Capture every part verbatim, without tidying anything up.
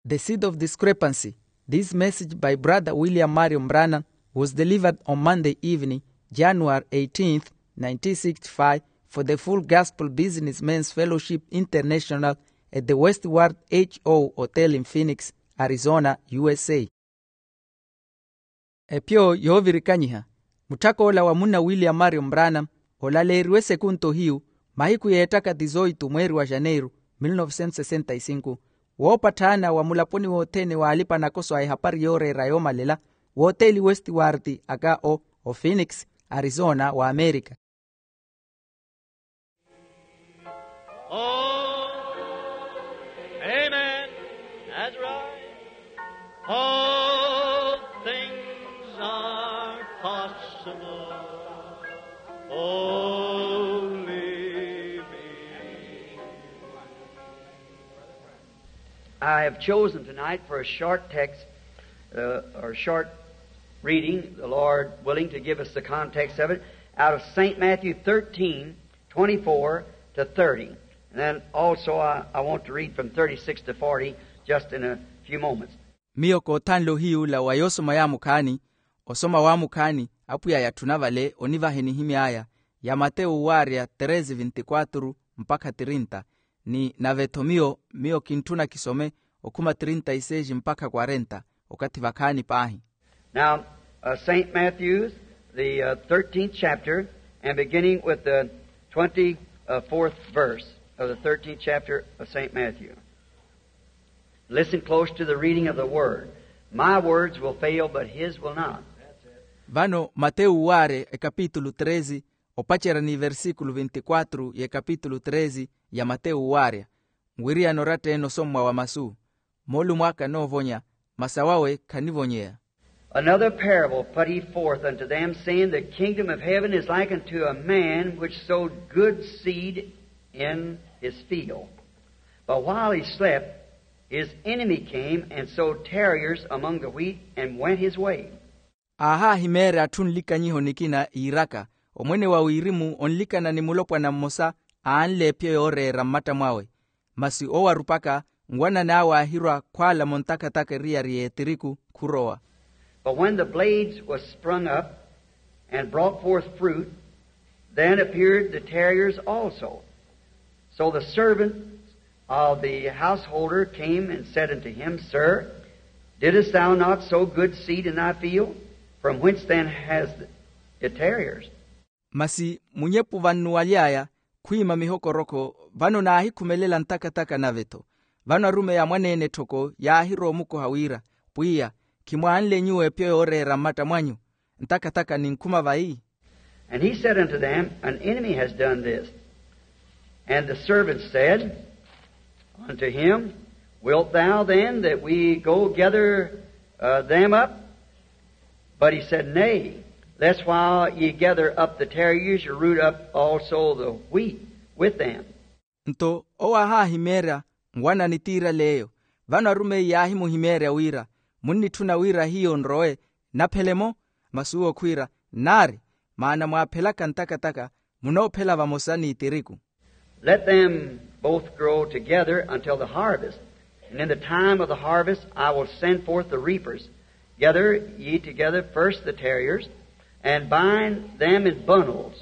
The Seed of Discrepancy. This message by Brother William Marion Branham was delivered on Monday evening, January eighteenth, nineteen sixty-five, for the Full Gospel Businessmen's Fellowship International at the Westward H O Hotel in Phoenix, Arizona, U S A. Epyo yoovirikanyiha. Mutthakoola wa munna William Marion Branham olaleeriwe sekunto hiyu, mahiku yeettaka tizoitu mweeri wa janeiru mil novecentos sessenta y cinco, woopatthaana wa mulaponi wothene waalipa nakoso a ehapari yooreera yoomalela, wooteeli westiwarti aka o o phoenix, arizona wa amerika. Oh, amen. That's right. All things are possible. Only believe. I have chosen tonight for a short text, uh, or short reading, the Lord willing to give us the context of it, out of Saint Matthew thirteen, twenty-four to thirty. And then also I, I want to read from thirty-six to forty just in a few moments. Miyo koothanle ohiyuula wa yoosoma yaamukhaani, osoma waamukhaani, apwiya yatthuna vale onivahe nihimy'aya, ya matewu waarya treze veintiquatro mpakha trinta. Ni nave-tho miyo miyo kintthuna kisome okhuma trinta y seis mpakha quarenta, okathi vakhaani paahi. Now, uh, Saint Matthew's, the uh, thirteenth chapter, and beginning with the twenty-fourth verse of the thirteenth chapter of Saint Matthew. Listen close to the reading of the word. My words will fail, but his will not. Vano matewu waare ekapitulu treze, opacerya ni versikulu veintiquatro y'ekapitulu treze ya matewu waarya. Nwiriyana oratta-ene osommwa wa masu, moolumo aka anoovonya, masi awawe khanivonyeya. Another parable put he forth unto them, saying, the kingdom of heaven is like unto a man which sowed good seed in his field. But while he slept, his enemy came and sowed tares among the wheat and went his way. Aahaahimeerya atthu nlikanyiho nikina iiraka, omwene wa wirimu onlikana ni mulopwana mmosa, aanle epyo yooreera mmatta mwawe. Masi owo arupaka, nwanani awe aahirwa khwaalamo ntakataka eriyari y'etiriku khurowa. But when the blades was sprung up and brought forth fruit, then appeared the tares also. So the servants of the householder came and said unto him, sir, didst thou not sow good seed in thy field? From whence then hast the tares? Masi munyepu vannuwaly'aya khwiima mihokorokho, vano naahikhumelela ntakataka nave-tho. Vano arumeyi a mwaneene etthoko yaahirowa omukoha wira, pwiya, khimwaanle nyuwo epyo yooreera mmatta mwanyu? Ntakataka ninkhuma vayi? And he said unto them, an enemy has done this. And the servants said unto him, wilt thou then that we go gather uh, them up? But he said, nay, lest while ye gather up the tares, ye root up also the wheat with them. Nto owo aahaahimeerya, nwanani tiirale eyo. Vano arumeyi yaahimuhimeerya wira, munnitthuna wira hiyo nrowe naphele-mo? Masi uwo khwiira, nnaari, maana mwaaphelaka ntakataka, munoophela vamosa n'itiriku. Let them both grow together until the harvest. And in the time of the harvest I will send forth the reapers. Gather ye together first the tares, and bind them in bundles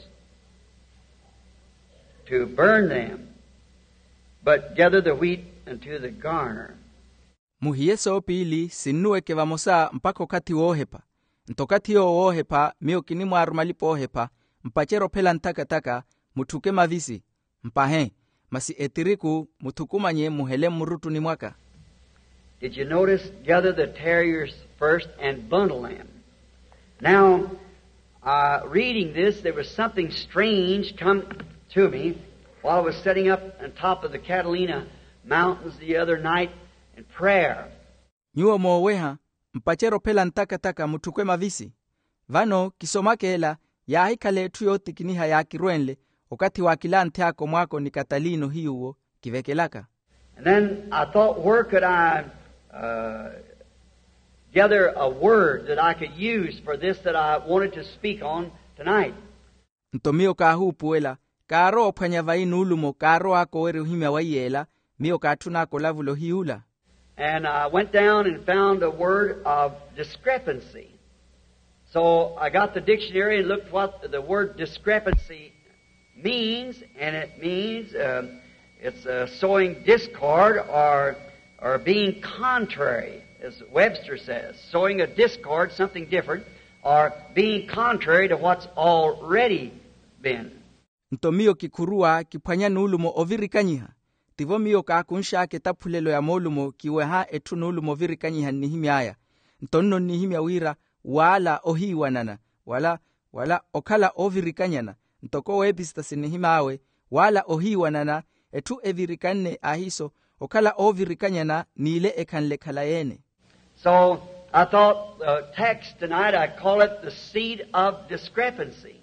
to burn them, but gather the wheat unto the garner. Muhiye soopiili sinnuweke vamosa mpakha okathi woohepha. Nto okathi yoowo woohepha miyo kinimwaaruma alipa oohepha, mpacerye ophela ntakataka, mutthuke mavisi, mpahe, masi etiriku muthukumanye muhele mmuruttuni mwaka. Did you notice? Gather the tares first and bundle them. Now, uh, reading this, there was something strange come to me while I was sitting up on top of the Catalina Mountains the other night in prayer. Nyuwo mooweha, mpacerye ophela ntakataka mutthuke mavisi. Vano kisomaka ela, yaahikhala etthu yootikiniha yaakirwenle okathi waakilanthy'aka omwaako ni katalino hiyuwo kivekelaka. And then I thought, where could I uh, gather a word that I could use for this that I wanted to speak on tonight? Nto miyo kaahuupuwela, kaarowa ophwanya vayi nuulumo kaarow'aka owerya ohimya wa iyeela, miyo kaatthun'aka olavula ohiy'ula. And I went down and found a word of discrepancy. So I got the dictionary and looked what the word discrepancy means, and it means, um, it's uh, sowing discord or, or being contrary, as Webster says, sowing a discord, something different, or being contrary to what's already been. Nto miyo kikhuruwa kiphwanya nuulumo ovirikanyiha. Tivo miyo kaakunx'aka etaphulelo ya moolumo kiweha etthu nuulumo ovirikanyiha nnihimy'aya. Nto nno nnihimya wira waala ohiiwanana, wala wala okhala oovirikanyana. Ntoko weepistasi nnihim'awe, waala ohiiwanana, etthu evirikanne ahiiso okhala oovirikanyana n'ile ekhanle khalayi-ene. So I thought the text tonight, I call it the seed of discrepancy,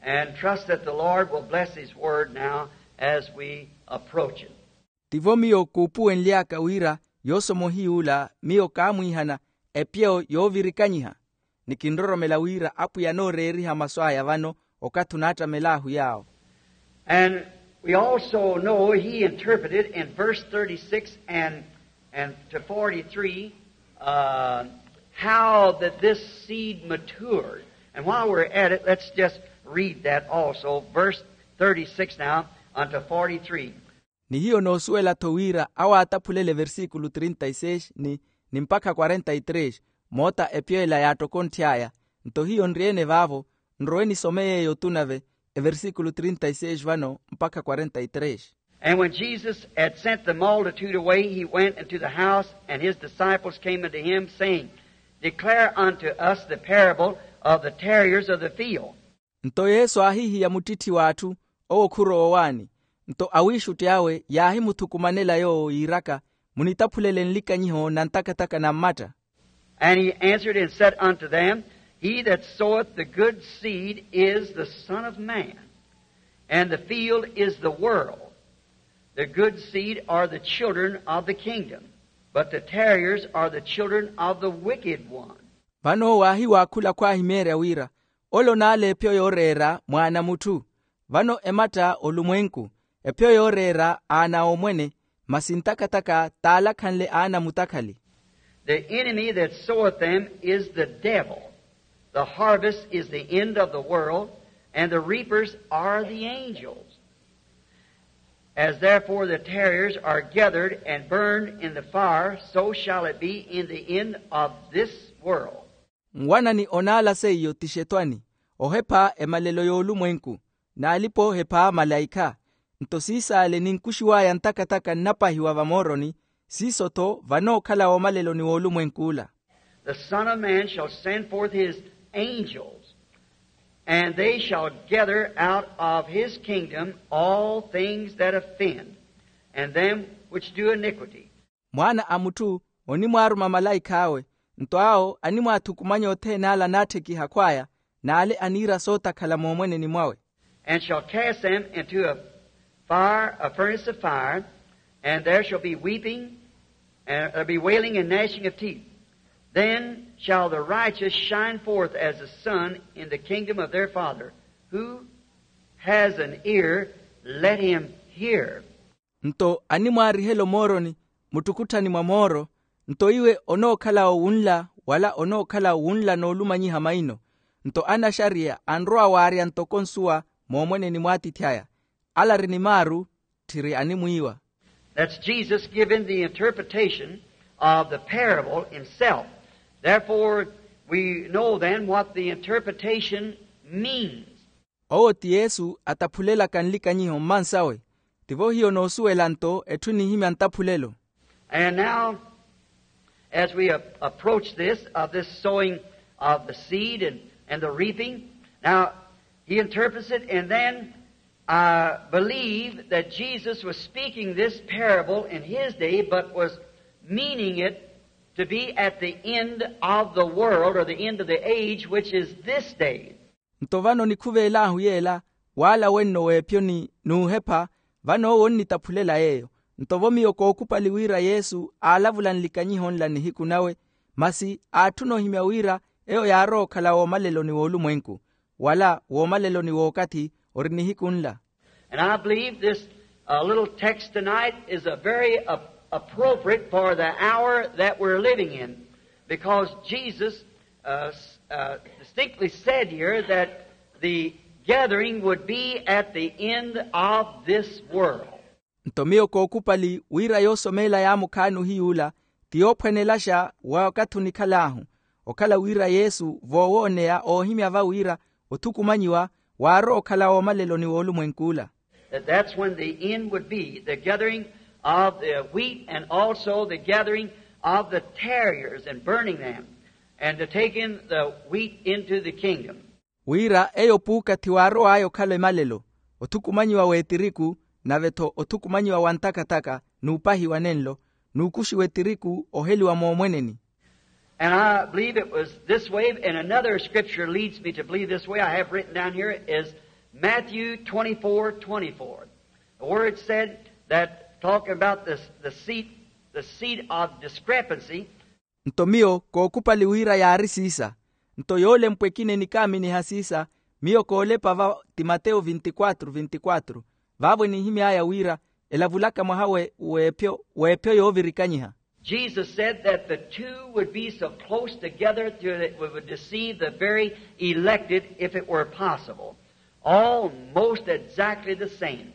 and trust that the Lord will bless His word now as we approach it. Tivo miyo kuupuwenly'aka wira yoosomohiy'ula miyo kaamwiihana epyo yoovirikanyiha. Ni kinroromela wira apwiya anooreeriha masu aya vano okathi onaattamel'ahu yaawo. And we also know he interpreted in verse thirty-six and, and to forty-three, uh, how that this seed matured. And while we're at it, let's just read that also, verse thirty-six now unto forty-three. Ni hiyo noosuwela-tho wira awo aataphulele eversikulo trinta y seis ni ni mpakha quarenta y três, moota epyo ela yaattokontth'aya. Nto hiyo nri-ene vaavo, nrowe nisome yeeyo tu nave, eversikulo trinta y seis vano mpakha quarenta y três. And when Jesus had sent the multitude away, he went into the house, and his disciples came unto him, saying, Declare unto us the parable of the tarriers of the field. Nto yesu aahihiya muttitthi w'atthu, owo khurowa owaani. Nto awiixutti awe yaahimuthukumanela yoowo yiiraka, munitaphulele nlikanyiho na ntakathaka na mmatta. And he answered and said unto them, He that soweth the good seed is the Son of Man, and the field is the world. The good seed are the children of the kingdom, but the tarriers are the children of the wicked one. Vano waahiwaakhula khwaahimeerya wira, ole onaala epyo yooreera mwaana a mutthu. Vano ematta olumwenku, epyo yooreera aana a omwene, masi ntakathaka taalakhanle aana a mutakhali. The enemy that soweth them is the devil. The harvest is the end of the world, and the reapers are the angels. As therefore the tarriers are gathered and burned in the fire, so shall it be in the end of this world. Nwanani onaala seiyo ti xetwani, ohepha emalelo y'olumwenku, n'alipa ohepha malaikha. Nto siisaale ninkuxiw'aya ntakathaka nnapahiwa vamooroni, siiso-tho vanookhala woomaleloni w'olumwenk'ula. The Son of Man shall send forth his angels, and they shall gather out of his kingdom all things that offend, and them which do iniquity. Mwaana a mutthu onimwaaruma malaikh'awe, nto awo animwaathukumanya othene ale anaatthikiha khw'aya, n'ale aniira sootakhala moomweneni mwawe. And shall cast them into a fire, a furnace of fire, and there shall be weeping, and there'll be wailing and gnashing of teeth. Then shall the righteous shine forth as the sun in the kingdom of their Father. Who has an ear, let him hear. Nto animwaarihela omooroni muttukutthani mwa mooro. Nto iwe onookhala owunla, wala onookhala owunla n'olumanyiha maino. Nto anaxariya anrowa waarya ntoko nsuwa moomweneni mw'atiithi aya, ala ari ni maaru, tthiri animwiiwa. That's Jesus giving the interpretation of the parable himself. Therefore, we know then what the interpretation means. Owo ti yesu ataphulelaka nlikanyiho mmansawe. Tivo hiyo noosuwela nto etthu enihimya ntaphulelo. And now, as we ap- approach this, of this sowing of the seed and, and the reaping, now, he interprets it, and then I believe that Jesus was speaking this parable in his day, but was meaning it to be at the end of the world, or the end of the age, which is this day. Nto vano nikhuveel'ahu yeela, waala wenno w'epyo ni n'uhepha, vano owo onnitaphulela yeeyo. Nto vo miyo kookupali wira yesu aalavula nlikanyiho nla nihiku nawe, masi aatthuna ohimya wira eyo yaarowa okhala woomaleloni w'olumwenku, wala woomaleloni w'okathi ori nihiku nla. And I believe this uh, little text tonight is a very uh, Appropriate for the hour that we're living in, because Jesus uh, s- uh, distinctly said here that the gathering would be at the end of this world. Nto miyo kookupali wira yoosomeela yaamukhaani ohiy'ula ti yoophwanelaxa wa wakathi onikhal'ahu, okhala wira yesu voowooneya oohimya va wira othukumanyiwa waarowa okhala woomalelo ni woolumwenk'ula. That that's when the end would be, the gathering of the wheat and also the gathering of the tarriers and burning them, and to take in the wheat into the kingdom. Wira eyo puukathi waarow'aya okhala emalelo, othukumanyiwa w'etiriku, nave-tho othukumanyiwa wa ntaka-taka n'upahiwa nenlo, n'ukuxiwa etiriku oheliwa moomweneni. And I believe it was this way, and another scripture leads me to believe this way. I have written down here is Matthew twenty-four twenty-four, where it said that, talking about this, the seed, the seed of discrepancy. Nto miyo kookupali wira yaari siisa. Nto yoolempwa ekina enikaaminiha siisa, miyo koolepa va ti mateyo vinti-quatro vinti-quatro, vaavo enihimy'aya wira elavulaka mwaha we w'ephyo w'ephyo yoovirikanyiha. Jesus said that the two would be so close together that it would deceive the very elected if it were possible. Almost exactly the same.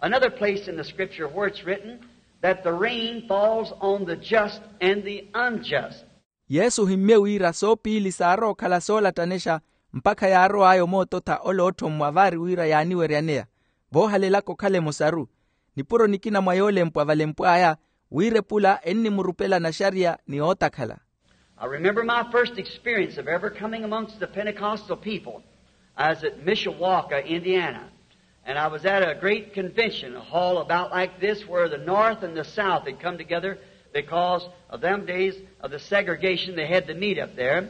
Another place in the scripture where it's written that the rain falls on the just and the unjust. Yesu ohimmye wira soopiili saarowa okhala soolattanexa, mpakha yaarow'aya omoototha ole ootthommwa vaari wira yaaniweryaneya voohalelaka okhala emosaru. Nipuro nikina mwa yoolempwa valempw'aya wira epula ennimurupela naxariya ni ootakhala. I remember my first experience of ever coming amongst the Pentecostal people. I was at Mishawaka, Indiana, and I was at a great convention, a hall about like this, where the North and the South had come together because of them days of the segregation. They had to meet up there.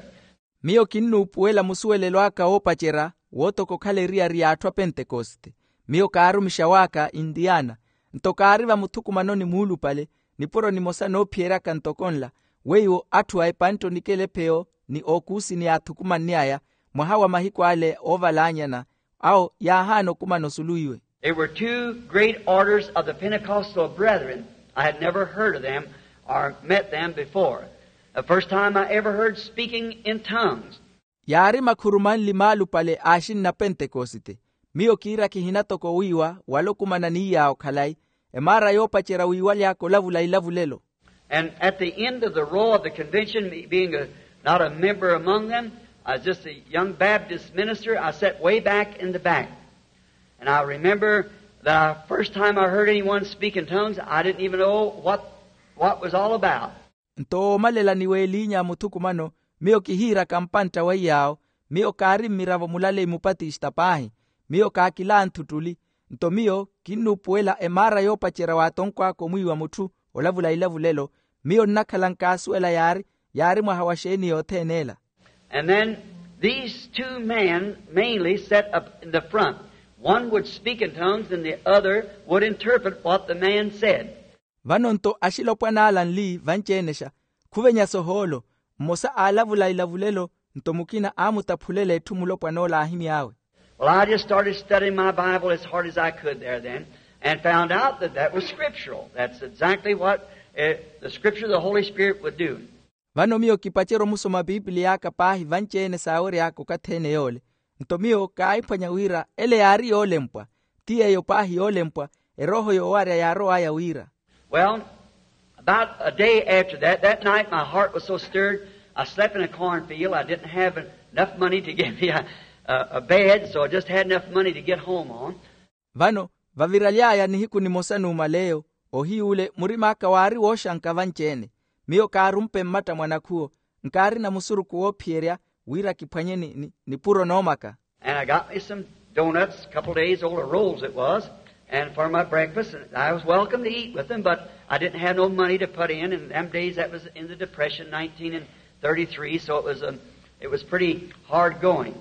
Miyo kinnuupuwela musuwelelo aka woopacerya wootoka okhala eriyari y'atthu a pentekoste. Miyo kaari omixawaaka intiyana, nto kaari vamuthukumanoni muulupale, nipuro nimosa noophiyeryaka ntoko nla, weiwo atthu a epantte onikela epheyo ni ookuusini yaathukumanny'aya mwaha wa mahiku ale oovalaanyana, awo yaahaana okumana osulu iwe. They were two great orders of the Pentecostal brethren. I had never heard of them or met them before. The first time I ever heard speaking in tongues. Yaari makhuru manli maalupale a axinna pentekosite. Miyo kiira kihina toko wiiwa wala okumana ni iyaawo khalayi, emaara yoopacerya wiiwaly'aka olavula ilavulelo. And at the end of the row of the convention, me being a, not a member among them, I was just a young Baptist minister, I sat way back in the back. And I remember that I, first time I heard anyone speak in tongues, I didn't even know what, what was all about. Nto woomalela ni weeliinya muthukumano, miyo kihiiraka mpantta wa iyaawo. Miyo kaari mmiravo mulaleyi mupatista paahi. Miyo kaakilanthu ttuli. Nto miyo kinnuupuwela emaara yoopacerya waatonkw'aka omwiiwa mutthu olavula ilavulelo. Miyo nnakhala nkaasuwela yaari yaari mwaha wa xeeni yothene ela. And then these two men mainly sat up in the front. One would speak in tongues and the other would interpret what the man said. Vano nto axilopwan'ala nli vanci-enexa, khuvenya sohoolo, mmosa aalavula ilavulelo, nto mukina aamutaphulela etthu mulopwan'ola aahimy'awe. Well, I just started studying my Bible as hard as I could there then, and found out that that was scriptural. That's exactly what uh, the scripture of the Holy Spirit would do. Vano miyo kipacerya omusoma pipiliy'aka paahi vanci-ene saawery'aka okathi-ene yoole. Nto miyo kaahiphwanya wira ele yaari yoolempwa. Ti yeeyo paahi yoolempwa erooho yoowarya yaarow'aya wira. Well, about a day after that, that night my heart was so stirred, I slept in a cornfield. I didn't have enough money to get me a, a, a bed, so I just had enough money to get home on. Vano vaviraly'aya nihiku nimosa numaleyo, ohiy'ule murim'aka waari wooxanka vanci-ene. Miyo kaarumpe mmatta mwa nakhuwo, nkaarina musurukhu woophiyerya wira kiphwanye ni, ni, nipuro noomaka. And I got me some donuts, a couple days old, or rolls it was, and for my breakfast. And I was welcome to eat with them, but I didn't have no money to put in. And them days, that was in the Depression, nineteen thirty-three, so it was, um, it was pretty hard going.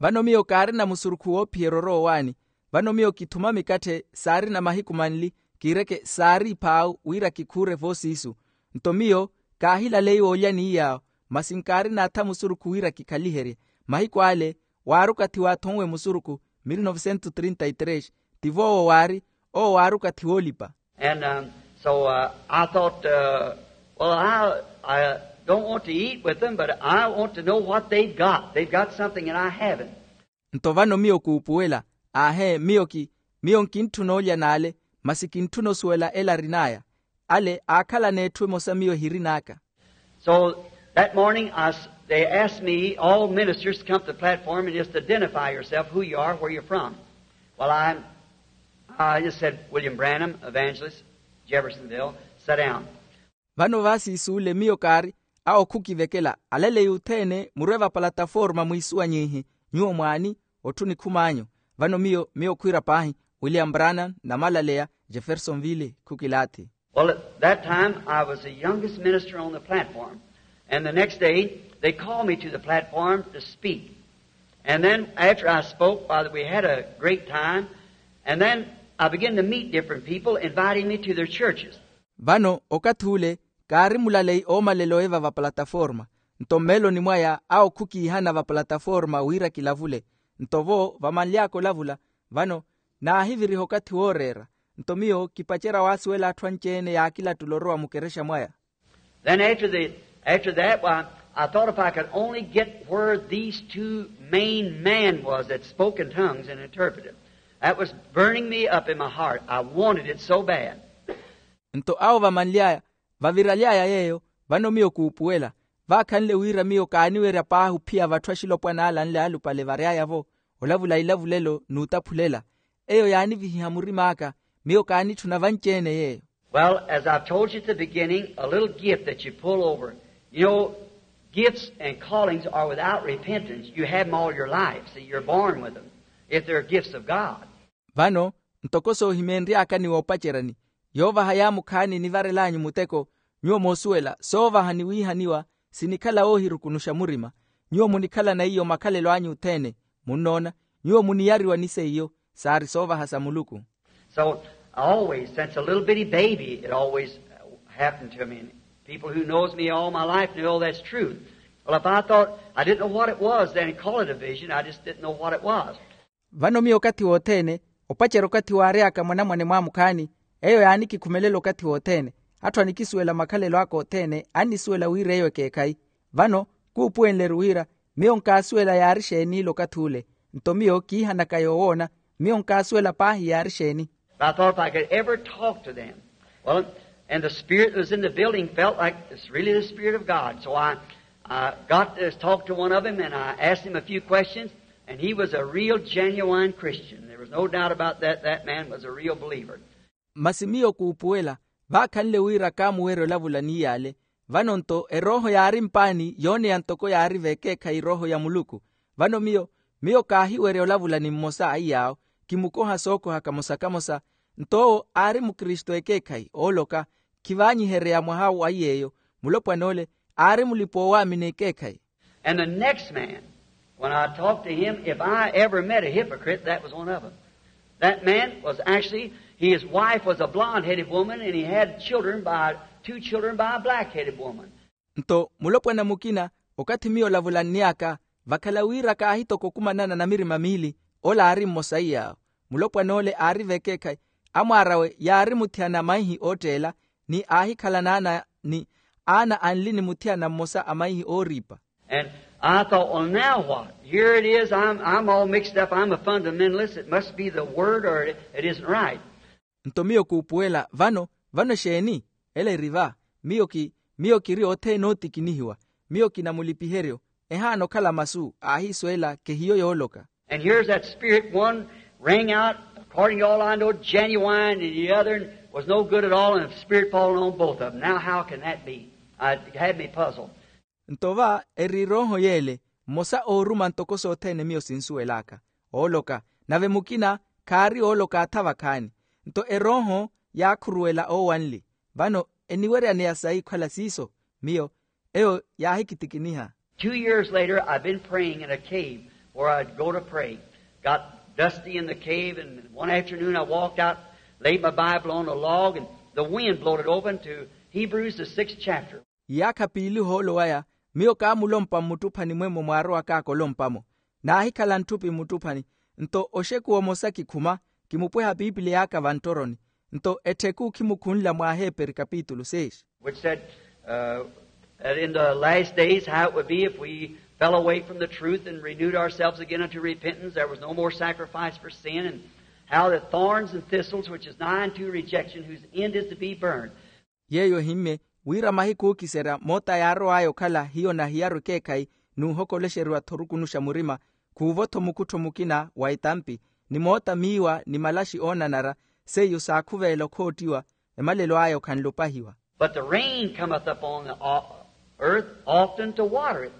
Vano miyo kaarina musurukhu woophiyerya oroowaani. Vano miyo kithuma mikatthe saarina mahiku manli, kiireke saari iphaawu wira kikhuure voosiisu. Nto miyo kaahilaleiwa olya n'iyaawo, masi nkaarina atha musurukhu wira kikhaliherye. Mahiku ale waari okathi waathonwe musurukhu, mil novecentos trinta y tres. Tivo owo waari, owo waari okathi woolipa. And um, So uh, I thought, uh, well, I, I don't want to eat with them, but I want to know what they've got. They've got something that I haven't. Nto vano miyo kuupuwela, aahe miyo ki miyo nkintthuna olya n'ale, masi kintthuna osuwela ela arin'aya. Ale aakhalana etthu emosa miyo ehirin'aka. So that morning, I s- they asked me, all ministers, to come to the platform and just identify yourself, who you are, where you're from. Well, I, I just said, William Branham, evangelist, Jeffersonville. Sit down. Vano vaasiisuule miyo kaari a okhukivekela, alaleyi othene murwe vapalataforma mwiisuwanyiihi, nyuwo mwaani, otthu nikhum'anyu. Vano miyo miyo khwiira paahi, william branham, namalaleya, jeffersonville, khukilaathi. Well, at that time, I was the youngest minister on the platform. And the next day, they called me to the platform to speak. And then after I spoke, uh, we had a great time. And then I began to meet different people, inviting me to their churches. Vano okathi ule, kaari mulaleyi oomalela oiva vapalataforma. Nto mmeeloni mwaya a okhukiihana vapalataforma wira kilavule. Nto vo vamanly'aka olavula, vano naahiviriha okathi wooreera. Nto miyo kipacerya waasuwela atthu anci-ene yaakilattula orowa mukerexa mwaya. Then after the, after that, why, I thought if I could only get where these two main men was that spoke in tongues and interpreted. That was burning me up in my heart. I wanted it so bad. Nto awo vamanly'aya, vaviraly'aya yeeyo, vano miyo kuupuwela. Vaakhanle wira miyo kaaniwerya paahi ophiya vatthu axilopwana ala anle alupale vary'aya-vo, olavula ilavulelo n'utaphulela. Eyo yaanivihiha murim'aka, miyo kaanitthuna vanci-ene yeeyo. Well, as I've told you at the beginning, a little gift that you pull over. You know, gifts and callings are without repentance. You have them all your life. See, you're born with them, if they're gifts of God. Vano, ntoko soohimeenry'aka ni woopaceryani, yoovaha yaamukhaani nivarel'anyu muteko, nyuwo moosuwela soovaha ni wiihaniwa, sinikhala woohirukunuxa murima. Nyuwo munikhalana iyo makhalelo anyu othene. Munnoona, nyuwo muniyariwa ni seiyo, saari soovaha sa muluku. So always, since a little bitty baby, it always uh, happened to me. And people who knows me all my life know that's true. Well, if I thought, I didn't know what it was then, and call it a vision, I just didn't know what it was. Vano miyo okathi wothene, opacerya okathi waary'aka mwanamwane mwaamukhaani, eyo yaanikikhumelela okathi wothene. Atthu anikisuwela makhalelo aka othene annisuwela wira eyo ekeekhayi. Vano kuupuwenle-ru wira miyo nkaasuwela yaari xeen'ile okathi ule. Nto miyo kiihanaka yoowoona, miyo nkaasuwela paahi yaari xeeni. But I thought if I could ever talk to them. Well, and the spirit that was in the building felt like it's really the Spirit of God. So I, I got to talk to one of them and I asked him a few questions, and he was a real genuine Christian. There was no doubt about that. That man was a real believer. Masi miyo kuupuwela, vaakhanle wira kaamuwerya olavula n'iy'ale. Vano nto erooho yaari mpaani yooneya ntoko yaari vekeekhayi erooho ya muluku. Vano miyo miyo kaahiwerya olavula ni mmosa a iy'awo, kimukoha sookoha kamosa kamosa. Nto owo aari mukristu ekeekhayi ooloka, khivaanyihereya mwaha wa iy'eyo. Mulopwan'ole aari mulipa-oowaamini ekeekhayi. And the next man, when I talked to him, if I ever met a hypocrite, that was one of them. That man was actually, his wife was a blonde-headed woman, and he had children by, two children by a black-headed woman. Nto mulopwana mukina, okathi miyo olavulann'yaka, vakhala wira kaahitoka okumanana na mirima miili, ola aari mmosa iy'awo. Mulopwan'ole aari vekeekhayi, amwaar'awe yaari muthiyana a maihi ootteela, ni aahikhala n'aana, ni aana anli ni muthiyana mmosa a maihi ooriipa. And I thought, well, now what? Here it is, I'm, I'm all mixed up, I'm a fundamentalist, it must be the word or it, it isn't right. Nto miyo kuupuwela, vano vano exeeni? Ela eri va. Miyo ki miyo kiri othene ootikinihiwa. Miyo kina mulipiheryo. Ehaana okhala masu aahiisuwela kehiyo yooloka. And here's that spirit, one rang out, according to all I know, genuine, and the other was no good at all, and the spirit falling on both of them. Now, how can that be? I had me puzzled. Nto va eri erooho y'ele, mmosa ooruma ntoko sothene miyo sinsuwel'aka, ooloka, nave mukina khaari ooloka atha vakhaani. Nto erooho yaakhuruwela oowanli. Vano eniweryaneya sayi khala siiso? Miyo eyo yaahikitikiniha. Two years later, I'd been praying in a cave where I'd go to pray. Got dusty in the cave, and one afternoon I walked out, laid my Bible on a log, and the wind blowed it open to Hebrews, the sixth chapter. Iyaakha piili ohoolo waya, miyo kaamulompa mmuttuphani mwemmo mwaarowak'aka olompa-mo. Naahikhala ntthupi mmuttuphani. Nto oxekuwa omosa kikhuma, kimupweha piipiliy'aka vanttoroni. Nto ettheku khimukhunla mwa aheperi kapitulu six, which said, uh, that in the last days how it would be if we fell away from the truth and renewed ourselves again unto repentance. There was no more sacrifice for sin, and how the thorns and thistles, which is nigh unto rejection, whose end is to be burned. Yeeyo ehimmye wira mahiku ookiserya moota yaarow'aya okhala hiyo nahiyaru ekeekhayi, n'uhokolexeriwa-tho orukunuxa murima, khuuvo-tho mukuttho mukina wa etampi, ni moota miiwa ni malaxi oonanara, seiyo saakhuveela okhoottiwa, emalelo aya okhanle opahiwa. But the rain cometh upon the, uh, earth often to water it,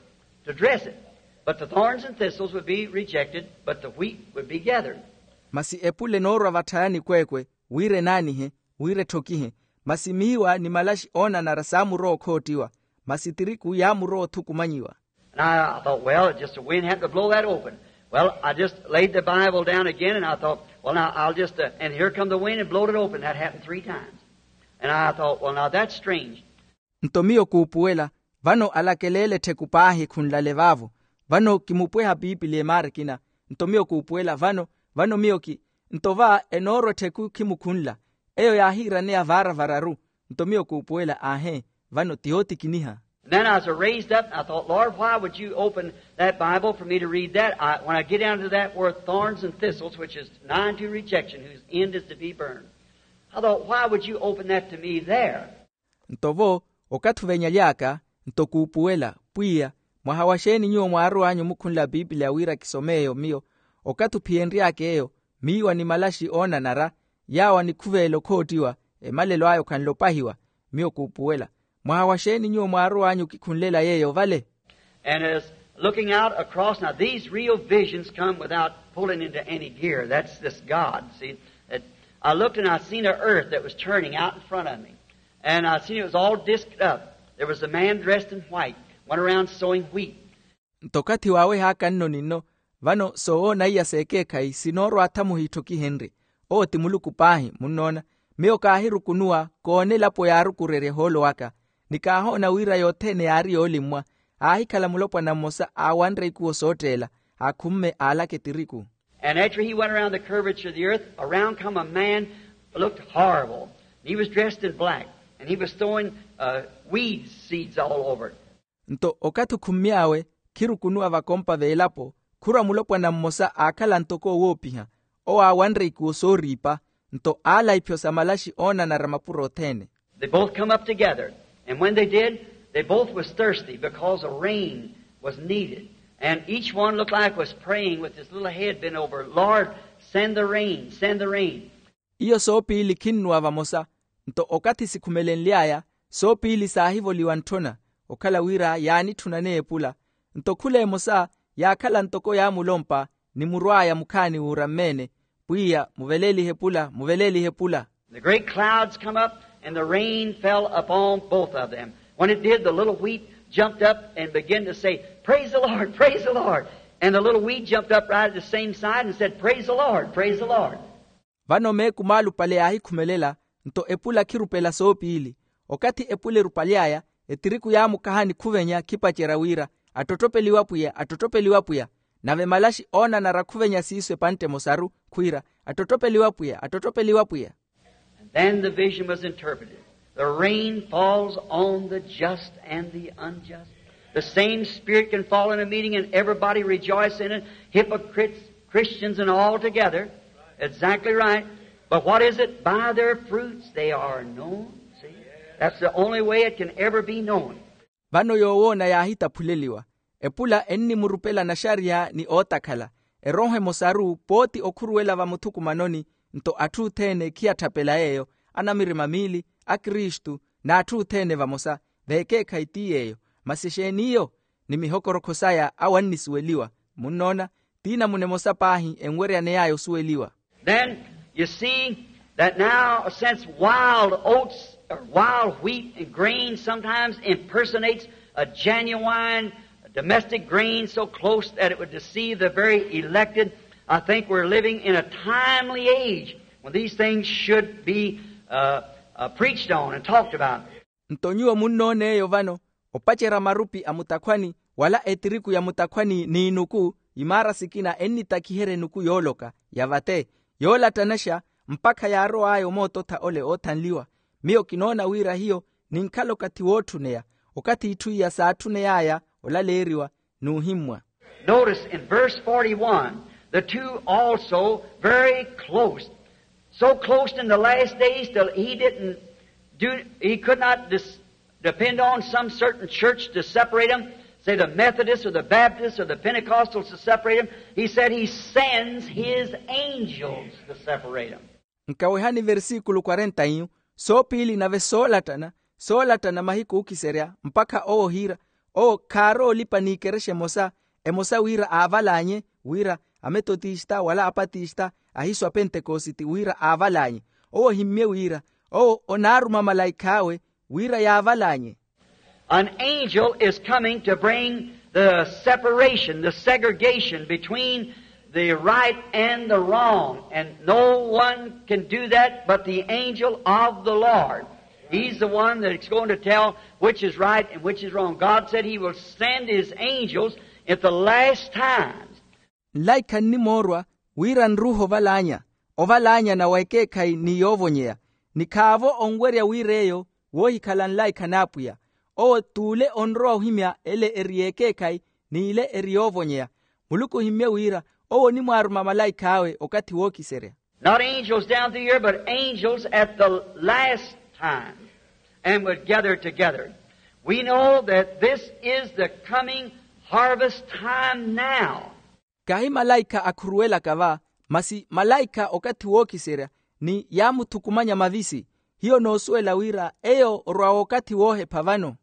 to dress it. But the thorns and thistles would be rejected, but the wheat would be gathered. Masi epula enoorwa vatthayani kweekwe, wira enaanihe, wira etthokihe, masi miiwa ni malaxi oonanara saamurowa okhoottiwa, masi tiriku yaamurowa othukumanyiwa. And I, I thought, well, just the wind happened to blow that open. Well, I just laid the Bible down again, and I thought, well, now I'll just, uh, and here come the wind and blowed it open. That happened three times. And I thought, well, now that's strange. Nto miyo kuupuwela, vano alakeleele ettheku paahi khunlale vaavo, vano kimupweha piipili emaara ekina. Nto miyo kuupuwela vano, vano miyo ki, nto va enoorwa ettheku khimukhunla, eyo yaahiiraneya vaara vararu. Nto miyo kuupuwela, aahe, vano ti yootikiniha. And then I was raised up, and I thought, Lord, why would you open that Bible for me to read that? I, when I get down to that word thorns and thistles, which is nigh unto rejection, whose end is to be burned. I thought, why would you open that to me there? Nto vo, okathi ovenyaly'aka, nto kuupuwela, pwiya, mwaha wa xeeni nyuwo mwaarowanyu omukhunla a piipiliya wira kisome eyo miyo? Okathi ophiyenry'aka eyo, miiwa ni malaxi oonanara, yaawo anikhuveela okhoottiwa, emalelo aya okhanle opahiwa. Miyo kuupuwela, mwaha wa xeeni nyuwo mwaarowanyu okikhunlela yeeyo vale? And as looking out across, now these real visions come without pulling into any gear. That's this God, see. It, I looked and I seen an earth that was turning out in front of me. And I seen it was all disked up. There was a man dressed in white, went around sowing wheat. Nto okathi waawehaaka nno ni nno, vano soowoona iya s'ekeekhayi sinoorwa athamuhi itthokihenrye. Owo ti muluku paahi, munnoona. Miyo kaahirukunuwa koona elapo yaarukurerya ehoolo waka, ni kaahoona wira yothene yaari yoolimmwa. Aahikhala mulopwana mmosa aawanre ikuwo sootteela, aakhumme aalaka etiriku. And after he went around the curvature of the earth, around come a man looked horrible. He was dressed in black, and he was throwing, uh, weed seeds all over. Nto okathi okhummy'awe khirukunuwa vakompa v'elapo, khurwa mulopwana mmosa aakhala ntoko owoopiha, owo aawanre ikuwo sooriipa, nto aala iphyo sa malaxi oonanara mapuro othene. They both come up together, and when they did, they both was thirsty because a rain was needed. And each one looked like was praying with his little head bent over, Lord, send the rain, send the rain. Iyo soopiili khinnuwa vamosa. Nto okathi sikhumelenly'aya, soopiili saahivoliwa ntthona, okhala wira yaanitthunane epula. Nto khula emosa yaakhala ntoko yaamulompa, ni murw'aya mukhaani wuurammeene, pwiya muveleelihe epula, muveleelihe epula. The great clouds come up, and the rain fell upon both of them. When it did, the little wheat jumped up and began to say, Praise the Lord, praise the Lord. And the little weed jumped up right at the same side and said, Praise the Lord, praise the Lord. Vano meeku maalupale yaahikhumelela, nto epula khirupela soopiili. Okathi epula erupaly'aya, etiriku yaamukaha nikhuvenye akhipacerya wira, Attotthopeliwe Apwiya, attotthopeliwe Apwiya. Nave malaxi oonanara khuvenya siiso epantte emosaru, khwiira, Attotthopeliwe Apwiya, attotthopeliwe Apwiya. And then the vision was interpreted. The rain falls on the just and the unjust. The same Spirit can fall in a meeting and everybody rejoice in it, hypocrites, Christians, and all together. Exactly right. But what is it? By their fruits they are known. See? That's the only way it can ever be known. Vano yoowoona yaahitaphuleliwa. Epula ennimurupela naxariya ni ootakhala. Erooho emosaru pooti okhuruwela vamuthukumanoni. Nto atthu othene khiyatthapela yeeyo, anamirima miili, akristu, n'atthu othene vamosa. Veekeekhayi ti yeeyo. Masi exeeni iyo? Ni mihokorokho saya awo annisuweliwa. Munnoona, ti namuna emosa paahi enweryane yaya osuweliwa. Then you see that now, since wild oats or wild wheat and grain sometimes impersonates a genuine domestic grain so close that it would deceive the very elected, I think we're living in a timely age when these things should be, uh, uh, preached on and talked about. Nto nyuwo munnoona eyo vano, opacerya marupi a mutakhwani, wala etiriku ya mutakhwani n'inuku, imaara sikina ennitakiherya enuku yooloka, ya vate, yoolattanaxa, Mpakha yaarow'aya omoototha ole oothanliwa. Miyo kinoona wira hiyo ninkhala okathi wootthuneya, okathi itthu iya saatthuney'aya olaleeriwa n'uhimmwa. Notice in verse forty-one, the two also very close, so close in the last days till he didn't do, he could not dis- depend on some certain church to separate them, say the Methodists or the Baptists or the Pentecostals to separate them. He said he sends his angels to separate them. Nkawehani versikulu kwarenta iyu, soopiili nave soolattana, soolattana mahiku ookiserya mpakha owo ohiira, owo khaarowa olipa n'ikerexa emosa, emosa wira aavalaanye, wira ametotista wala apatista, ahisu a pentekositi wira aavalaanye. Owo ohimmye wira owo onaaruma malaikh'awe wira yaavalaanye. An angel is coming to bring the separation, the segregation between the right and the wrong. And no one can do that but the angel of the Lord. He's the one that's going to tell which is right and which is wrong. God said he will send his angels at the last times. Nlaikha nnimoorwa wira nruuhe ovalaanya, ovalaanyana wa ekeekhayi ni yoovonyeya. Ni khaavo onwerya wira eyo woohikhala nlaikha n'apwiya. Owo t'ule onrowa ohimya ele eri y'ekeekhayi, n'ile eri yoovonyeya. Muluku ohimmye wira owo onimwaaruma malaikh'awe okathi wookiserya. Not angels down through here but angels at the last time, and would gather together. We know that this is the coming harvest time now. Kahi malaikha akhuruwelaka va, masi malaikha okathi wookiserya, ni yaamuthukumanya mavisi. Hiyo noosuwela wira eyo orwa wookathi woohepha vano.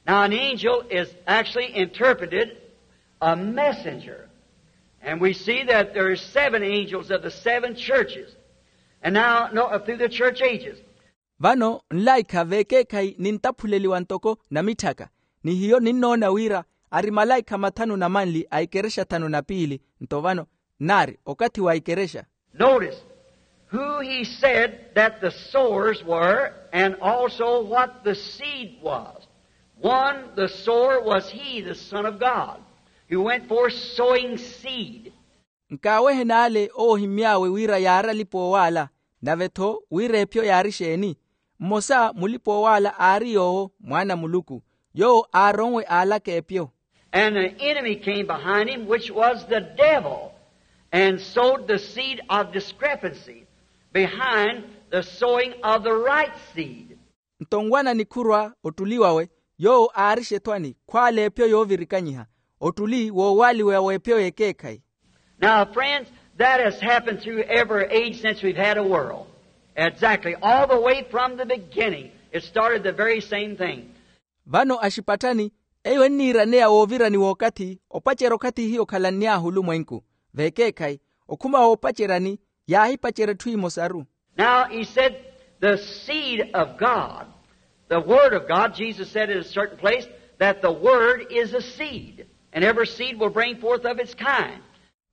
Now an angel is actually interpreted a messenger. And we see that there are seven angels of the seven churches. And now, no, uh, through the church ages. Vano nlaikha v'ekeekhayi nintaphuleliwa ntoko namitthaka, ni hiyo ninnoona wira ari malaikha mathanu na manli a ikerexa thanu na piili. Nto vano nnaari okathi wa ikerexa. Notice who he said that the sowers were and also what the seed was. One, the sower was he, the Son of God, who went forth sowing seed. Nkaaweheni ale owo ohimmy'awe wira yaari alipa-oowaala, nave-tho wira epyo yaari exeeni? Mmosa mulipa-oowaala aari yoowo mwaana a muluku, yoowo aaronwe aalaka epyo. And the enemy came behind him, which was the devil, and sowed the seed of discrepancy behind the sowing of the right seed. Nto nwana nikhurwa ottuli wawe, yoowo aarixa ethwani khwaala epyo yoovirikanyiha, ottuli woowaaliwa w'epyo y'ekeekhayi. Now friends, that has happened through every age since we've had a world. Exactly, all the way from the beginning it started the very same thing. Vano axipatthani, eyo enniiraneya woovirani w'okathi opacerya okathi hiyo okhalanny'ahu olumwenku, v'ekeekhayi okhuma woopaceryani yaahipacerya etthu emosaru. Now he said, the seed of God, the word of God, Jesus said in a certain place that the word is a seed, and every seed will bring forth of its kind.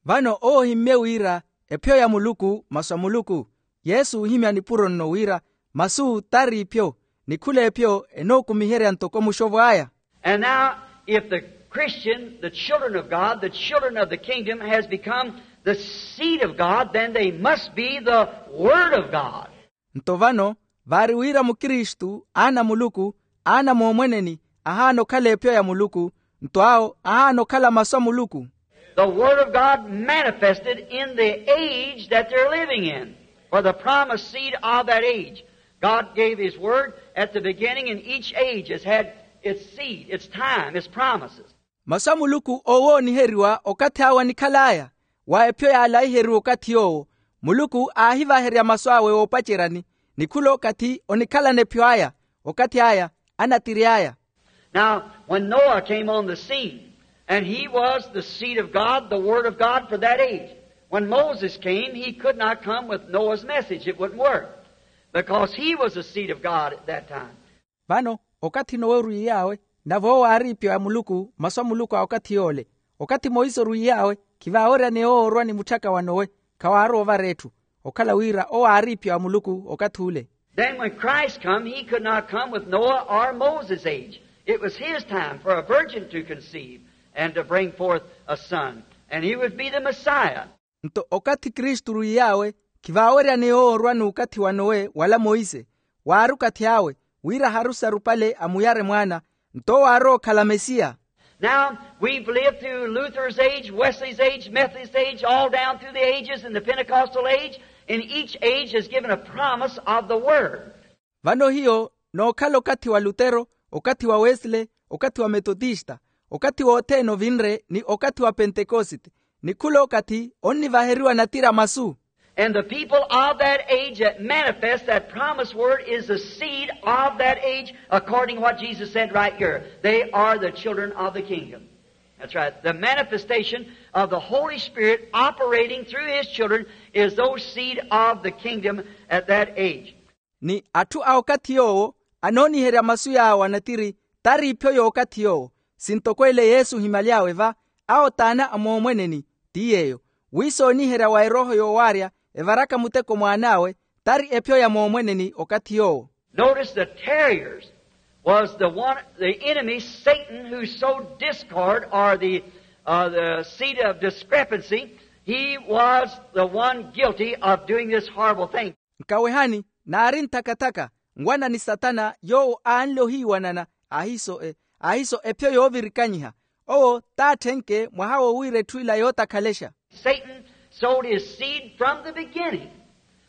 Vano owo ohimmye wira epyo ya muluku masu a muluku. Yesu oohimya nipuro nno wira masu t'ari ipyo, ni khula epyo enookumiherya ntoko muxovo aya. And now, if the Christian, the children of God, the children of the kingdom, has become the seed of God, then they must be the Word of God. Nto vano, vaari wira mukristu, aana a muluku, aana a moomweneni, ahaana okhala epyo ya muluku, nto awo ahaana okhala masu a muluku. The Word of God manifested in the age that they're living in. For the promised seed of that age, God gave His Word at the beginning, and each age has had its seed, its time, its promises. Masu a muluku oowooniheriwa okathi awe anikhal'aya, wa epyo yaalahiheriwa okathi yoowo, muluku aahivaherya masu awe oopaceryani, ni khula okathi onikhalana epyo aya, okathi aya anatiry'aya. Now when Noah came on the scene, and he was the seed of God, the Word of God for that age. When Moses came, he could not come with Noah's message. It wouldn't work, because he was the seed of God at that time. Vano okathi nowe orwiiy'awe, nave owo aari ipyo ya muluku masu a muluku a okathi yoole. Okathi monse orwiiy'awe, khivaaweryaneya owo orwa ni mutthaka wa nowe, khawaarowa ovara etthu, okhala wira owo aari ipyo ya muluku okathi ule. Then when Christ come, he could not come with Noah or Moses' age. It was his time for a virgin to conceive and to bring forth a son, and he would be the Messiah. Nto okathi kristu orwiiy'awe, Khivaaweryaneya owo orwa n'ukathi wa nowe wala monse. Waari okathi awe wira aharusi arupale amuyare mwaana, nto owo aarowa okhala mesiya. Now, we've lived through Luther's age, Wesley's age, Methodist age, all down through the ages, and the Pentecostal age, and each age has given a promise of the word. Vano hiyo nookhala okathi wa lutero, okathi wa wesley, okathi wa metotista, okathi wothene ovinre ni okathi wa pentekosite, ni khula okathi onnivaheriwa natira masu. And the people of that age that manifest that promised word is the seed of that age, according to what Jesus said right here. They are the children of the kingdom. That's right. The manifestation of the Holy Spirit operating through his children is those seed of the kingdom at that age. Ni atthu a okathi yoowo anooniherya masu yaawo anatiri, tari iphyo y'okathi yoowo. Sintoko ele yesu ohimaly'awe va, awo t'ana a moomweneni. Ti yeeyo, wi sooniherya wa erooho yoowaarya evaraka muteko mwaan'awe, tari ephyo ya moomweneni okathi yoowo. Notice the tarriers was the one, the enemy Satan, who sowed discord, or the, uh, the seed of discrepancy. He was the one guilty of doing this horrible thing. Nkawehani, naari nthakathaka, nwana ni satana yoowo aanle ohiiwanana, ahiso e ahiso ephyo yoovirikanyiha. Owo t'atthenke mwaha wo wira etthu ila yootakhalexa. Satan sowed his seed from the beginning,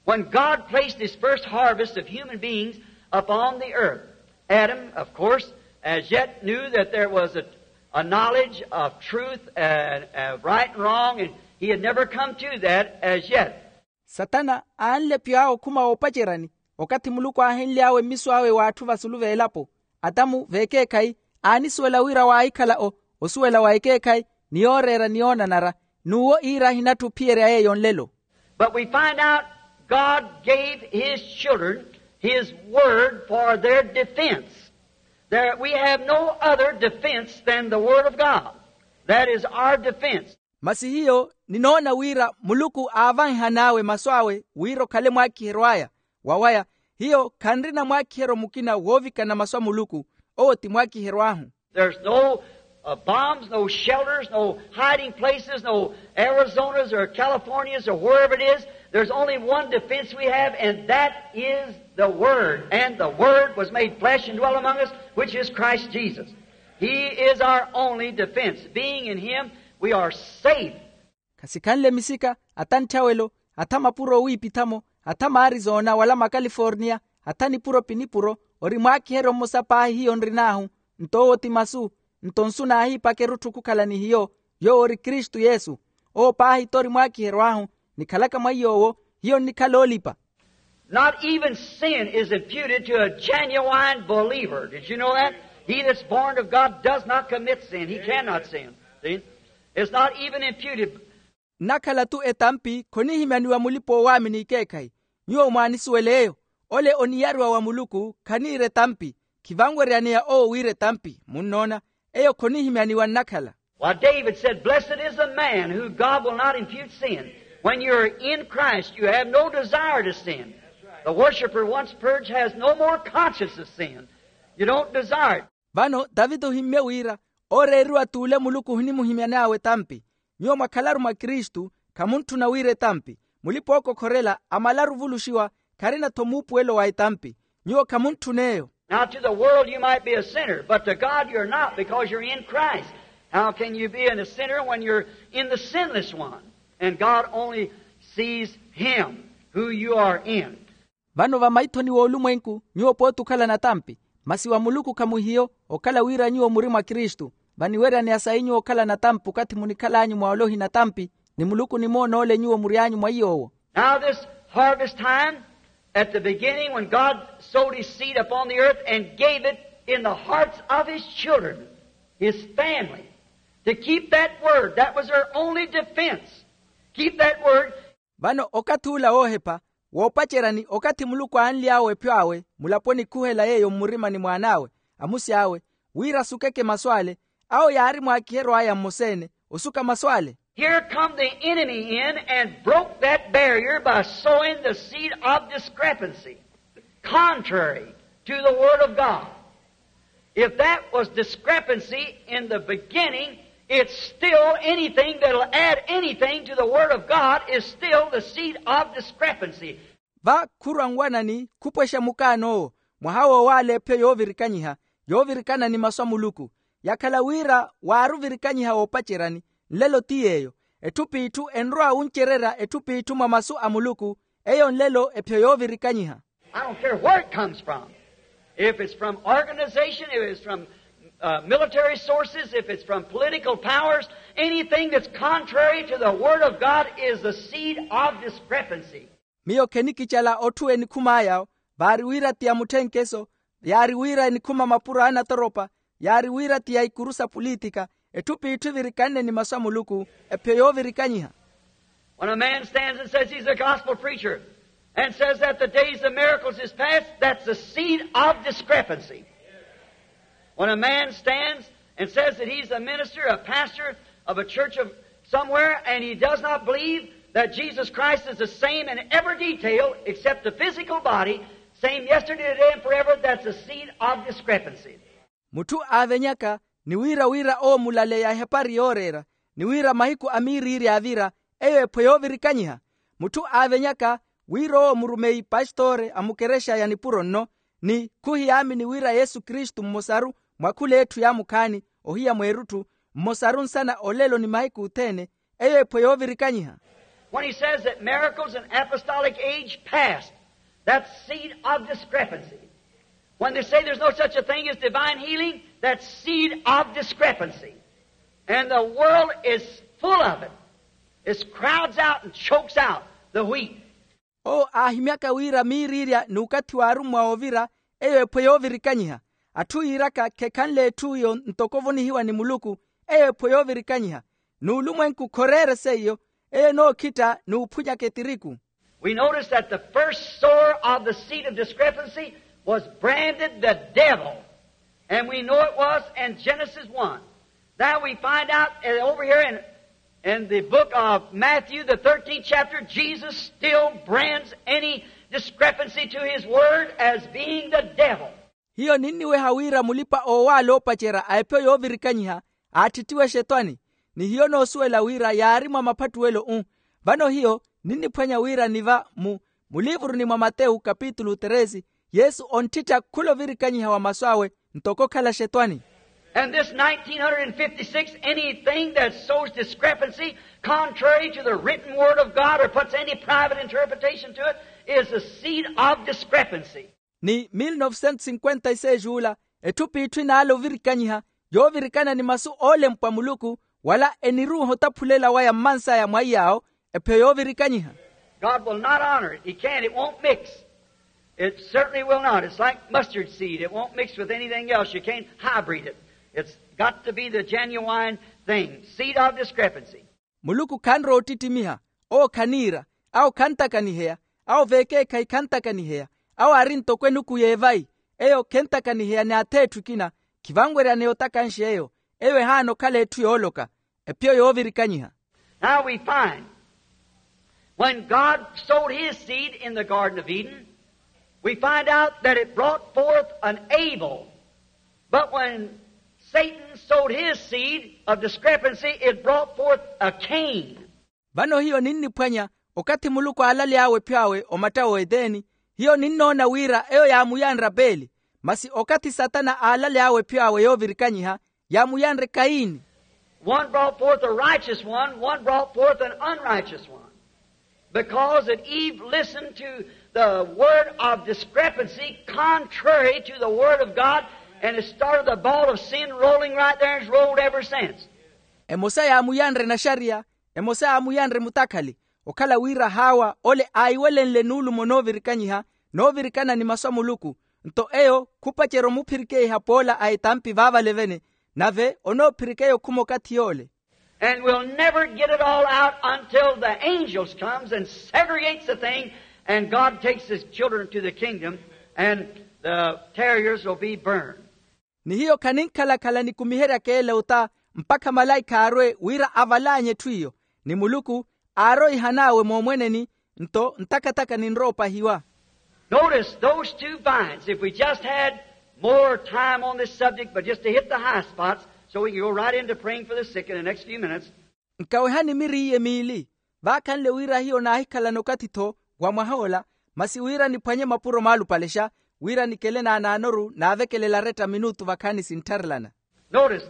when God placed his first harvest of human beings upon the earth. Adam, of course, as yet knew that there was a, a knowledge of truth and, and right and wrong, and he had never come to that as yet. Satana aanle pyo awe okhuma woopaceryani, okathi muluku aahenly'awe mmiso awe w'atthu vasulu v'elapo. Atamu v'ekeekhayi aanisuwela wira waahikhala o osuwela wa ekeekhayi, ni yooreera ni yoonanara, n'uwo iira ahinatthu ophiyerya yeeyo nlelo. But we find out God gave his children his word for their defense. There, we have no other defense than the word of God. That is our defense. Masi hiyo ninoona wira muluku aavahihan'awe masu awe wira okhale mwaakiheryo aya. Wawaya, hiyo khanrina mwaakiheryo mukina woovikana masu a muluku. Owo ti mwaakiheryo ahu. There's no, uh, bombs, no shelters, no hiding places, no Arizonas or Californias or wherever it is. There's only one defense we have, and that is the Word. And the Word was made flesh and dwelt among us, which is Christ Jesus. He is our only defense. Being in Him, we are safe. Khasikhanle misika, atha ntthawelo, atha mapuro owiipitha-mo, atha maarizoona wala makaliforniya, atha nipuro pi nipuro, ori mwaakiheryo mmosa paahi hiyo nrin'ahu. Nto owo ti masu. Nto nsu naahiipaka erutthu khukhala ni hiyo, yoowo ori kristu yesu. Owo paahi t'ori mwaakiheryo ahu, nikhalaka mwa iy'owo, hiyo nnikhala oolipa. Not even sin is imputed to a genuine believer. Did you know that? He that's born of God does not commit sin. He cannot sin. See? It's not even imputed. Nnakhala-tu etampi khonihimyaniwa mulipa-oowaamini ekeekhayi. Nyuwo mwaanisuwela eyo. Ole oniyariwa wa muluku khaniira etampi. Khivanweryaneya owo wiira etampi, munnoona. Eyo khonihimyaniwa nnakhala. Why, David said, "Blessed is the man who God will not impute sin." When you're in Christ, you have no desire to sin. The worshiper, once purged, has no more conscience of sin. You don't desire it. Vano tavita ohimmye wira, ooreeriwa t'ule muluku ohinimuhimyan'awe etampi. Nyuwo mwakhalaru mwa kristu, khamuntthuna wiira etampi. Mulipa-ookokhorela amalaru ovuluxiwa, kharina-tho muupuwelo wa etampi. Nyuwo khamuntthun'eyo. Now, to the world you might be a sinner, but to God you're not, because you're in Christ. How can you be a sinner when you're in the sinless one? And God only sees him who you are in. Vano vamaithoni w'olumwenku nyuwo pooti okhala natampi, masi wa muluku khamuhiyo. Okhala wira nyuwo muri mwa kristu, vaniweryaneya sayi nyuwo okhala natampi okathi munikhal'anyu mwa ole ohinatampi, ni muluku onimoona ole nyuwo mury'anyu mwa iy'owo. Now this harvest time, at the beginning when God sowed his seed upon the earth and gave it in the hearts of his children, his family, to keep that word, that was their only defense. Keep that word. Vano okathi ula woohepha, woopaceryani okathi muluku aanly'awe ephyo awe mulaponi khuhela yeeyo mmurimani mwaan'awe, amusi awe, wira asukeke masu ale, awo yaari mwaakiheryo aya mmoseene osuka masu ale. Here come the enemy in and broke that barrier by sowing the seed of discrepancy, contrary to the word of God. If that was discrepancy in the beginning, It's still anything that'll add anything to the Word of God is still the seed of discrepancy. Va khurwa nwanani khupwexa mukaan'owo mwaha woowaala ephiyo yoovirikanyiha yoovirikana ni masu a muluku. Yakhala wira waari ovirikanyiha woopaceryani nlelo ti yeeyo. Etthu p'itthu enrowa wuncererya etthu p'itthu mwa masu a muluku. Eyo nlelo ephiyo yoovirikanyiha. I don't care where it comes from. If it's from organization, if it's from uh, military sources, if it's from political powers, anything that's contrary to the Word of God is the seed of discrepancy. Miyo khenikicala otthu enikhum'aya vaari wira ti ya mutthenkeso, yaari wira enikhuma mapuro a anatoropa, yaari wira ti ya ikuru sa pulitika. Etthu p'itthu evirikanne ni masu a muluku ephiyo yoovirikanyiha. When a man stands and says he's a gospel preacher and says that the days of miracles is past, that's the seed of discrepancy. When a man stands and says that he's a minister, a pastor of a church of somewhere, and he does not believe that Jesus Christ is the same in every detail except the physical body, same yesterday, today, and forever, that's the seed of discrepancy. Mutthu aavenyaka ni wira wira owo mulaleya ehapari yooreera ni wira mahiku a miiriiri aavira, eyo ephwe yoovirikanyiha. Mutthu aavenyaka wira owo murumeyi pastoore a mukerexa ya nipuro nno, ni khuhiyaamini wira yesu kristu mmosaru mwa khul'etthu yaamukhaani ohiya mweerutthu, mmosaru nsana olelo ni mahiku othene, eyo ephwe yoovirikanyiha. When he says that miracles in apostolic age past, that's seed of discrepancy. When they say there's no such a thing as divine healing, that's seed of discrepancy. And the world is full of it. It crowds out and chokes out the wheat. Owo aahimyaka wira miiriirya n'ukathi w'arummwa oovira, eyo ephwe yoovirikanyiha. Atthu yiiraka khekhanle etthu iyo ntoko ovonihiwa ni muluku, eyo ephwe yoovirikanyiha. N'ulumwenku khoreere seiyo, eyo enookhitta n'uphunyaka etiriku. We notice that the first sower of the seed of discrepancy was branded the devil. And we know it was in Genesis one. Now we find out uh, over here in, in the book of Matthew, the thirteenth chapter, Jesus still brands any discrepancy to his word as being the devil. Hiyo ninniweha wira mulipa-oowaala oopacerya a ephiyo yoovirikanyiha aatthittiwa exetwani. Ni hiyo noosuwela wira yaari mwa maphattuwelo-u. Vano hiyo ninniphwanya wira ni va mu muliivuruni mwa matewu kapitulu treze, yesu onttittha khula ovirikanyiha wa masu awe ntoko okhala xetwani. And this nineteen hundred and fifty-six, anything that sows discrepancy contrary to the written word of God or puts any private interpretation to it is the seed of discrepancy. Ni mil novecentos cinquenta e seis ula etthu p'itthu inaala ovirikanyiha yoovirikana ni masu oolempwa muluku, wala eniruuha otaphulela waya mmansaya mwa iyaawo ephiyo yoovirikanyiha. God will not honor it. He can't. It won't mix. It certainly will not. It's like mustard seed. It won't mix with anything else. You can't hybrid it. It's got to be the genuine thing. Seed of discrepancy. Muluku khanrowa ottittimiha. Owo khaniira. Awo khantakaniheya. Awo veekeekhayi khantakaniheya. Awo aari ntoko enuku y'evayi. Eyo khentakaniheya ni ath'etthu ekina. Khivanweryaneya otakanxa eyo. Eyo ehaana okhala etthu yooloka. Ephiyo yoovirikanyiha. Now we find when God sowed his seed in the Garden of Eden, we find out that it brought forth an Abel. But when Satan sowed his seed of discrepancy, it brought forth a Cain. Vano hiyo ninniphwanya okathi muluku aalaly'awe ephiyo awe omatta w'eteni, hiyo ninnoona wira eyo yaamuyanre apeli. Masi okathi satana aalaly'awe ephiyo awe yoovirikanyiha yaamuyanre kaini. One brought forth a righteous one, one brought forth an unrighteous one. Because that Eve listened to the word of discrepancy contrary to the word of God, and it started the ball of sin rolling right there and it's rolled ever since. Emosa yaamuyanre naxariya, emosa yaamuyanre mutakhali. Okhala wira haawa ole aayiwelenle nuulumo noovirikanyiha noovirikana ni masu a muluku. Nto eyo khupacerya omuphirikeiha poola a etampi vaavalevene. Nave onoophirikeya okhuma okathi yoole. And we'll never get it all out until the angels comes and segregates the thing, and God takes his children to the kingdom, and the terriers will be burned. Ni hiyo khaninkhala-khala nikumiheryaka ele ota mpakha malaikha aarwe wira avalaanye etthu iyo. Ni muluku aaroihan'awe moomweneni. Nto ntaka-taka ninrowa opahiwa. Notice those two vines. If we just had more time on this subject, but just to hit the high spots, So we can go right into praying for the sick in the next few minutes. Nkawehani miri iye miili, vaakhanle wira hiyo naahikhalana okathi-tho wa mwaha ola, masi wira niphwanye mapuro maalupalexa, wira nikele naanaanoru naavekelela aretta minutu vakhaani sinttharelana. Notice,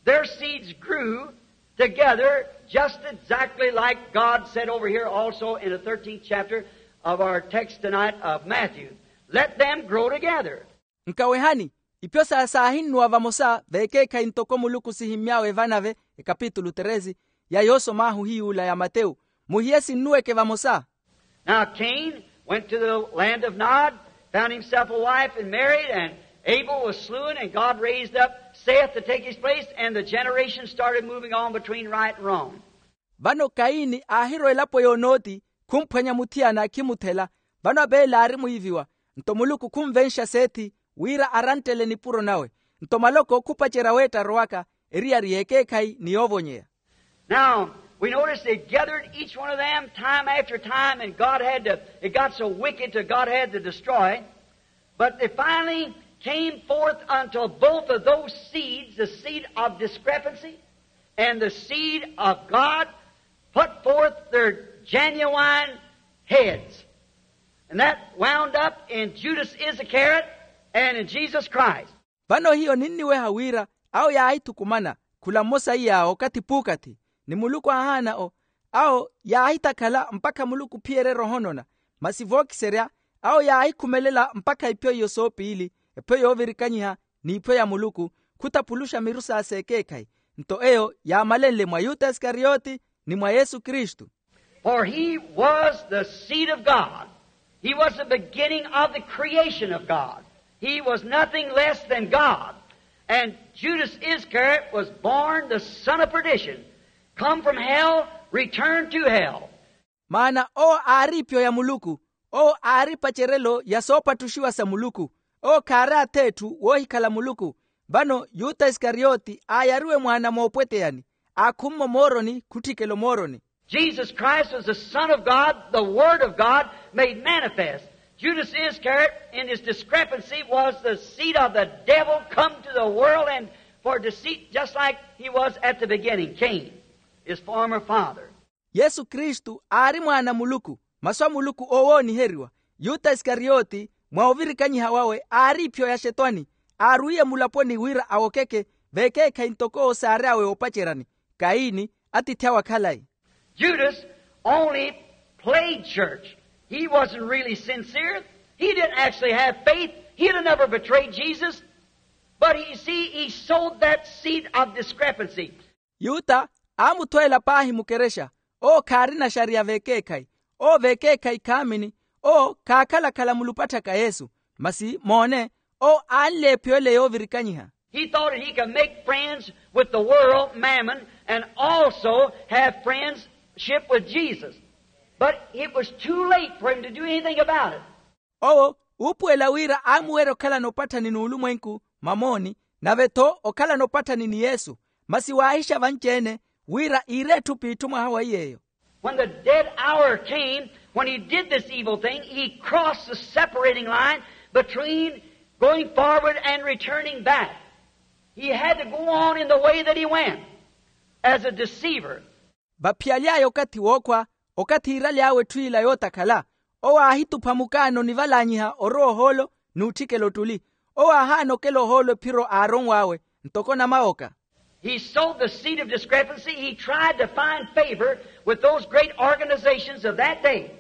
their seeds grew together just exactly like God said over here also in the thirteenth chapter of our text tonight of Matthew. Let them grow together. Nkawehani, ipyo sa saahinnuwa vamosa vekeekhayi ntoko muluku sihimmy'awe evanave, ekapitulu treze ya yoosom'ahu hiy'ula ya matewu. Muhiye sinnuweke vamosa. Now Cain went to the land of Nod, found himself a wife and married, and Abel was slewn, and God raised up Seth to take his place, and the generation started moving on between right and wrong. Vano kaini aahirwa elapo y'onoti, khumphwanya muthiyana akhimuthela. Vano apeele aari mwiiviwa, nto muluku khunvenxa sethi wira aranttele nipuro nawe. Nto maloko khupacerya weetta arowaka, eriyari y'ekeekhayi ni yoovonyeya. Now we notice they gathered each one of them time after time, and God had to, it got so wicked to God had to destroy. But they finally came forth unto both of those seeds, the seed of discrepancy and the seed of God, put forth their genuine heads. And that wound up in Judas Iscariot and in Jesus Christ. Vano hiyo ninniweha wira awo yaahithukumana, khula mmosa iy'awo okathi p'ukathi, ni muluku aahaana o awo yaahitakhala mpakha muluku ophiyerya erooho nona. Masi vookiserya, awo yaahikhumelela mpakha ipyo iyo soopiili, epyo yoovirikanyiha n'iphyo ya muluku, khutapuluxa miru sa s'ekeekhayi. Nto eyo yaamalenle mwa yuta iskarioti ni mwa yesu kristu. For he was the seed of God. He was the beginning of the creation of God. He was nothing less than God. And Judas Iscariot was born the son of perdition, come from hell, returned to hell. Maana owo aari ipyo ya muluku. Owo aari epacerelo ya soopatthuxiwa sa muluku. Owo khaari ath'etthu woohikhala muluku. Vano yuta iskarioti aayariwe mwaana moopweteyani, aakhummo mooroni khutthikela omooroni. Jesus Christ was the Son of God, the Word of God made manifest. Judas Iscariot, in his discrepancy, was the seed of the devil come to the world and for deceit, just like he was at the beginning, Cain, his former father. Yesu kristu aari mwaana a muluku, masu a muluku oowooniheriwa. Yuta iskarioti, mwa ovirikanyiha wawe aari ipyo ya xetwani. Aarwiye mulaponi wira awokeke vekeekhayi ntoko owo saary'awe oopaceryani, kaini, atiithi awe akhalayi. Judas only played church. He wasn't really sincere. He didn't actually have faith. He'd have never betrayed Jesus. But he, see, he sowed that seed of discrepancy. Yuta aamuthweela paahi mukerexa. Owo khaarina xariya vekeekhayi. Owo vekeekhayi khaamini. Owo khaakhala-khala mulupatthaka yesu. Masi moone, owo aanleephiwa ele yoovirikanyiha. He thought that he could make friends with the world, mammon, and also have friendship with Jesus. But it was too late for him to do anything about it. Owo uupuwela wira aamuwerya okhalana opatthani n'ulumwenku, mamooni, nave-tho okhalana opatthani ni yesu. Masi waahixa vanci-ene wira iire etthu p'itthu mwaha wa iy'eyo. When the dead hour came, when he did this evil thing, he crossed the separating line between going forward and returning back. He had to go on in the way that he went as a deceiver. Vaphiyaly'aya okathi wookhwa, okathi iiraly'awe etthu ila yootakhala, owo aahitupha mukaano onivalanyiha orowa ohoolo n'utthikela ottuli. Owo aahaana okela ohoolo ephiro aaronw'awe, ntoko namawoka. He sowed the seed of discrepancy. He tried to find favor with those great organizations of that day,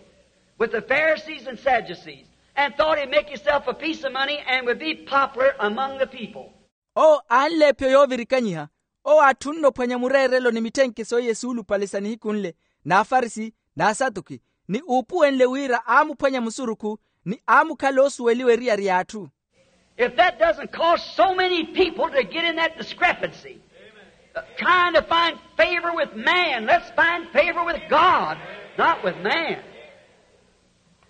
with the Pharisees and Sadducees, and thought he'd make himself a piece of money and would be popular among the people. Owo aanleepyo yoovirikanyiha. Owo aatthunne ophwanya mureerelo ni mitthenke sooiye suulupale sa nihiku nle, n'afarisi, n'asatuki, ni uupuwenle wira aamuphwanya musurukhu, ni aamukhala oosuweliwa eriyari y'atthu. If that doesn't cause so many people to get in that discrepancy, uh, trying to find favor with man, let's find favor with God, not with man.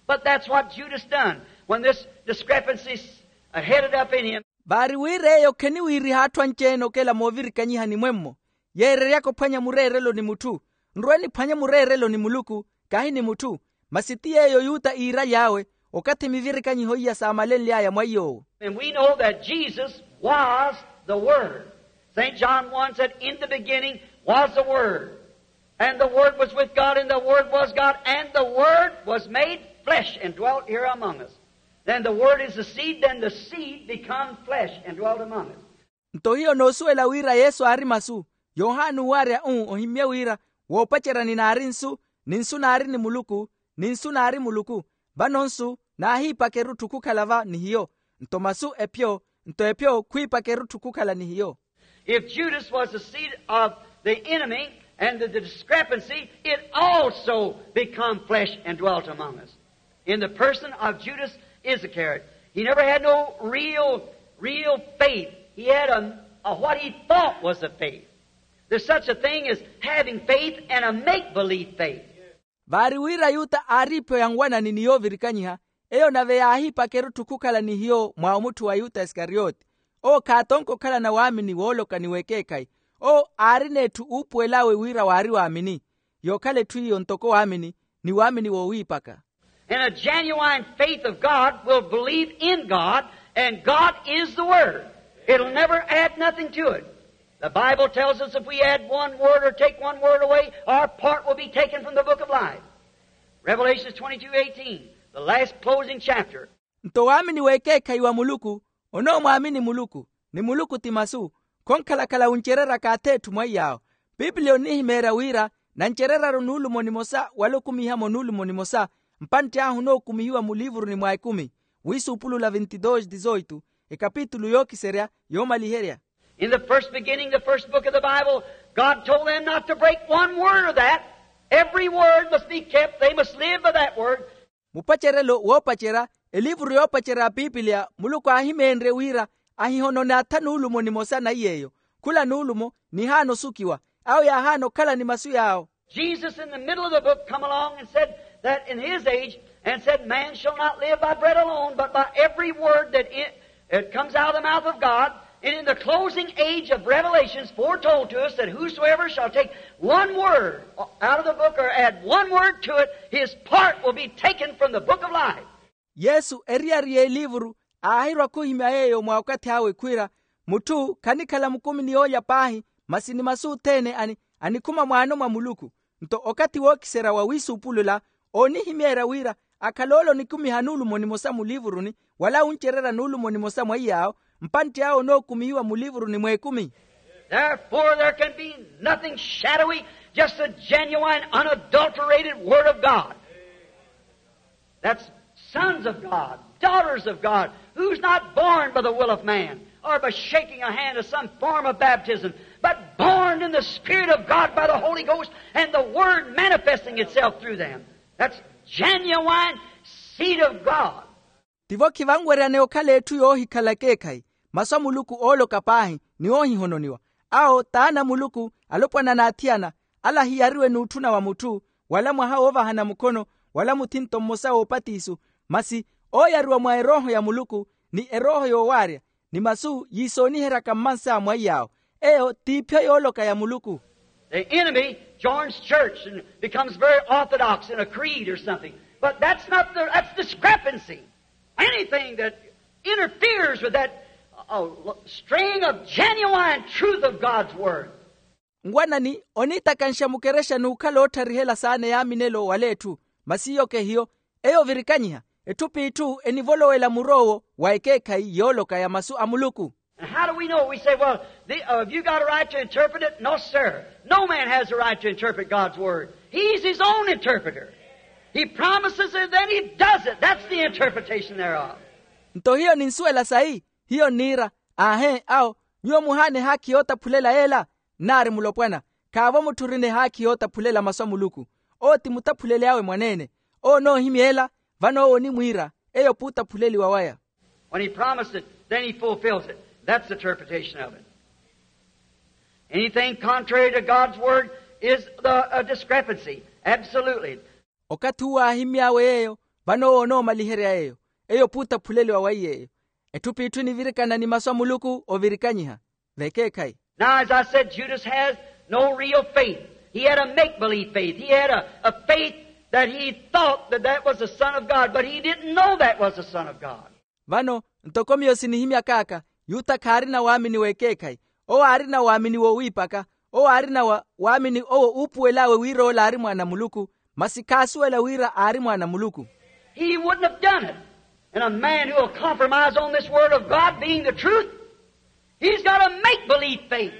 But that's what Judas done when this discrepancy s-, uh, headed up in him. Vaari wira eyo kheniwiiriha atthu anci-ene okela moovirikanyihani mwemmo, yeereryaka ophwanya mureerelo ni mutthu. Nrwe niphwanye mureerelo ni muluku, kahi ni mutthu. Masi ti yeeyo yuta iiraly'awe, okathi mivirikanyiho iya saamalenly'aya mwa iy'owo. And we know that Jesus was the Word. St John one said, in the beginning was the Word, and the Word was with God, and the Word was God, and the Word was made flesh and dwelt here among us. Then the Word is the seed, then the seed become flesh and dwelt among us. Nto hiyo noosuwela wira yesu aari masu. Yohani uwarya-u ohimmye wira, woopacerya ninaari nsu, ni nsu naari ni muluku, ni nsu naari muluku. Vano nsu naahiipaka erutthu khukhala va ni hiyo, nto masu epyo, nto epyo khwiipaka erutthu khukhala ni hiyo. If judas was the seed of the enemy and the discrepancy, it also become flesh and dwelt among us in the person of judas iscariot. He never had no real, real faith. He had a, a what he thought was a faith. There's such a thing as having faith and a make-believe faith. Vaari wira yuta aari ipyo ya nwanani ni yoovirikanyiha, eyo nave yaahiipaka erutthu khukhala ni hiyo mwa omutthu wa yuta iskariyoti. Owo khaatonka okhalana waamini wooloka ni w'ekeekhayi. Owo aarina etthu uupuwel'awe wira waari waamini. Yookhala etthu iyo ntoko waamini, ni waamini woowiipaka. And a genuine faith of God will believe in God, and God is the Word. It'll never add nothing to it. The Bible tells us if we add one word or take one word away, our part will be taken from the book of life. Revelation twenty-two eighteen, the last closing chapter. Nto waamini w'ekeekhayi wa muluku, onoomwaamini muluku, ni muluku ti masu, khonkhalakhala wuncereryaka ath'etthu mwaiy'awo. Piipiliya onihimeerya wira nancereryaru nuulumo nimosa wala okumiha-mo nuulumo nimosa, mpantti ahu onookumihiwa mulivuruni mwa ekumi. Wiisuupulula vintidoosi dizoitu, ekapitulu yookiserya yoomaliherya. In the first beginning, the first book of the Bible, God told them not to break one word of that. Every word must be kept. They must live by that word. Mupacerelo woopacerya, elivuru yoopacerya ya piipiliya muluku aahimeenrye wira ahihonone atha nuulumo nimosa naiy'eyo. Khula nuulumo nihaana osukiwa, awo yaahaana okhala ni masu yaawo. Jesus in the middle of the book come along and said that in his age, and said, man shall not live by bread alone, but by every word that it, it comes out of the mouth of God. And in the closing age of Revelations foretold to us that whosoever shall take one word out of the book or add one word to it, his part will be taken from the book of life. Yesu eriyari y'eliivuru aahirwa khuhimya yeeyo mwa okathi awe khwiira, mutthu khanikhala mukumi ni yoolya paahi, masi ni masu othene ani anikhuma mwaano mwa muluku. Nto okathi wookiserya wa wiisuupulula oonihimeerya wira akhala ole onikumiha nuulumo nimosa mulivuruni, wala wuncererya nuulumo nimosa mwaiy'awo, mpantti awo onookumihiwa mulivuruni mw'ekumi. Therefore there can be nothing shadowy, just the genuine unadulterated word of God. That's sons of God, daughters of God, who's not born by the will of man or by shaking a hand of some form of baptism, but born in the Spirit of God by the Holy Ghost and the Word manifesting itself through them. That's genuine seed of God. Tivo khivanweryaneya okhala etthu yoohikhala ekeekhayi, masu a muluku ooloka paahi ni oohihononiwa. Awo t'ana a muluku, alopwana n'athiyana, ala hiyariwe n'utthuna wa mutthu, wala mwaha woovahana mukhono, wala muthinto mmosa w'opatiso, masi ooyariwa mwa erooho ya muluku, ni erooho yoowaarya, ni masu yiisooniheryaka mmansa mwaiy'awo. Eyo t'iphyo yooloka ya muluku. The enemy joins church and becomes very orthodox in a creed or something. But that's not the, that's discrepancy. Anything that interferes with that uh, string of genuine truth of God's Word. Nwanani oniitakanxa mukerexa n'ukhala ootharihela saana yaaminelo wala etthu, masi iyo kehiyo. Eyo ovirikanyiha, etthu p'itthu enivolowela mur'owo wa ekeekhayi yooloka ya masu a muluku. And how do we know? We say, well, the, uh, have you got a right to interpret it? No, sir. No man has a right to interpret God's Word. He's his own interpreter. He promises it, then he does it. That's the interpretation thereof. Nto hiyo ninsuwela sayi? Hiyo nniira, aahe awo, nyuwo muhaana ehaakhi yootaphulela yeela? Nnaari mulopwana, khaavo mutthu orina ehaakhi yootaphulela masu a muluku. Owo ti mutaphuleli awe mwaneene. Owo onoohimya ela, vano owo onimwiira, eyo p'utaphuleliwa waya. When he promised it, then he fulfills it. That's the interpretation of it. Anything contrary to God's Word is the, a discrepancy. Absolutely. Okathi uwo aahimy'awe yeeyo, vano owo onoomaliherya yeeyo. Eyo p'utaphuleliwa waiye eyo. Etthu p'itthu enivirikana ni masu a muluku ovirikanyiha. Vekeekhayi. Now, as I said, Judas has no real faith. He had a make-believe faith. He had a, a faith that he thought that that was the Son of God, but he didn't know that was the Son of God. Vano, ntoko miyo sinihimyak'aka, yuta khaarina waamini w'ekeekhayi. Owo aarina waamini woowiipaka. Owo aarina wa waamini owo uupuwel'awe wira ola aari mwaana a muluku, masi khaasuwela wira aari mwaana a muluku. He wouldn't have done it. And a man who will compromise on this word of God being the truth, he's got a make-believe faith.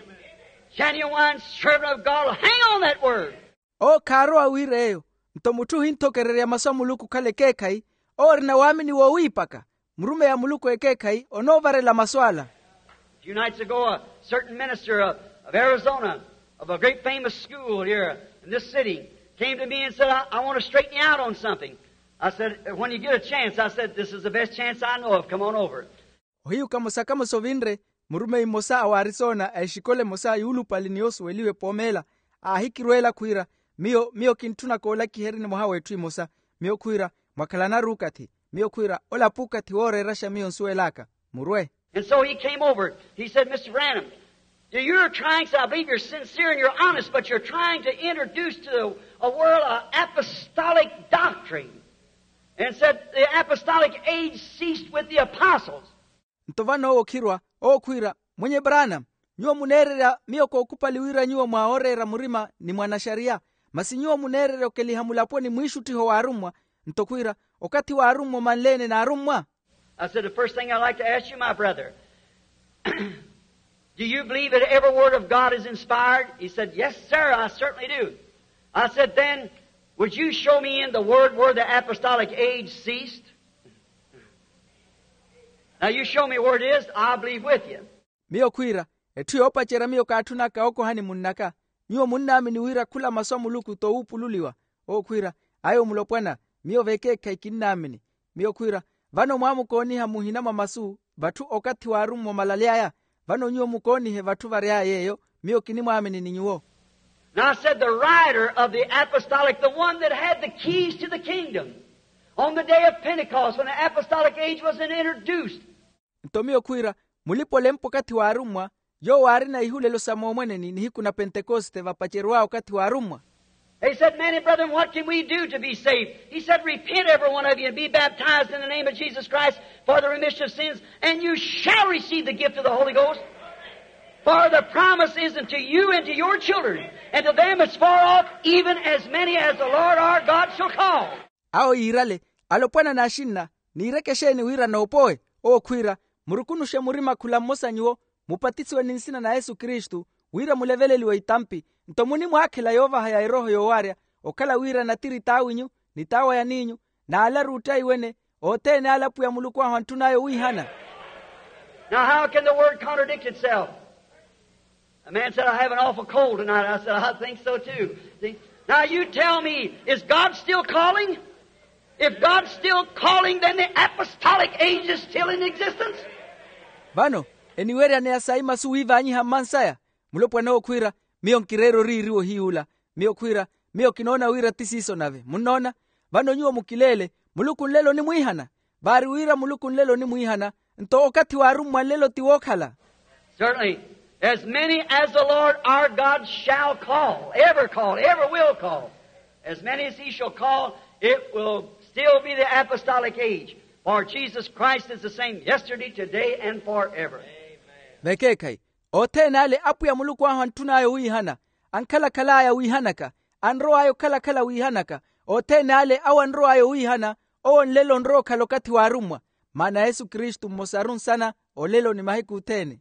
Genuine servant of God will hang on that word. Owo khaarowa wira eyo. Nto mutthu ohinthokererya masu a muluku okhala ekeekhayi, owo orina waamini woowiipaka. Murumeyi a muluku ekeekhayi onoovarela masu ala. A few nights ago, a certain minister of, of Arizona, of a great famous school here in this city, came to me and said, I, I want to straighten you out on something. I said, when you get a chance, I said, this is the best chance I know of. Come on over. Ohiyu kamosa kamosa ovinre, murumeyi mmosa a w'arisona a exikola emosa yuulupale ni yoosuweliwa epoomeela, aahikirweela khwiira, miyo miyo kintthuna koolakiheryani mwaha w'etthu emosa. Miyo khwiira, mwakhalana-ru okathi. Miyo khwiira, olapo okathi wooreeraxa miyo nsuwel'aka. Murwe. And so he came over. He said, Mister Branham, you're trying, so I believe you're sincere and you're honest, but you're trying to introduce to the world an apostolic doctrine. And said the apostolic age ceased with the apostles. Nto vano owo okhirwa, owo khwiira, mwenye Branham, nyuwo muneererya miyo kookhupali wira nyuwo mwaaworeera murima ni mwanaxariya, masi nyuwo muneererya okeliha mulaponi mwiixuttiho w'arummwa. Nto khwiira, okathi w'arummwa omanle-ene n'arummwa? I said, the first thing I'd like to ask you, my brother, do you believe that every word of God is inspired? He said, yes, sir, I certainly do. I said, then, would you show me in the word where the apostolic age ceased? Now, you show me where it is, I'll believe with you. Miyo khwiira, etthu yoopacerya miyo kaatthunaka okohani munn'aka. Nyuwo munnaamini wira khula masu a muluku t'owuupululiwa. Owo khwiira, ayo mulopwana, miyo vekeekhayi kinnaamini. Miyo khwiira, vano mwaamukooniha muhina mwa masu vatthu okathi w'arummwa omalaly'aya. Vano nyuwo mukoonihe vatthu vary'aya yeeyo. Miyo kinimwaamini ni nyuwo. Now I said the writer of the apostolic, the one that had the keys to the kingdom, on the day of Pentecost when the apostolic age was introduced. Nto miyo khwiira, mulipa-olempa okathi w'arummwa, yoowo aarina ihulelo sa moomweneni nihiku na pentekoste vapacerw'awe okathi w'arummwa. He said, many brethren, what can we do to be saved? He said, repent every one of you and be baptized in the name of Jesus Christ for the remission of sins, and you shall receive the gift of the Holy Ghost. For the promise is unto you and to your children and to them as far off, even as many as the Lord our God shall call. Awo yiirale, alopwana n'axinna, niireke exeeni wira noopowe? Owo khwiira, murukunuxe murima khula mmosa nyuwo, mupatisiwe ni nsina na yesu kristu, wira muleveleliwe itampi. Nto munimwaakhela yoovaha ya erooho yoowaarya, okhala wira natiri t'awinyu, ni t'awo ya niinyu, n'alaru ottaiwene, othene ale apwiya muluku ahu antthun'aya owiihana. Now how can the word contradict itself? A man said, I have an awful cold tonight. I said, I think so too. See? Now you tell me, is God still calling? If God's still calling, then the apostolic age is still in existence. Vano, eniweryaneya sayi masu wiivanyiha mmansaya. Mulopwana owo khwiira, miyo nkireera oriiriwa ohiy'ula. Miyo khwiira, miyo kinoona wira ti siiso nave. Munnoona? Vano nyuwo mukileele, muluku nlelo onimwiihana. Vaari wira muluku nlelo onimwiihana, nto okathi w'arummwa nlelo ti wookhala. Certainly, as many as the Lord our God shall call, ever call, ever will call, as many as he shall call, it will still be the apostolic age. For Jesus Christ is the same yesterday, today, and forever. Vekeekhayi, othene ale apwiya muluku ahu antthun'aya owiihana, ankhalakhal'aya wiihanaka, anrow'aya okhalakhala wiihanaka, othene ale awo anrow'aya owiihana, owo nlelo onrowa okhala okathi w'arummwa. Maana yesu kristu mmosaru nsana, olelo ni mahiku othene.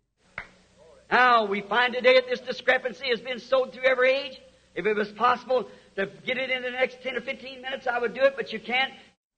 Now we find today that this discrepancy has been sowed through every age. If it was possible to get it in the next ten or fifteen minutes, I would do it, but you can't.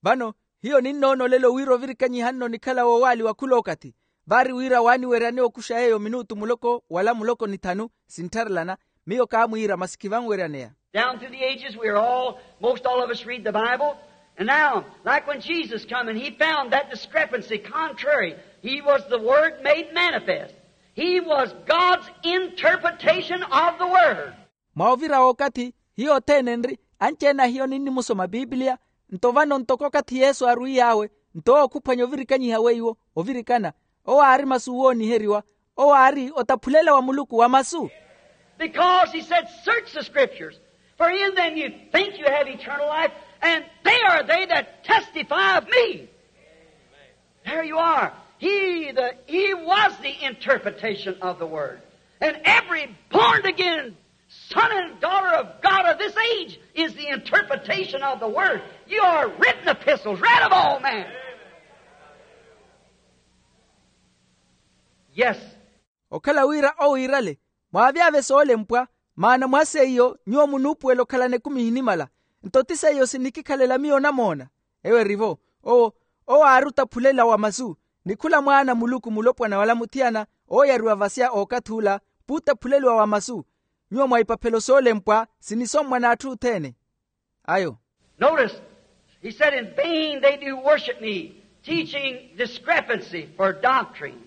Vano, hiyo ninnoona olelo wira ovirikanyiha nno onikhala woowaaliwa khula okathi. Vaari wira waaniweryaneya okuxa yeeyo minutu muloko wala muloko ni thanu, sinttharelana. Miyo kaamwiira masi khivanweryaneya. Down through the ages we are all, most all of us read the Bible. And now, like when Jesus come and he found that discrepancy contrary, he was the word made manifest. He was God's interpretation of the word. Mwa ovira w'okathi, hiyo othene enri, anci-ene a hiyo ninnimusoma pipiliya. Nto vano ntoko okathi yesu aarwiy'awe, nto owo khuphwanya ovirikanyiha weiwo, ovirikana. Owo aari masu wooniheriwa. Owo aari otaphulela wa muluku wa masu. Because he said, search the scriptures, for in them you think you have eternal life, and they are they that testify of me. There you are. He, the, he was the interpretation of the word. And every born again son and daughter of God of this age is the interpretation of the word. You are written epistles, read of all men. Yes. Okhala wira owiirale, mwaavyavye soolempwa, maana mwa seiyo nyuwo munuupuwela okhalana ekumi ehinimala. Nto ti seiyo sinikikhalela miyo onamoona. Eyo erivo. Owo, owo aari otaphulela wa masu, ni khula mwaana a muluku mulopwana wala muthiyana ooyariwa vasya ookathi ula, puutaphuleliwa wa masu. Nyuwo mwa ipaphelo soolempwa sinisommwa n'atthu othene. Ayo. Notice, he said, in vain they do worship me, teaching discrepancy for doctrine.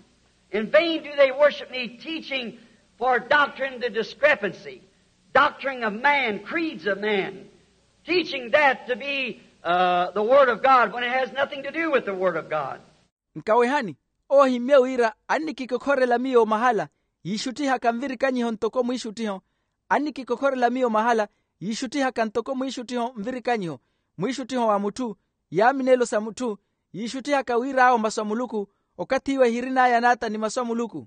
In vain do they worship me, teaching for doctrine the discrepancy, doctrine of man, creeds of man, teaching that to be uh, the Word of God when it has nothing to do with the Word of God. Nkawehani, owo ahimmye wira annikikokhorela miyo mahala yiixutthihaka nvirikanyiho ntoko mwiixuttiho. Annikikokhorela miyo mahala yiixutthihaka ntoko mwiixuttiho nvirikanyiho, mwiixuttiho wa mutthu, yaaminelo sa mutthu, yiixutthihaka wir'awo masu a muluku. Okathi iwe ehirin'aya n'ata ni masu a muluku.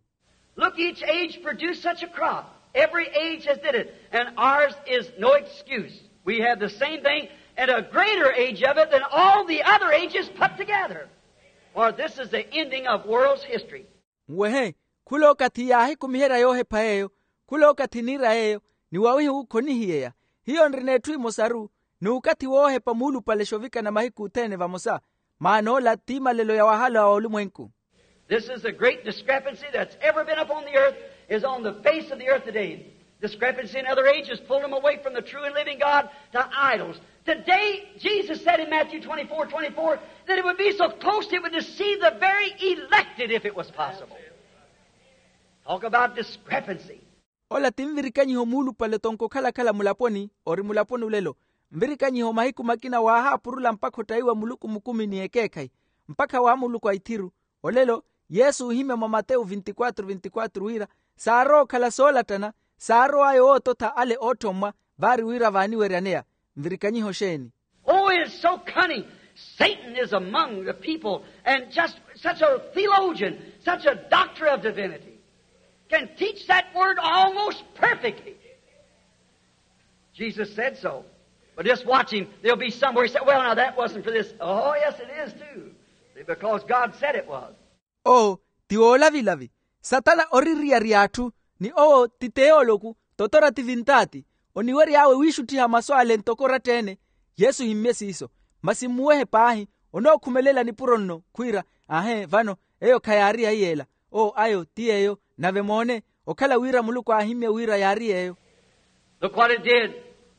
Look, each age produced such a crop. Every age has did it, and ours is no excuse. We have the same thing and a greater age of it than all the other ages put together. For this is the ending of world's history. Nwehe, khulookathi yaahikumiherya yoohepha yeeyo. Khulookathi niira yeeyo, ni wawihiwu khonihiyeya. Hiyo nrina etthu emosaru, n'ukathi woohepa muulupale xoovikana mahiku othene vamosa. Maana ola t'imalelo ya wahala wa olumwenku. This is the great discrepancy that's ever been upon the earth, is on the face of the earth today. Discrepancy in other ages pulled them away from the true and living God to idols. Today, Jesus said in Matthew twenty-four twenty-four that it would be so close it would deceive the very elected if it was possible. Talk about discrepancy. Ola ti nvirikanyiho muulupale tonko okhala-khala mulaponi ori mulaponi olelo. Nvirikanyiho mahiku makina waahaapurula mpakha ottayiwa muluku mukumi ni ekeekhayi, mpakha wa muluku a ithiru. Olelo yesu oohimya mwa matewu vinti-kwatru vinti-kwatru wira saarowa okhala soolattana, saarowa aya owoototha ale ootthommwa, vaari wira vaaniweryaneya. Nvirikanyiho xeeni? Oh, it is so cunning. Satan is among the people, and just such a theologian, such a doctor of divinity, can teach that word almost perfectly. Jesus said so. But just watch him. There'll be somewhere he said, well, now that wasn't for this. Oh, yes, it is too. See, because God said it was. Owo ti woolavilavi. Satana ori riyariya atthu, ni owo ti teoloku, totora ti vintaati. Oniwery'awe wiixutthiha masu ale ntoko oratta-ene. Yesu ohimmye siiso. Masi mmuwehe paahi, onookhumelela nipuro nno khwiira, aahe vano, eyo khayaari ya iyeela. Owo ayo ti yeeyo. Nave moone, okhala wira muluku aahimmye wira yaari yeeyo. Look what it did.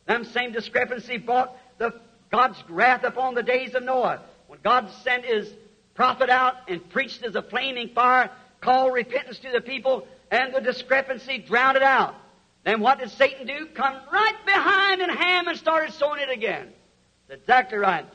Them same discrepancy brought the, God's wrath upon the days of Noah, when God sent his prophet out and preached as a flaming fire, called repentance to the people, and the discrepancy drowned it out. Then what did Satan do? Come right behind in Ham and started sowing it again. That's exactly right.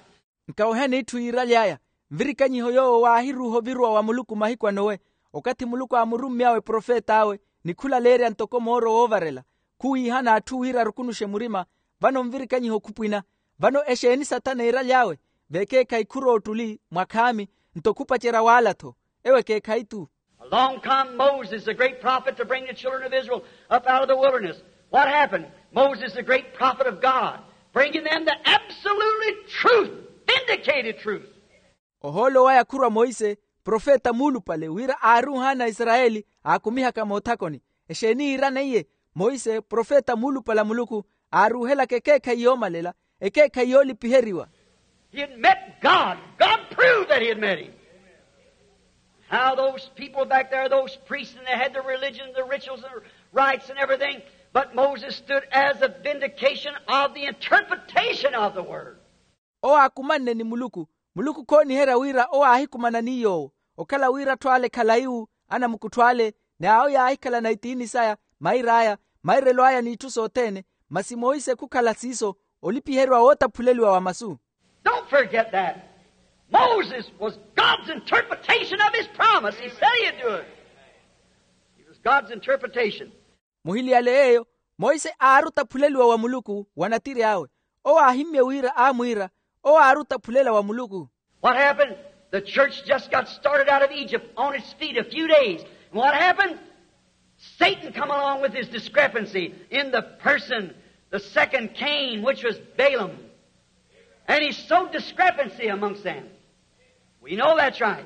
Nkawehani etthu yiiraly'aya. Nvirikanyiho yoowo waahiruuha oviruwa wa muluku mahiku a nowe, okathi muluku aamurummy'awe profet'awe ni khulaleerya ntoko mooro woovarela, khuwiihana atthu wira arukunuxe murima. Vano nvirikanyiho khupwina. Vano exeeni sathana eeraly'awe? Vekeekhayi khurowa ottuli mwakhaami, nto khupacerya waala-tho. Ewo ekeekhayi-tu. Along come Moses, the great prophet, to bring the children of Israel up out of the wilderness. What happened? Moses, the great prophet of God, bringing them the absolutely truth, vindicated truth. Ohoolo waya khurwa moise, profeta muulupale wira aaruuhana aisarayeli aakumihaka moothakoni. Exeeni yiiraneiye? Moise profeta muulupale a muluku, aaruuhelaka ekeekhayi yoomalela, ekeekhayi yoolipiheriwa. He had met God. God proved that he had met him. How those people back there, those priests, and they had the religion, the rituals, and the rites and everything, but Moses stood as a vindication of the interpretation of the word. Owo aakumanne ni muluku. Muluku khooniherya wira owo aahikumana ni yoowo, okhala wira atthu ale khalayi-wu, anamukuttho ale, ni awo yaahikhalana itiini saya, mair'aya, mairelo aya n'itthu sothene. Masi monse khukhala siiso, olipiheriwa wootaphuleliwa wa masu. Don't forget that. Moses was God's interpretation of his promise. He said he'd do it. It was God's interpretation. Muhiliyale yeeyo, monse aari otaphuleliwa wa muluku wa natiri awe. Owo aahimmye wira aamwiira, owo aari otaphulela wa muluku. What happened? The church just got started out of Egypt on its feet a few days. And what happened? Satan come along with his discrepancy in the person, the second Cain, which was Balaam. And he sowed discrepancy amongst them. We know that's right.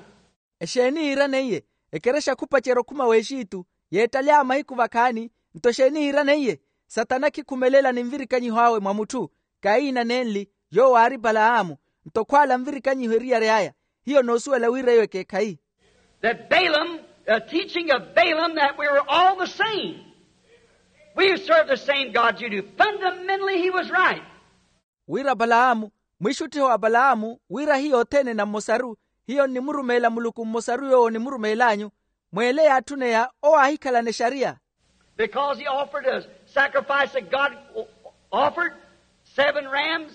Exeeni iiraneiye? Ekerexa khupacerya okhuma w'exitu, yeettalya mahiku vakhaani. Nto exeeni iiraneiye? Satana khikhumelela ni nvirikanyiho awe mwa mutthu. Kaina nenli, yoowo aari palahamu. Nto khwaala nvirikanyiho eriyari aya. Hiyo noosuwela wira eyo ekeekhayi. That Balaam, the teaching of Balaam, that we were all the same. We serve the same God you do. Fundamentally, he was right. Wira palahamu, mwiixuttiho wa palahamu wira hiyo othene na mmosaru. Hiyo nnimurumeela muluku mmosaru yoowo onimurumeel'anyu. Mweele yaatthuneya owo aahikhalana exariya. Because he offered a sacrifice that God offered, seven rams,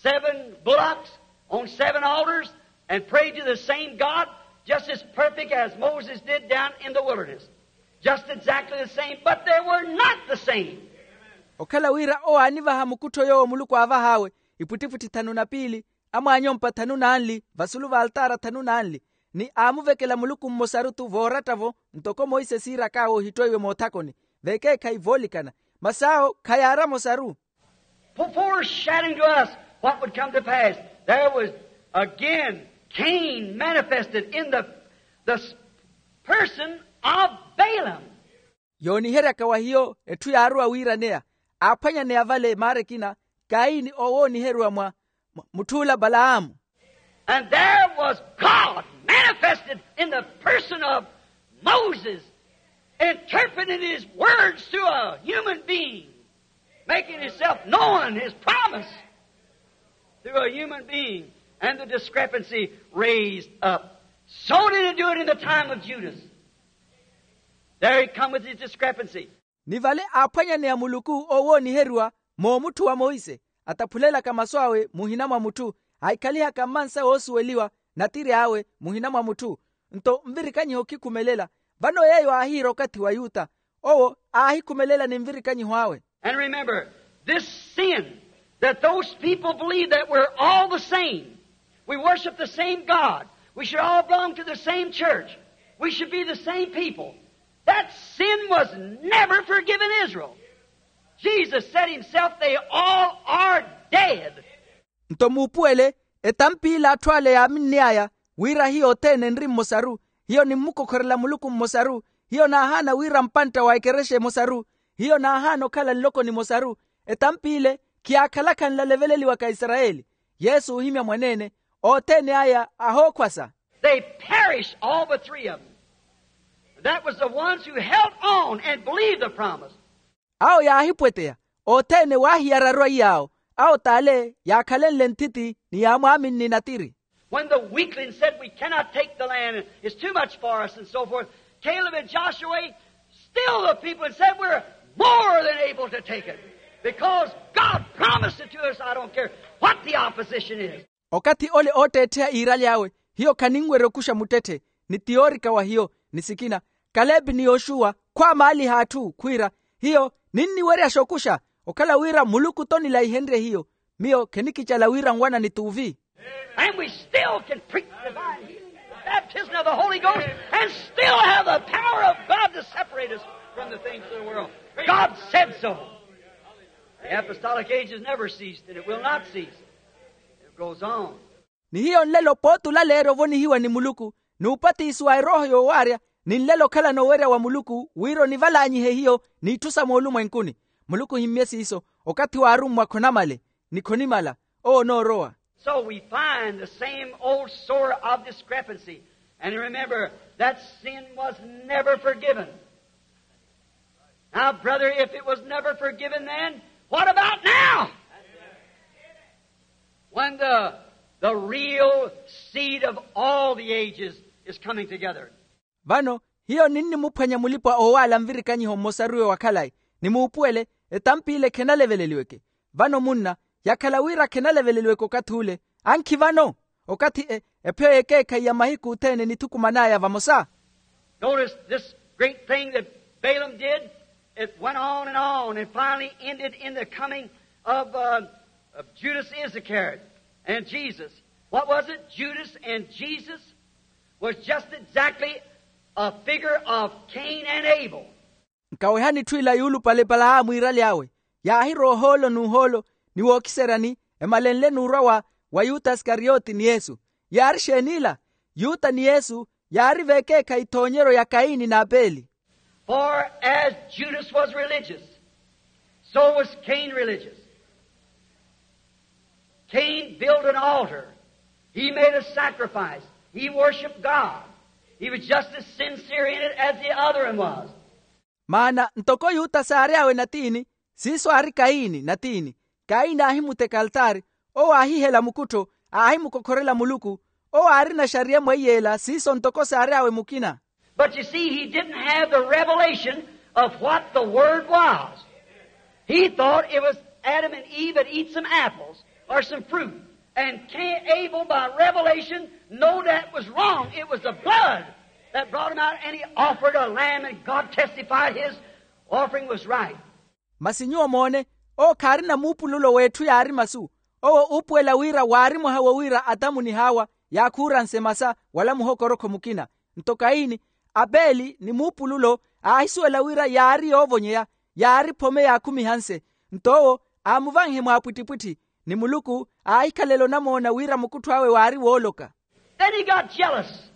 seven bullocks, on seven altars, and prayed to the same God, just as perfect as Moses did down in the wilderness. Just exactly the same, but they were not the same. Okhala wira owo aanivaha mukuttho yoowo muluku aavah'awe, ipwittipwitthi thanu na piili, amwaanyompa thanu n'anli, vasulu va altaara thanu n'anli, ni aamuvekela muluku mmosaru-tho. Vooratta-vo, ntoko monse siirak'awe ohittweiwe moothakoni, vekeekhayi voolikana. Masi awo khayaari amosaru. Foreshadowing to us what would come to pass, there was again Cain manifested in the, the person of Balaam. Yooniheryaka wa hiyo etthu yaarowa wiiraneya, aaphwanyaneya vale maara ekina, kaini owo ooniherywa mwa, mwa mutth'ula palahamu. And there was God manifested in the person of Moses, interpreting his words to a human being, making himself known, his promise, through a human being, and the discrepancy raised up. So did he do it in the time of Judas. There he come with his discrepancy. Ni vale aaphwanyaneya muluku owo ooniheriwa moomutthu wa monse, ataphulelaka masu awe muhina mwa mutthu, aahikhalihaka mmansa woosuweliwa, natiri awe muhina mwa mutthu. Nto nvirikanyiho khikhumelela. Vano yeeyo aahiira okathi wa yuta, owo aahikhumelela ni nvirikanyiho awe. And remember, this sin that those people believe that we're all the same, we worship the same God, we should all belong to the same church, we should be the same people. That sin was never forgiven Israel. Jesus said himself, they all are dead. Nto muupuwele, etamp'ila atthu ale yaaminn'aya wira hiyo othene enri mmosaru, hiyo nimmukokhorela muluku mmosaru, hiyo naahaana wira mpantta wa ekerexa emosaru, hiyo naahaana okhala nloko nimosaru. Etamp'ile khiyaakhalaka nlaleveleliwaka aisarayeli. Yesu oohimya mwaneene, othene aya ahookhwasa. They perished, all but three of them. That was the ones who held on and believed the promise. Awo yaahipweteya, othene waahiyararu aiy'awo. Awo t'ale yaakhalenle nthiti ni yaamwaaminni natiri. When the weaklings said, we cannot take the land, it's too much for us, and so forth, Caleb and Joshua, still the people said, we're more than able to take it, because God promised it to us, I don't care what the opposition is. Okathi ole ootteettheya iiraly'awe, hiyo khaninwerya okuxa muttetthe, ni tiyoorika wa hiyo, ni sikina, kalepi ni yoxuwa khwaamaaliha atthu khwiira, hiyo ninniweryaxa okuxa, okhala wira muluku-tho nilaihenrye hiyo. Miyo khenikicala wira nwana ni tuuvi. And we still can preach divine healing, the baptism of the Holy Ghost, and still have the power of God to separate us from the things of the world. God said so. The apostolic age has never ceased, and it will not cease. It goes on. Ni hiyo nlelo pooti olaleerya ovonihiwa ni muluku, n'upatisiwa erooho yoowaarya, ni nlelo okhalana owerya wa muluku wira onivalaanyihe hiyo n'itthu sa moolumwenkuni. Muluku ohimmye siiso, okathi waarummwa khonamale, ni khonimala. Owo onoorowa. So we find the same old sore of discrepancy. And remember, that sin was never forgiven. Now, brother, if it was never forgiven then, what about now? When the, the real seed of all the ages is coming together. Vano, hiyo ninnimuphwanya mulipwa oowaala nvirikanyiho mmosaru-yo wa khalayi, ni muupuwele, etamp'ile khenaleveleliweke. Vano munna, yakhala wira khenaleveleliweke okathi ule, ankhi vano, okathi e, epheyo y'ekeekhayi ya mahiku othene enithukuman'aya vamosa. Notice this great thing that Balaam did. It went on and on and finally ended in the coming of, uh, of Judas Iscariot and Jesus. What was it? Judas and Jesus was just exactly a figure of Cain and Abel. Nkawehani etthu ila yuulupale epalaamu yiiraly'awe, yaahirowa ohoolo n'uhoolo ni wookiseryani, emalenle n'urwa wa yuta isikariyoti ni yesu. Yaari exeen'ila? Yuta ni yesu yaari v'ekeekhayi ethoonyeryo ya kayini n'apeli. For as judas was religious, so was cain religious. Cain built an altar. He made a sacrifice. He worshipped god. He was just as sincere in it as the other one was. Maana ntoko yuta saary'awe natiini, siiso aari kayini natiini. Kayini aahimutteka altaari, owo aahihela mukuttho, aahimukokhorela muluku. Owo aarina exariya emweiy'ela siiso ntoko saary'awe mukina. But you see, he didn't have the revelation of what the word was. He thought it was adam and eve had eat some apples or some fruit. And cain abel by revelation know that was wrong. It was the blood that brought him out, and he offered a lamb and god testified his offering was right. Masi nyuwo moone, owo khaarina muupululo w'etthu yaari masu. Owo uupuwela wira waari mwaha wo wira atamu ni hawa yaakhuuranse masa wala muhokorokho mukina. Nto kayini, apeli ni muupululo aahisuwela wira yaari yoovonyeya, yaari phome yaakhumihanse. Nto owo aamuvanhe mwaapwittipwitthi, ni muluku aahikhalela onamoona wira mukuttho awe waari wooloka. Then he got jealous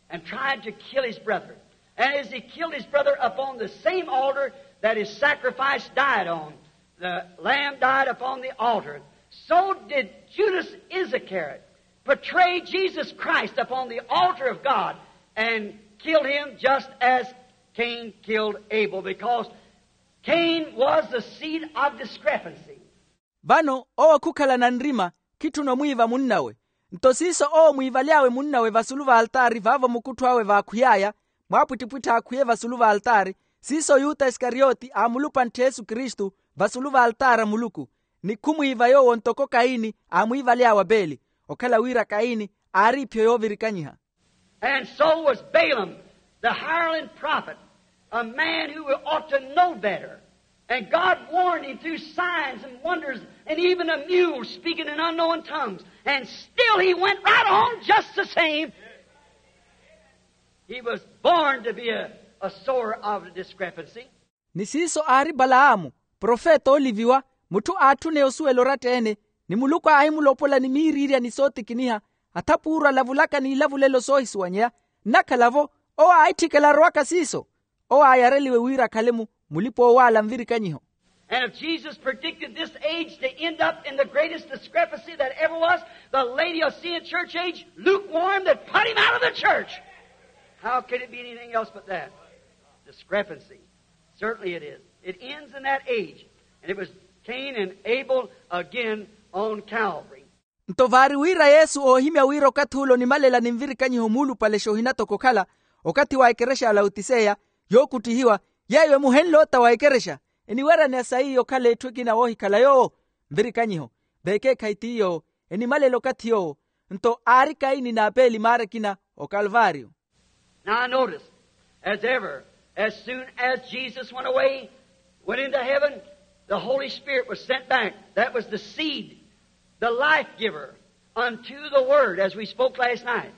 and tried to kill his brother. And as he killed his brother upon the same altar that his sacrifice died on, the lamb died upon the altar, so did judas iscariot betray jesus christ upon the altar of god and kill him just as cain killed abel, because cain was the seed of discrepancy. Vano owo khukhalana nrima, khitthuna omwiiva munnawe. Nto siiso owo mwiivaly'awe munnawe vasulu v'altaari vaavo mukuttho awe vaakhwiy'aya, mwaapwittipwitthi aakhwiye vasulu v'altaari, siiso yuta isikariyoti aamulupantthi yesu kristu vasulu v'altaari a muluku. Ni khumwiiva yoowo ntoko kayini aamwiivaly'awe apeli, okhala wira kayini aari iphyo yoovirikanyiha. And so was balaam, the hireling prophet, a man who ought to know better. And god warned him through signs and wonders, and even a mule speaking in unknown tongues, and still he went right on just the same. He was born to be a, a sower of discrepancy. Ni siiso aari palaamu, profeta ooliviwa, mutthu aatthuneya osuwela oratta-ene, ni muluku aahimulopola ni miiriirya ni sootikiniha, athapuuru alavulaka n'ilavulelo soohisuwanyeya. Nnakhala-vo, owo aahitthikela arowaka siiso. Owo aayareliwe wira akhale-mu mulipa-oowaala nvirikanyiho. And if jesus predicted this age to end up in the greatest discrepancy that ever was, the laodicean church age, lukewarm, that put him out of the church, how could it be anything else but that? Discrepancy. Certainly it is. It ends in that age. And it was cain and abel again on calvary. Nto vaari wira yesu oohimya wira okathi ule onimalela ni nvirikanyiho muulupale xoohinatoko okhala, okathi wa ekerexa ya lautiseya, yookutthihiwa, yeeyo emuhenle ota wa ekerexa, eniweryaneya sayi okhala etthu ekina woohikhala yoowo. Nvirikanyiho, veekeekhayi ti yoowo, enimalela okathi yoowo. Nto aari kayini n'apeli maara ekina okalvario. Now notice, as ever, as soon as jesus went away, went into heaven, the holy spirit was sent back. That was the seed, the life giver unto the word, as we spoke last night.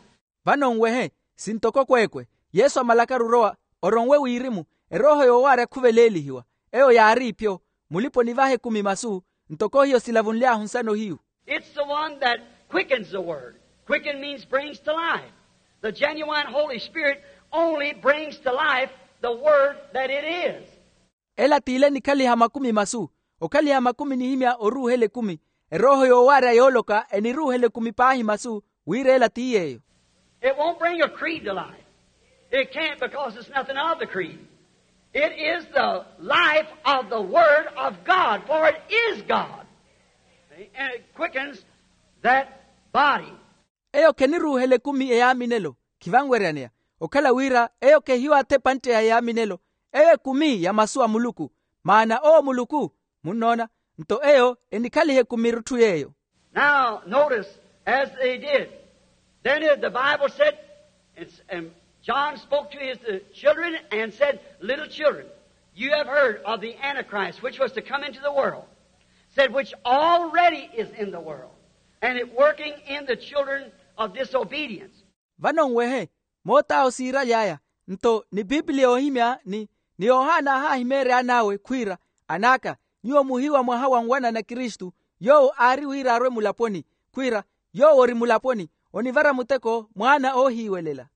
Vano nwehe, sintoko kweekwe, yesu amalakaru orowa, oronwe wirimu, erooho yoowaarya khuveleelihiwa. Eyo yaari ipyo, mulipa onivaha ekumi masu, ntoko hiyo silavunly'ahu nsano hiyu. It's the one that quickens the word. Quicken means brings to life. The genuine holy spirit only brings to life the word that it is. Ela t'ile enikhaliha makumi masu. Okhaliha makumi enihimya oruuhela ekumi. Erooho yoowaarya yooloka eniruuhela ekumi paahi masu, wira ela ti yeeyo. It won't bring a creed to life. It can't, because it's nothing of the creed. It is the life of the word of god, for it is god. And it quickens that body. Eyo kheniruuhela ekumi eyaaminelo, khivanweryaneya. Okhala wira eyo khehiyo atha epantteya eyaaminelo. Eyo ekumi ya masu a muluku, maana owo muluku. Munnoona? Nto eyo enikhaliha ekumi erutthu yeeyo. Now notice, as they did, then the bible said, and john spoke to his children and said, little children, you have heard of the antichrist which was to come into the world, said, which already is in the world, and it working in the children of disobedience. Vano nwehe, moot'awo siiraly'aya, nto ni pipilia yoohimya ni Ni yohana aahahimeerya an'awe khwiira, an'aka, nyuwo muhiiwa mwaha wa nwanana kristu, yoowo aari wira arwe mulaponi, khwiira, yoowo ori mulaponi, onivara muteko mwaana oohiiwelela.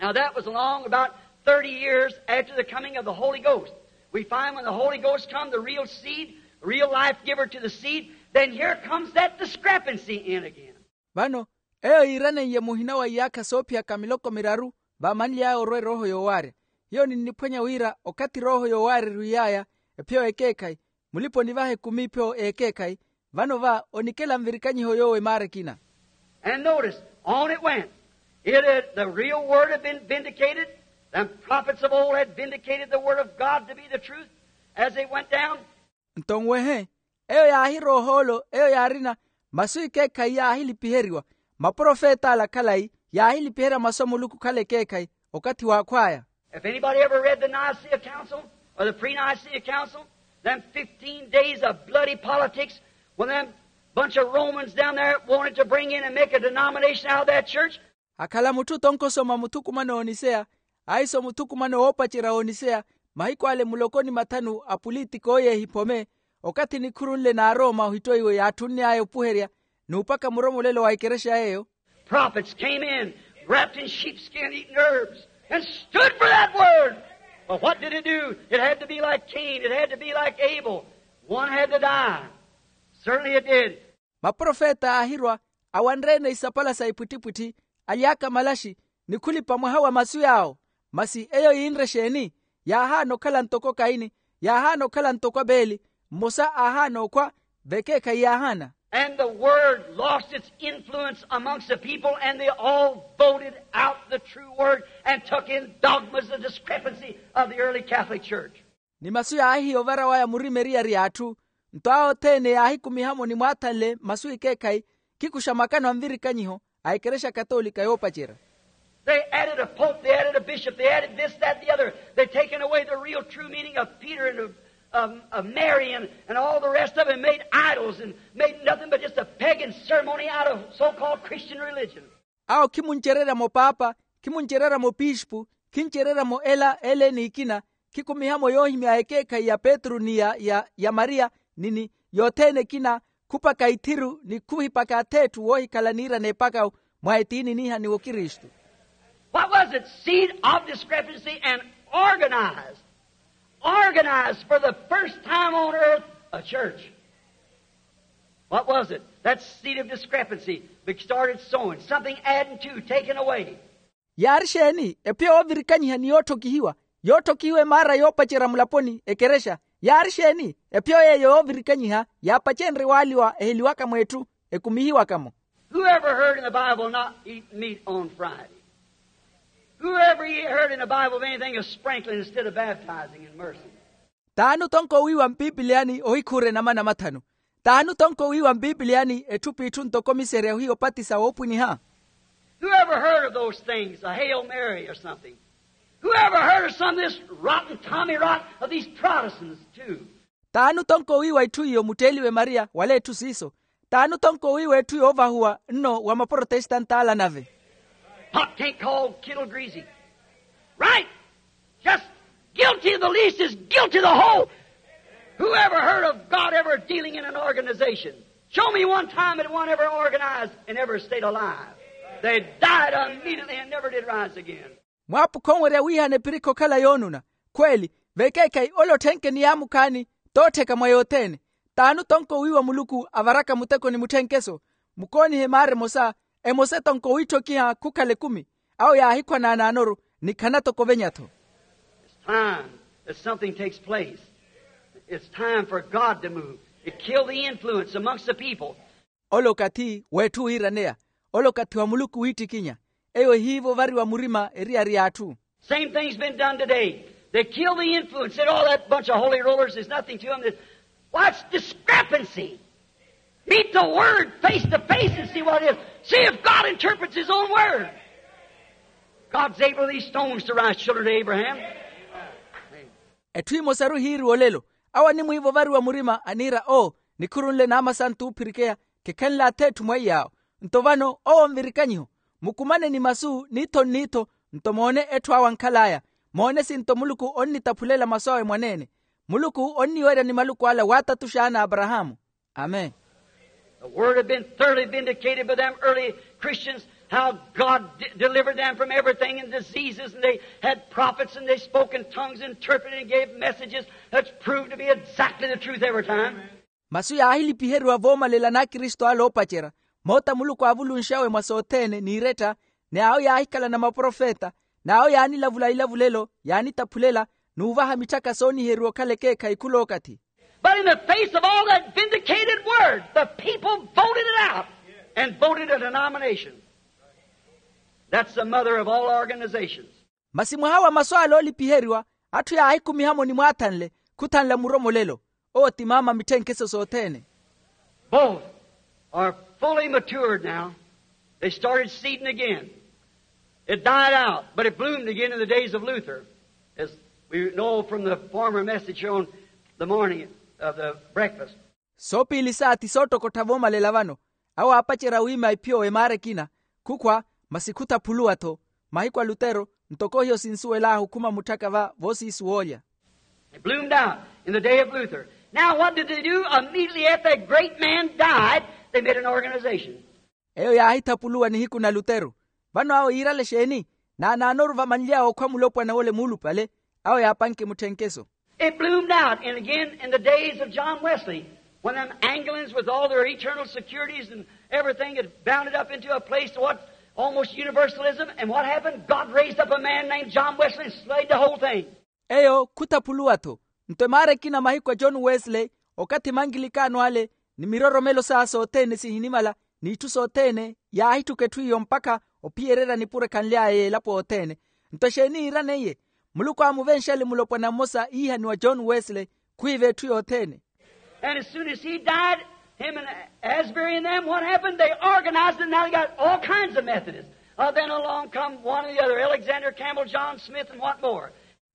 Now that was along about thirty years after the coming of the holy ghost. We find when the holy ghost come, the real seed, the real life giver to the seed, then here comes that discrepancy in again. Vano, eyo yiiraneiye muhina wa iyaakha soophiyaka miloko miraru, vaamanly'aya orwa erooho yoowaarya. Hiyo ninniphwanya wira okathi erooho yoowaarya erwiiy'aya, ephiyo ekeekhayi, mulipa onivaha ekumi ephiyo ekeekhayi. Vano va onikela nvirikanyiho yoowo emaara ekina. And notice, on it went. It had, the real word had been vindicated. The prophets of old had vindicated the word of God to be the truth as they went down. Nto nwehe, eyo yaahirooha olo eyo yaarina, masu ekeekhayi yaahilipiheriwa, maprofet'ala khalayi yaahilipiherya masu a muluku khala ekeekhayi. Okathi waakhw'aya. If anybody ever read the Nicaea Council or the pre-Nicaea Council, them fifteen days of bloody politics, when them bunch of Romans down there wanted to bring in and make a denomination out of that church. Akhala mutthu tonkhosoma muthukumano oniseya, ahiso muthukumano woopacerya oniseya, mahiku ale muloko ni mathanu a pulitiko yeehiphome, okathi nikhurunle n'arooma ohittoiwe yaatthunny'aya opuherya, n'upaka muromolelo wa ekerexa yeeyo. Prophets came in, wrapped in sheepskin, eating herbs, and stood for that word. But what did it do? It had to be like Cain. It had to be like Abel. One had to die. Certainly it did. Maprofeta aahirwa, awanre-ene isapala sa ipwittipwitthi, alyaaka malaxi, ni khulipa mwaha wa masu yaawo. Masi eyo yiinre exeeni? Yaahaana okhala ntoko kaini, yaahaana okhala ntoko apeeli, mmosa aahaana okhwa, vekeekhayi yaahaana. And the word lost its influence amongst the people, and they all voted out the true word and took in dogmas of discrepancy of the early Catholic Church. Ni masu yaahihiya ovara waya murima eriyari y'atthu. Nto awo othene yaahikumiha-mo ni mwaathanle masu ekeekhayi, khikuxa makano a nvirikanyiho a ekerexa katolika yoopacerya. They added a pope, they added a bishop, they added this, that, the other. They taken away the real true meaning of Peter and of, of, of Mary and, and all the rest of it, and made idols and made nothing but just a pagan ceremony out of so-called Christian religion. Awo khimuncererya-mo paapa, khimuncererya-mo piispu, khincererya-mo ela ele n'ikina, khikumiha-mo yoohimya ekeekhayi ya petru ni ya, ya, ya mariya, ni, ni yothene ekina, khupaka ithiru ni khuhipaka ath'etthu woohikhala niira n'epakawu mwa etiini niihaniwa okristu. What was it? Seed of discrepancy and organized. Organized for the first time on earth a church. What was it? That seed of discrepancy started sowing, something adding to, taking away. Yaari exeeni? Ephiyo yoovirikanyiha ni yootthokihiwa, yootthokihiwa emaara yoopacerya mulaponi ekerexa. Yaari exeeni? Ephiyo yeeyo yoovirikanyiha yaapacenrye waaliwa eheliwaka mw'etthu, ekumihiwaka-mo. Whoever heard in the Bible not eat meat on Friday? Whoever ye heard in the Bible of anything of sprinkling instead of baptizing, immersing? T'ani otonko wiiwa mpipiliyani ohikhuura enama namathanu? T'ani otonko wiiwa mpipiliyani etthu p'itthu ntoko miserya ohiya opatisa woopwiniha? Whoever heard of those things, a Hail Mary or something? Whoever heard of some of this rotten tommyrot of these Protestants too? T'ani otonko wiiwa etthu iyo mutteeliwe mariya wala etthu siiso? T'ani otonko wiiwa etthu yoovahuwa nno wa maprotestant'ala nave? Pot can't call kettle greasy. Right? Just guilty of the least is guilty of the whole. Whoever heard of God ever dealing in an organization? Show me one time that one ever organized and ever stayed alive. They died immediately and never did rise again. Mwaapukha onwerya wiihana epirikhi okhala yoonuna. Khweeli, vekeekhayi ole otthenke ni yaamukhaani, t'ottheka mwa yothene. T'ani otonko wiiwa muluku avaraka muteko ni mutthenkeso? Mukoonihe maara emosa, emosa etonko wiitthokiha khukhala ekumi. Awo yaahikhwa naanaanoru, ni khana toko ovenya-tho. It's time that something takes place. It's time for God to move. It killed the influence amongst the people. Ole okathi w'etthu wiiraneya, ole okathi wa muluku wiittikinya. Eyo ehiiva ovariwa murima eriyari y'atthu. Same thing's been done today. They kill the influence, said, "Oh, that bunch of holy rollers, there's nothing to 'em." What's discrepancy? Meet the word face to face and see what it is. See if God interprets his own word. God's able these stones to rise children to Abraham. Etthu emosaru hiiriwa olelo, awo animwiiva ovariwa murima aniira o, nikhurunle naama santu oophirikeya, khekhenle ath'etthu mweiy'awo. Nto vano owo nvirikanyiho, mukumane ni masu n'itho n'itho, nto moone etthu awo ankhal'aya. Moone sinto muluku onnitaphulela masu awe mwaneene. Muluku onniwerya ni maluku ala waatatuxa ana a aparahaamu. Amen. The word had been thoroughly vindicated by them early Christians, how God d- delivered them from everything and diseases, and they had prophets and they spoke in tongues, interpreted and gave messages that's proved to be exactly the truth every time. Masu yaahilipiheriwa voomalela n'akristu ale oopacerya, moota muluku aavulunxawe mwa sothene n'iretta, ni awo yaahikhala na maprofeta, n'awo yaanilavula ilavulelo yaanitaphulela, n'uvaha mitthaka sooniheriwa okhala ekeekhayi khulookathi. But in the face of all that vindicated word, the people voted it out and voted a denomination. That's the mother of all organizations. Masi mwaha wa masu ale oolipiheriwa, atthu yaahikumiha-mo ni mwaathanle khuthanla muromolelo. Owo ti maama mitthenkeso sothene. Both are fully matured now. They started seeding again. It died out, but it bloomed again in the days of Luther, as we know from the former message here on the morning of the breakfast. Soopiili saati soottokottha voomalela vano. Awo aapacerya wiima ephiyo emaara ekina, khukhwa, masi khutaphuluwa-tho. Mahiku a lutero, ntoko hiyo sinsuwel'ahu khuma mutthaka va voosiisu woolya. It bloomed out in the day of Luther. Now what did they do? Immediately after that great man died, they made an organization. Eyo yaahithapuluwa nihiku na lutero. Vano awo yiirale exeeni? Naanaanoru vamanly'awe okhwa mulopwana wole muulupale, awo yaapanke mutthenkeso. It bloomed out and again in the days of John Wesley, when them Anglicans with all their eternal securities and everything had bounded up into a place to what almost universalism, and what happened? God raised up a man named John Wesley and slayed the whole thing. Eyo khutaphuluwa-tho. Nto emaara ekina mahiku a john wesley, okathi mankilikano ale ni miroromelo saya sothene sihinimala, n'itthu sothene yaahitthuka etthu iyo mpakha ophiyererya nipuro ekhanly'aya y'elapo othene. Nto exeeni yiiraneiye? Muluku aamuvenxele mulopwana mmosa iihaniwa john wesley, khwiiva etthu yothene. And as soon as he died, him and Asbury and them, what happened? They organized it, now they got all kinds of Methodists. Uh, then along come one or the other, Alexander Campbell, John Smith, and what more?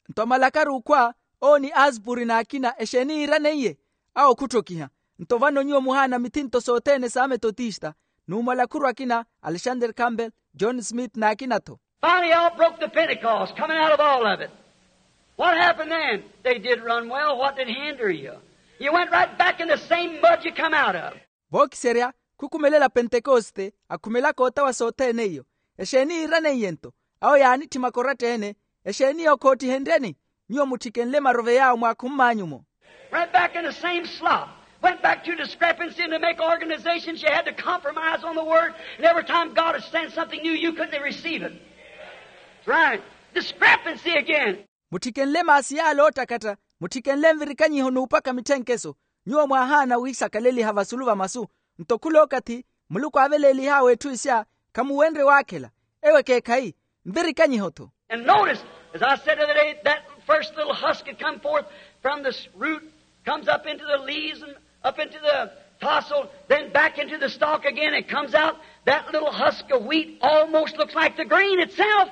Nto amalakaru okhwa, owo ni aspuri n'akina exeeni yiiraneiye? Awo khutthokiha. Nto vano nyuwo muhaana mithinto sothene s'ametotista, n'umalakhuru akina alexander campbell, john smith n'akina-tho. Finally all broke the pentecost coming out of all of it. What happened then? They did run well. What did hinder you? You went right back in the same mud you come out of. Vookiserya, khukhumelela pentekoste akhumelaka otawa sothene iyo. Exeeni yiiraneiye-nto? Awo yaanitthimaka oratta-ene. Exeeni iyo khoottihenryeni? Nyuwo mutthikenle maroveya awo mwaakhummaanyu-mo. Right back in the same slop. Went back to discrepancy and to make organizations you had to compromise on the word, and every time God would send something new you couldn't receive it. That's right. Discrepancy again. Mutthikenle maasi yaale oottakatta, mutthikenle nvirikanyiho n'upaka mitthenkeso. Nyuwo mwaahaana wiisakaleliha vasulu va masu. Nto khulookathi muluku aaveleelih'awe etthu isya, khamuwenrye waakhela. Ewo ekeekhayi, nvirikanyiho-tho. And notice, as I said the other day, that first little husk had come forth from the root, comes up into the leaves and up into the tassel, then back into the stalk again and comes out. That little husk of wheat almost looks like the grain itself.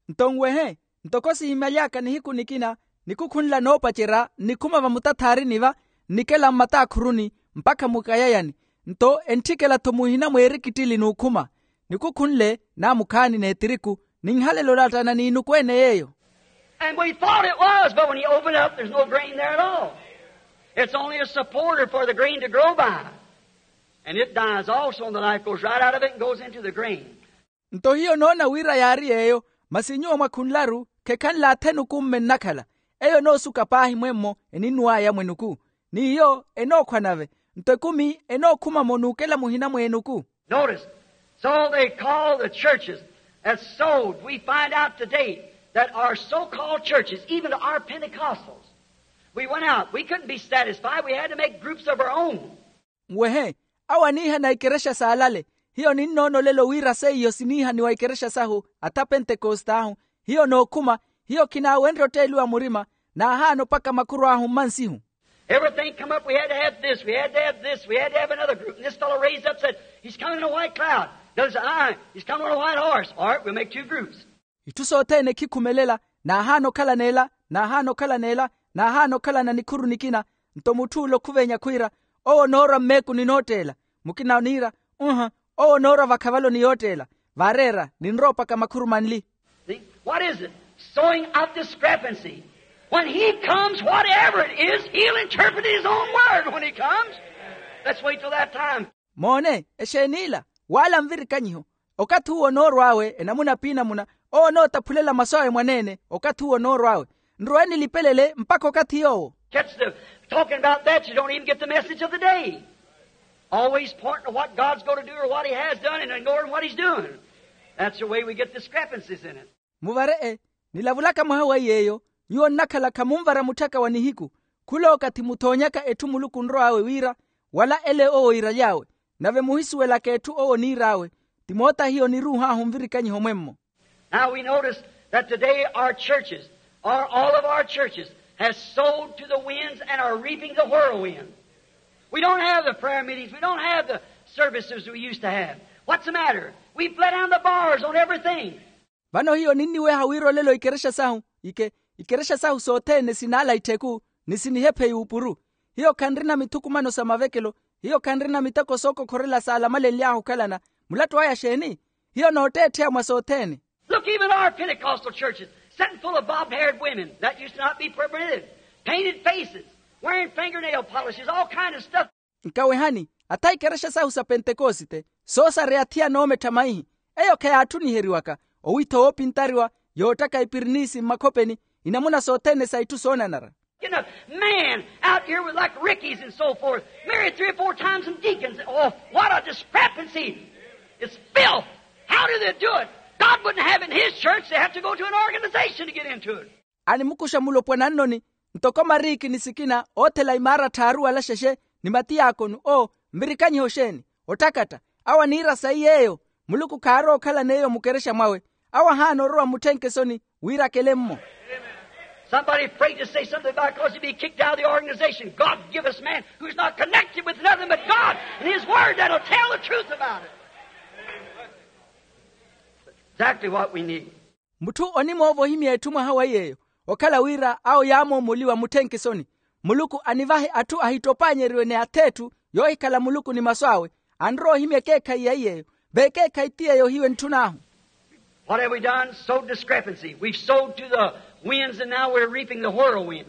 Nto nwehe, ntoko sihimaly'aka nihiku nikina, nikukhunla noopacerya nnikhuma vamutatharini va, nnikela mmataakhuruni mpakha mukayayani. Nto entthikela-tho muhina mweerikittili n'ukhuma. Nikukhunle naamukhaani n'etiriku, ninhalele olattana n'inuku-ene yeeyo. And we thought it was, but when you open it up there's no grain there at all. It's only a supporter for the grain to grow by. And it dies also and the life goes right out of it and goes into the grain. Nto hiyo noona wira yaari yeeyo, masi nyuwo mwakhunlaru khekhanle athenuku mme nnakhala. Eyo enoosuka paahi mwemmo eninnuwaya mwenuku, n'iyo enookhwa nave. Nto ekumi enookhuma-mo n'ukela muhina mw'enuku. Notice, so they call the churches that sowed, we find out today that our so-called churches, even our pentecostals, we went out, we couldn't be satisfied, we had to make groups of our own. Nwehe, awo aniihana ikerexa saalale. Hiyo ninnoona olelo wira seiyo siniihaniwa ikerexa sahu atha pentekost'ahu. Hiyo nookhuma, hiyo khinaawenrye otteeliwa murima, naahaana opaka makhuru ahu mmansihu. Everything come up, we had to have this, we had to have this, we had to have another group. And this fellow raised up and said, he's coming in a white cloud. The other said, aye, he's coming on a white horse. All right, we'll make two groups. Itthu sothene khikhumelela, naahaana okhala n'ela, naahaana okhala n'ela, naahaana okhalana nikhuru nikina. Nto mutth'ule okhuvenya khwiira, owo onoorwa mmeekuni nootteela. Mukina oniira, uha, owo onoorwa vakhavaloni yootteela. Vaareera ninrowa opaka makhuru manli. See? What is it? Sowing out discrepancy. When he comes, whatever it is, he'll interpret his own word when he comes. Let's wait till that time. Moone, exeeni ila? Wala nvirikanyiho. Okathi uwo onoorw'awe enamuna p'inamuna, owo onootaphulela masu awe mwaneene. Okathi uwo onoorw'awe, nrowe nilipelele mpakha okathi yoowo. Catch the talking about that, you don't even get the message of the day. Always pointing to what God's going to do or what he has done and ignoring what he's doing. That's the way we get discrepancies in it. Muvare-e, nilavulaka mwaha wa iy'eyo, nyuwo nnakhala khamunvara mutthaka wa nihiku. Khulookathi muthoonyaka etthu muluku onrow'awe wira, wala ele owo iiraly'awe, nave muhisuwelaka etthu owo oniir'awe. Ti moota hiyo niruuh'ahu nvirikanyiho mwemmo. Now we notice that today our churches, or all of our churches, has sowed to the winds and are reaping the whirlwind. We don't have the prayer meetings, we don't have the services we used to have. What's the matter? We've let down the bars on everything. Vano hiyo ninniweha wira olelo ikerexa sahu, ike ikerexa sahu sothene sinaala ittheku, ni sinihephe yuupuru. Hiyo khanrina mithukumano sa mavekelo, hiyo khanrina miteko sookokhorela saalamalenly'ahu okhalana. Mulattu aya xeeni? Hiyo nootteettheya mwa sothene. Look, even our Pentecostal churches, sitting full of bobbed-haired women that used to not be permitted, painted faces, wearing fingernail polishes, all kind of stuff. Nkawehani, atha ikerexa sahu sa pentekosite, soosareya athiya noomettha maihi, eyo kheyaattuniheryiwaka. Owiitha woopintariwa, yoottaka ipiriniisi mmakhopeni, inamuna sothene sa itthu soonanara. Getting a man out here with, like, rickies and so forth, married three or four times and deacons. Oh, what a discrepancy. It's filth. How do they do it? God wouldn't have it in his church. They have to go to an organization to get into it. Animukuxa mulopwana nnoni, ntoko mariiki ni sikina oothela imaara tthaaru wala xexe, ni matiyaakonu. Oo, nvirikanyiho xeeni? Otthakatta. Awo aniira sayi yeeyo. Muluku khaarowa okhalan'eyo mukerexa mwawe. Awo ahaana orowa mutthenkesoni wira akele-mmo. Somebody afraid to say something about it because he'd be kicked out of the organization. God give us man who's not connected with nothing but God and his word that'll tell the truth about it. Exactly what we need. Mutthu onimoovohimya etthu mwaha wa yeeyo, okhala wira awo yaamoomoliwa mutthenkesoni. Muluku anivahe atthu ahittopaanyeriwe ni ath'etthu yoohikhala muluku ni masu awe. Anrowa ohimya ekeekhayi ya iy'eyo. V'ekeekhayi ti yeeyo hiyo entthun'ahu. What have we done? Sowed discrepancy. We've sowed to the winds and now we're reaping the whirlwind.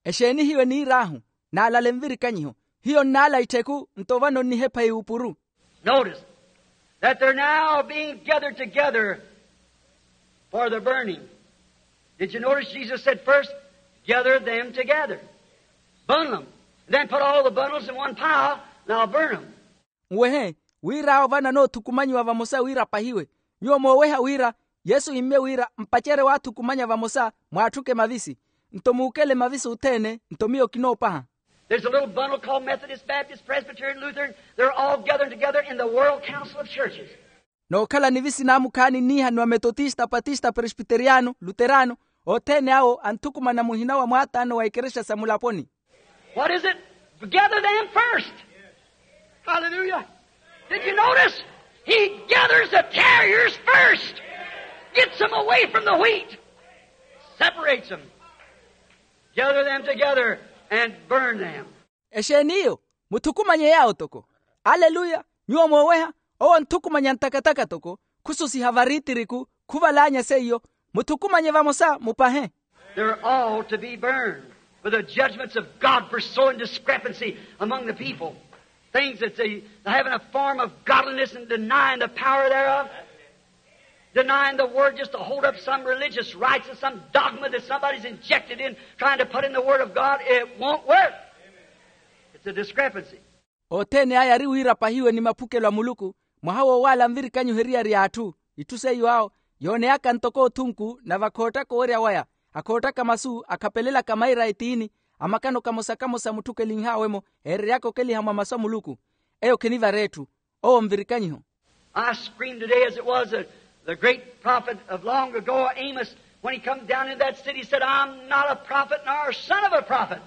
Exeeni hiyo eniir'ahu? Naalale nvirikanyiho. Hiyo nnaala ittheku, nto vano nnihepha yuupuru. Notice that they're now being gathered together for the burning. Did you notice Jesus said first, "Gather them together, bundle them, and then put all the bundles in one pile, and I'll burn them." Nwehe, wira awo vano anoothukumanyiwa vamosa wira apahiwe. Nyuwo mooweha wira yesu imme wira mpacerye waathukumanya vamosa, mwaatthuke mavisi, nto muukele mavisi othene, nto miyo kinoopaha. There's a little bundle called Methodist, Baptist, Presbyterian, Lutheran. They're all gathered together in the World Council of Churches. Nookhala nivisi naamukhaani nniihaniwa metotista, patista, presbiteriyano, luterano, othene awo anthukumana muhina wa mwaataano wa ikerexa sa mulaponi. What is it? Gather them first. Hallelujah. Did you notice? He gathers the tarriers first, gets them away from the wheat, separates them. Gather them together and burn them. Exeeni iyo? Muthukumanye yaawo toko. Aleluya. Nyuwo mooweha, owo anthukumanya ntakataka toko, khususiha variitiriku, khuvalaanya seiyo. Muthukumanye vamosa mupahe. They're all to be burned with the judgments of God for sowing discrepancy among the people. Things that they having a form of godliness and denying the power thereof. Denying the word just to hold up some religious rites and some dogma that somebody's injected in, trying to put in the word of God. It won't work. It's a discrepancy. Othene aya ari wira apahiwe ni maphukelo a muluku, mwaha woowaala nvirikanyiho eriyari y'atthu. Itthu seiyo awo yooneyaka ntoko othunku nave akhoottaka owerya waya, akhoottaka masu akhapelelaka maira a etiini, amakano kamosa kamosa mutthukelinh'awe-mo, eereryaka okeliha mwa masu a muluku. Eyo khinivara etthu. Owo nvirikanyiho. I scream today as it was the, the great prophet of long ago, Amos, when he come down into that city, he said, "I'm not a prophet nor a son of a prophet."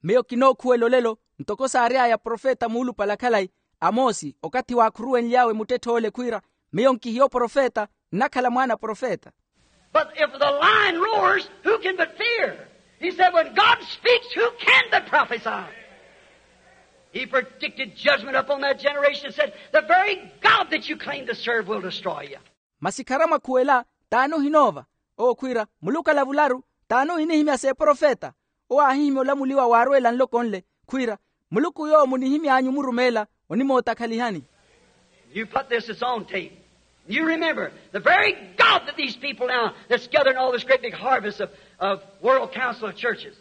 Miyo kinookhuwela olelo, ntoko saary'aya profeta muulupale a khalayi, amosi, okathi waakhuruwenly'awe muttetthe ole khwiira, miyo nkihiyo profeta, nnakhala mwaana profeta. But if the lion roars, who can but fear? He said, "When God speaks, who can but prophesy?" He predicted judgment upon that generation and said, "The very God that you claim to serve will destroy you." Masi kharamwakhuwela, t'ani ohinoova? Owo khwiira, muluku alavularu, t'ani ohinihimya s'eprofeta? Owo aahihimya olamuliwa waarweela nloko nle, khwiira, muluku yoowo munihimy'anyu omurumeela, onimootakhalihani. You put this, it's on tape. You remember the very God that these people now that's gathering all this great big harvest of, of World Council of Churches.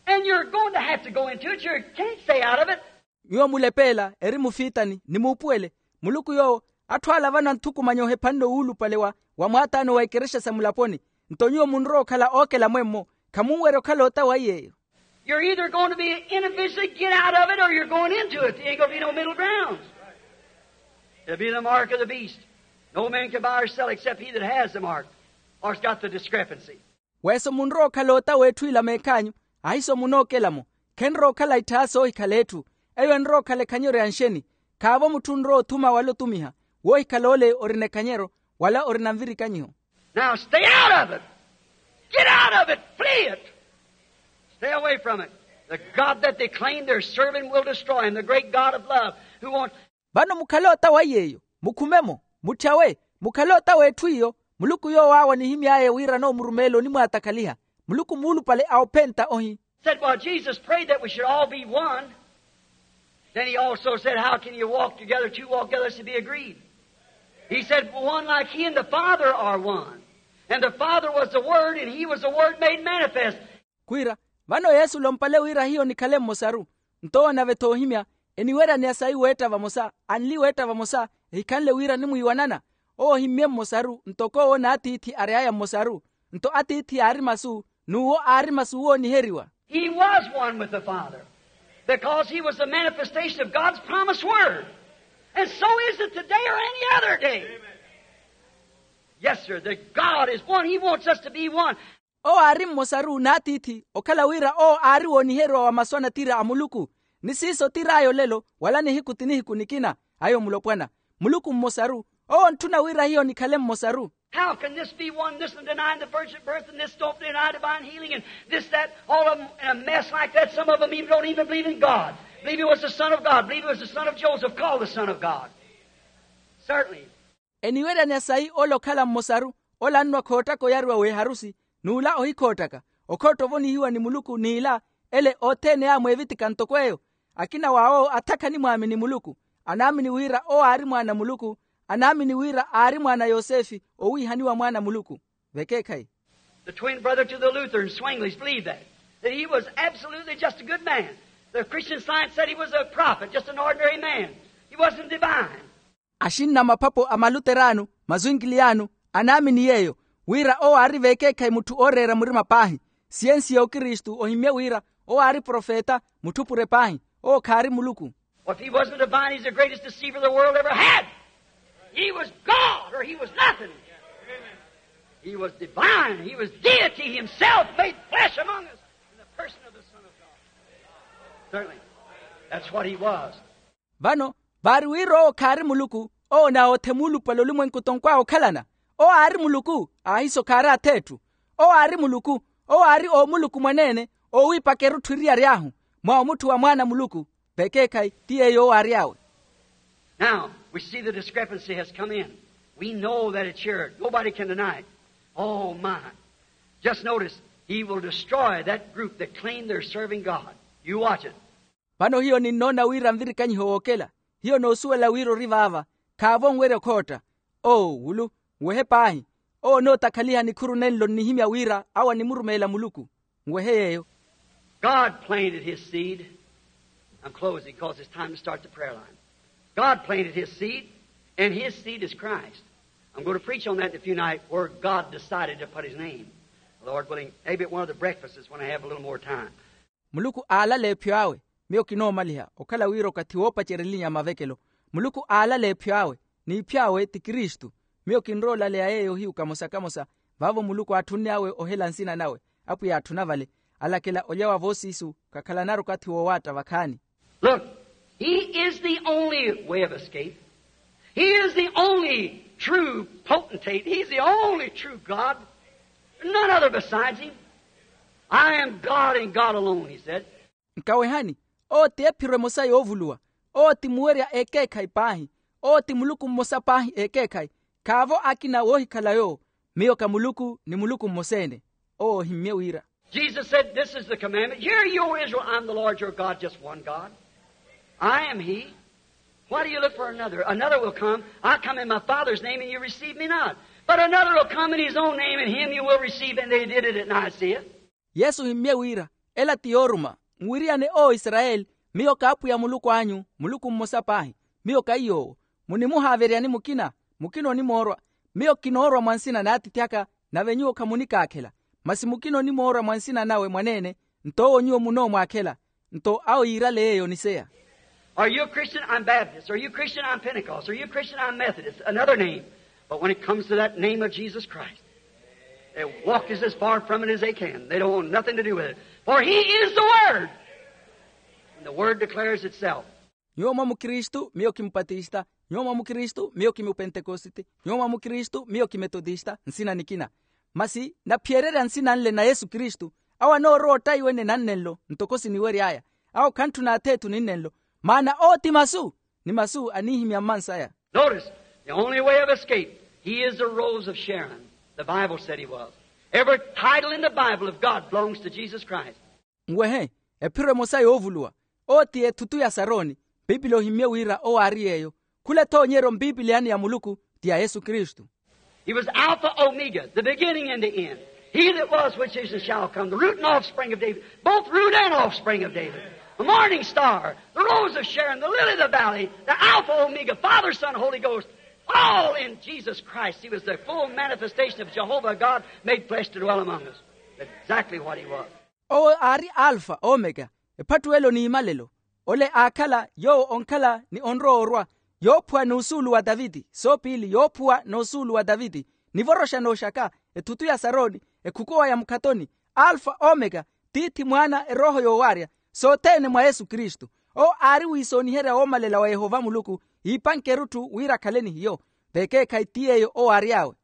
And you're going to have to go into it. You can't stay out of it. Nyuwo mulepeela eri mufiitani ni muupuwele, muluku yoowo atthu ala vano anthukumanya ohephanle wuulupale wa, wa mwaataano wa ikerexa sa mulaponi. Nto nyuwo munrowa okhala ookela mwemmo, khamunwerya okhala ota wa iy'eyo. You're either going to be individually get out of it or you're going into it. There ain't going to be no middle ground. It'll be the mark of the beast. No man can buy or sell except he that has the mark or has got the discrepancy. Weeso munrowa okhala ota w'etthu ila meekh'anyu, ahiso munookela-mo. Khenrowa okhala itthaha soohikhala etthu. Eyo enrowa okhala ekhanyero ya nxeni. Khaavo mutthu onrowa othuma wala otumiha, woohikhala ole orina ekhanyero wala orina nvirikanyiho. Now stay out of it. Get out of it. Flee it. Stay away from it. The God that they claim they're serving will destroy him. The great God of love who wants Vano mukhale ota wa iy'eyo, mukhume-mo, mutthyawe, mukhale ota w'etthu iyo. Muluku yoowo awo anihimy'aya wira noomurumeela onimwaatakhaliha. Muluku muulupale a ophenta ohi. Said, well, Jesus prayed that we should all be one. Then he also said, how can you walk together, two walk together, lest you be agreed? He said, one like he and the Father are one. And the Father was the Word, and he was the Word made manifest. Khwiira, vano yesu olompale wira hiyo nikhale mmosaru. Nto owo nave-tho oohimya, eniwerya ni asayi weetta vamosa, anli weetta vamosa, ehikhanle wira animwiiwanana. Owo ohimmye mmosaru ntoko owo n'atiithi ary'aya mmosaru. Nto atiithi yaari masu, n'uwo aari masu wooniheriwa. He was one with the Father because he was the manifestation of God's promised word. And so is it today or any other day. Yes, sir. The God is one. He wants us to be one. Owo aari mmosaru n'atiithi, okhala wira owo aari wooniheriwa wa masu anatira a muluku. Ni siiso tir'aya olelo wala nihiku ti nihiku nikina. Ayo mulopwana, muluku mmosaru. Owo ontthuna wira hiyo nikhale mmosaru. How can this be one, this and denying the virgin birth, and this don't deny divine healing, and this, that, all of them in a mess like that? Some of them even don't even believe in God. Believe he was the Son of God. Believe he was the son of Joseph, called the Son of God. Certainly. Eniwerya ni asayi ole okhala mmosaru, ole annwa khoottaka oyariwa w'eharusi, n'ula ohikhoottaka. Okhootta ovonihiwa ni muluku n'ila, ele othene yaamweevitika ntoko eyo. Akina w'awo athakha animwaamini muluku, anaamini wira owo aari mwaana a muluku, anaamini wira aari mwaana a yosefe, owiihaniwa mwaana a muluku. Vekeekhayi. The twin brother to the Luther in Zwingli's believed that, that he was absolutely just a good man. The Christian Science said he was a prophet, just an ordinary man. He wasn't divine. Axinna a maphapho a maluteraano, mazwinkiliyano, anaamini yeeyo, wira owo aari vekeekhayi mutthu ooreera murima paahi. Siyensi ya okristu ohimmye wira owo aari profeta, mutthu pure paahi. Owo khaari muluku. Well, if he wasn't divine, he's the greatest deceiver the world ever had. He was God or he was nothing. He was divine. He was deity himself made flesh among us in the person of the Son of God. Certainly. That's what he was. Vano, vaari wira owo khaari muluku, owo naawothe muulupale olumwenku tonkw'awe okhalana. Owo aari muluku, ahiso khaari ath'etthu. Owo aari muluku, owo aari oomuluku mwaneene, oowiipaka erutthu eriyari ahu, mwa omutthu wa mwaana a muluku. Vekeekhayi ti yeeyo owo aary'awe. Now we see the discrepancy has come in. We know that it's here. Nobody can deny it. Oh my. Just notice, he will destroy that group that claim they're serving God. You watch it. Vano hiyo ninnoona wira nvirikanyiho wookela. Hiyo noosuwela wira ori vaava. Khaavo onwerya okhootta. Oo wulu, nwehe paahi. Owo onootakhaliha nikhuru nenlo nnihimya wira awo animurumeela muluku. Nwehe yeeyo. God planted his seed. I'm closing because it's time to start the prayer line. God planted his seed, and his seed is Christ. I'm going to preach on that in a few nights, where God decided to put his name. Lord willing, maybe at one of the breakfasts when I have a little more time. Muluku aalala ephyo awe. Miyo kinoomaliha okhala wira okathi woopacerya elinya ya mavekelo. Muluku aalala ephyo awe, n'iphyo awe ti kristu. Miyo kinrowa olaleya yeeyo hiyu kamosa kamosa. Vaavo muluku aatthunne awe ohela nsina nawe. Apwiya aatthuna vale, alakela olya wa voosiisu. Khakhalanaru okathi woowaatta vakhaani. Look, he is the only way of escape. He is the only true potentate. He's the only true God. None other besides him. I am God and God alone, he said. Nkawehani, owo ti ephiro emosa yoovuluwa. Owo ti muwerya ekeekhayi paahi. Owo ti muluku mmosa paahi ekeekhayi. Khaavo akina woohikhala yoowo. Miyo ka muluku ni muluku mmosa-ene. Owo ohimmye wira. Jesus said, this is the commandment, hear you, o israel, I am the lord your god, just one god. I am he. Why do you look for another? Another will come. I come in my father's name and you receive me not. But another will come in his own name and him you will receive, and they did it at Nicaea. Yesu ohimmye wira, ela ti yooruma, nwiriyane o israyeli, miyo k'apwiya muluku anyu, muluku mmosa paahi. Miyo ka iy'owo. Munimuhaaveryani mukina, mukina onimoorwa. Miyo kinoorwa mwa nsina n'atiithi aka, nave nyuwo khamunikaakhela. Masi mukina onimoorwa mwa nsina nawe mwaneene, nto owo nyuwo munoomwaakhela. Nto awo yiirale yeeyo oniseya. Are you a christian? I'm baptist. Are you a christian? I'm pentecost. Are you a christian? I'm methodist, another name. But when it comes to that name of jesus christ, they walk as far from it as they can. They don't want nothing to do with it. For he is the word, and the word declares itself. Nyuwo mwa mukristu miyo ki mupatista. Nyuwo mwa mukristu miyo ki mupentekosite. Nyuwo mwa mukristu miyo ki metotista nsina nikina. Masi naphiyererya nsina nle na yesu kristu, awo anoorowa ottaiwene nannenlo ntoko siniwery'aya. Awo khantthuna atheetu ninnenlo. Maana owo ti masu, ni masu aniihimya mmansaya. Notice, the only way of escape, he is the rose of sharon. The bible said he was. Every title in the bible of god belongs to jesus christ. Nwehe, ephiro emosa yoovuluwa. Owo ti ethutu ya saroni. Pipili ohimmye wira owo aari yeeyo. Khula ethoonyeryo mpipiliyani ya muluku ti ya yesu kristu. He was alpha omega, the beginning and the end. He that was, which is, and shall come, the root and offspring of david, both root and offspring of david, the morning star, the rose of sharon, the lily of the valley, the alpha omega, father, son, holy ghost. All in jesus christ. He was the full manifestation of jehovah god made flesh to dwell among us. That's exactly what he was. Owo aari alfa omeka, ephattuwelo n'imalelo. Ole aakhala yoowo onkhala ni onrowa orwa, yoophuwa n'usuulu wa taviti soopiili yoophuwa n'usuulu wa taviti, nivoroxa nooxaka, ethutu ya saroni, ekhukowa ya mukhatoni. Alfa omeka, tiithi mwaana erooho yoowaarya, sothene mwa yesu kristu. Owo aari wiisooniherya woomalela wa yehova muluku, iipanke erutthu wira akhale ni hiyo. Vekeekhayi ti yeeyo owo aary'awe.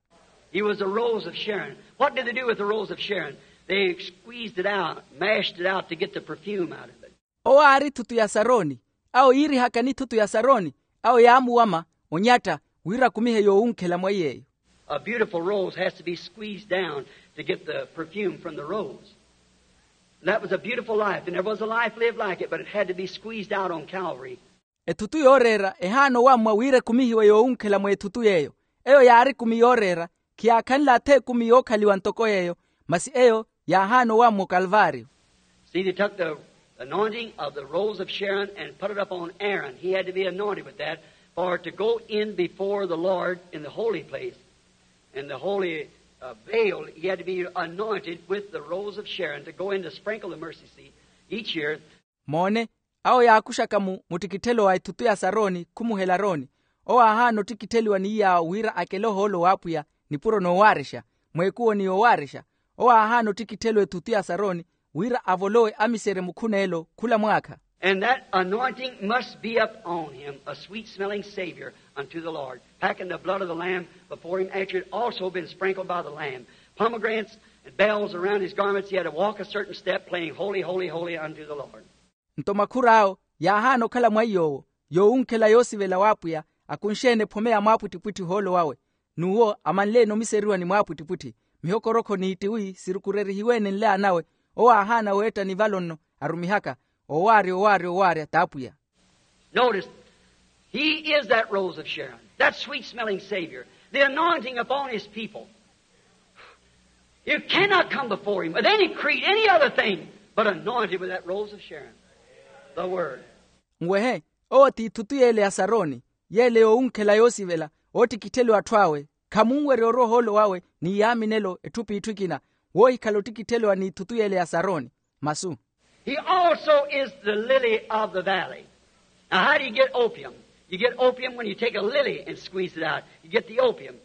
He was the rose of sharon. What did they do with the rose of sharon? They squeezed it out, mashed it out to get the perfume out of it. Owo aari thutu ya saroni. Awo yiirihaka ni thutu ya saroni. Awo yaamuwama, onyatta, wira akumihe yoowunkhela mwa iy'eyo. A beautiful rose has to be squeezed down to get the perfume from the rose. That was a beautiful life. There never was a life lived like it, but it had to be squeezed out on calvary. Ethutu yooreera ehaana owammwa wira ekumihiwe yoowunkhela mwa ethutu y'eyo. Eyo yaari ekumi yooreera, khiyaakhanle atha ekumi yookhaliwa ntoko y'eyo, masi eyo yaahaana owammwa okalvario. See, they took the anointing of the rose of sharon and put it up on aaron. He had to be anointed with that, for to go in before the lord in the holy place, in the holy uh, veil, he had to be anointed with the rose of sharon to go in to sprinkle the mercy seat each year. Moone, awo yaakuxaka mu muttikitthelo wa ethutu ya saroni khumuhela arooni. Owo aahaana ottikittheliwa ni iy'awo wira akele ohoolo w'apwiya, nipuro noowaarexa, mweekuwo ni yoowarexa. Owo aahaana ottikittheliwa ethutu ya saroni, wira avolowe amiserye mukhuneelo khula mwaakha. And that anointing must be upon him, a sweet smelling savior unto the lord, packing the blood of the lamb before him, after it had also been sprinkled by the lamb. Pomegranates and bells around his garments, he had to walk a certain step, playing holy, holy, holy unto the lord. Nto makhur'awo yaahaana okhala mwa iy'owo, yoowunkhela yoosivela w'apwiya, akunxe-ene ephome ya mwaapwittipwitthi ohoolo wawe. N'uwo amanle-ene omiseriwa ni mwaapwittipwitthi, mihokorokho n'ittiwi sirukurerihiwe-ene nle anawe. Owo aahaana weetta nivalo nno, arumihaka, owaarya owaarya owaarya t'apwiya. Notice, he is that rose of sharon, that sweet smelling savior, the anointing upon his people. You cannot come before him with any creed, any other thing, but anointed with that rose of sharon, the word. Nwehe, owo ti ithutu y'ele ya saroni, y'ele yoowunkhela yoosivela, oottikittheliwa atthu awe. Khamunwerya orwa ohoolo wawe ni yaaminelo etthu p'itthu ekina, woohikhala ottikittheliwa n'ithutu y'ele ya saroni. Masu. He also is the lily of the valley. Now how do you get opium? You get opium when you take a lily and squeeze it out. You get the opium.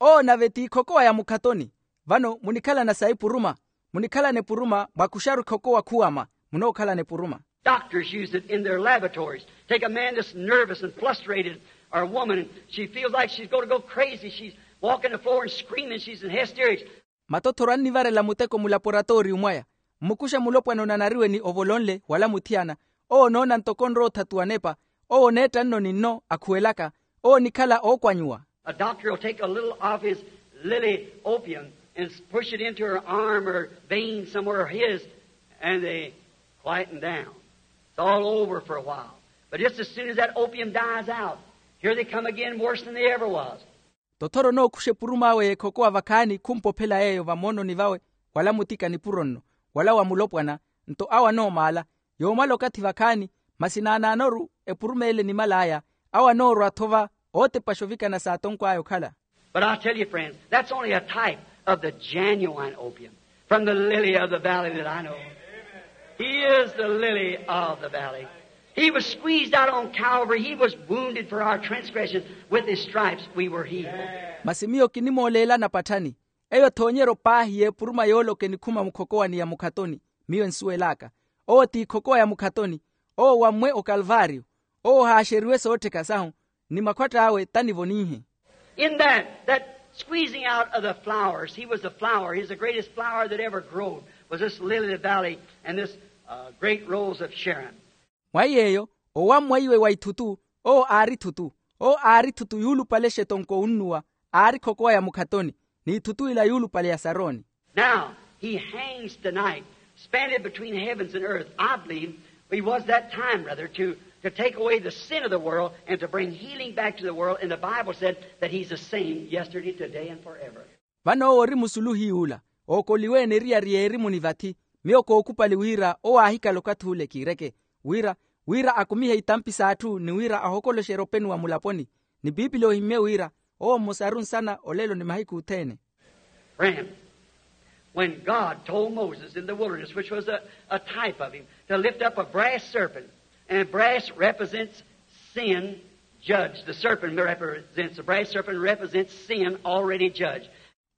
Owo nave ti ikhokowa ya mukhatoni. Vano munikhalana sa ipuruma. Munikhalana epuruma mwakuxaru ikhokowa khuwama. Munookhalana epuruma. Doctors use it in their laboratories. Take a man that's nervous and frustrated, or a woman, and she feels like she's going to go crazy. She's walking the floor and screaming. She's in hysterics. Matothoro annivarela muteko mulaporatooriyu mwaya. Mmukuxe mulopwana onanariwe ni ovolonle wala muthiyana. Owo onoona ntoko onrowa othatuwa nepa. Owo oneetta nno ni nno akhuwelaka. Owo onikhala ookwanyuwa. A doctor will take a little of his Lily opium and push it into her arm or vein somewhere of his, and they quieten down. It's all over for a while. But just as soon as that opium dies out, here they come again worse than they ever was. Tothoro nookhusha epurum'awe y'ekhokowa vakhaani khumpophela yeeyo vamoononi vawe, wala mutika nipuro nno, wala wa mulopwana. Nto awo anoomaala, yoomala okathi vakhaani, masi naanaanoru epuruma ele enimal'aya, awo anoorwa-tho va ootepaxa ovikana saatonkw'aya okhala. But I tell you, friends, that's only a type of the genuine opium from the lily of the valley that I know. He is the lily of the valley. He was squeezed out on Calvary. He was wounded for our transgressions. With his stripes we were healed. Masi miyo kinimooleelani apatthani, eyo thoonyeryo paahi y'epuruma yooloka enikhuma mukhokowani ya mukhatoni. Miyo ensuwel'aka, owo ti ikhokowa ya mukhatoni. Owo wammwe okalvaariyo. Owo ohaaxeriwe soottheka sahu, ni makhwatt'awe tanivo ninhe. In that, that squeezing out of the flowers, he was the flower. He's the greatest flower that ever growed, was this lily of the valley and this uh, great rose of Sharon. Mwa yeeyo, owammwa iwe wa ithutu, owo aari ithutu. Owo aari ithutu yuulupale exetonko onnuwa, aari khokowaya mukhatoni, n'ithutu ila yuulupale ya saroni. Now he hangs tonight, suspended between heavens and earth. I believe he was that time, rather, to, to take away the sin of the world and to bring healing back to the world. And the Bible said that he's the same yesterday, today, and forever. Vano owo ori musulu hiy'ula, ookoliweene eriyari y'erimu ni vathi. Miyo kookhupali wira owo aahikala okathi ule kiireke, wira, wira akumihe itampi s'atthu ni wira ahokoloxerye openuwa mulaponi. Ni piipili oohimmye wira owo mmosaru nsana olelo ni mahiku othene. Friend, when God told Moses in the wilderness, which was a, a type of him, to lift up a brass serpent, and brass represents sin judged. The serpent represents, the brass serpent represents sin already judged.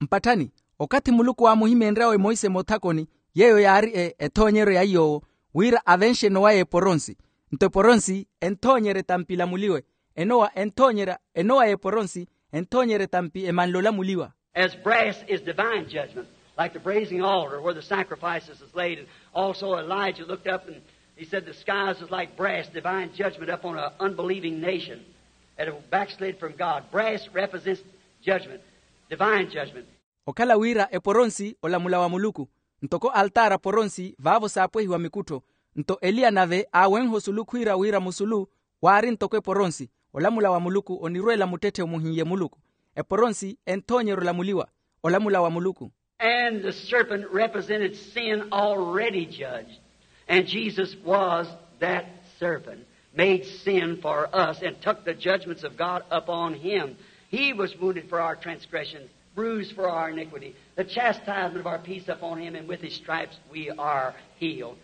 Mpatthani, okathi muluku waamuhimeenryawe emoise moothakoni, yeeyo yaari e, ethoonyeryo ya iy'owo, wira avenxe enowa y'eporonsi. Nto eporonsi enthoonyerya etampi elamuliwe. Enowa enthoonyerya, enowa y'eporonsi enthoonyerya etampi emanle olamuliwa. As brass is divine judgment, like the brazen altar where the sacrifices is laid, and also Elijah looked up and he said, the skies is like brass, divine judgment upon an unbelieving nation that have backslid from God. Brass represents judgment, divine judgment. Okhala wira eporonsi olamula wa muluku, ntoko altaara poronsi vaavo saapwehiwa mikuttho. Nto eliya nave aawenha osulu khwiira wira musulu waari ntoko eporonsi. Olamula wa muluku onirweela muttetthe omuhiiye muluku. Eporonsi enthoonyerya olamuliwa, olamula wa muluku. And the serpent represented sin already judged. And Jesus was that serpent, made sin for us, and took the judgments of God upon him. He was wounded for our transgressions, bruised for our iniquity. The chastisement of our peace upon him, and with his stripes we are healed.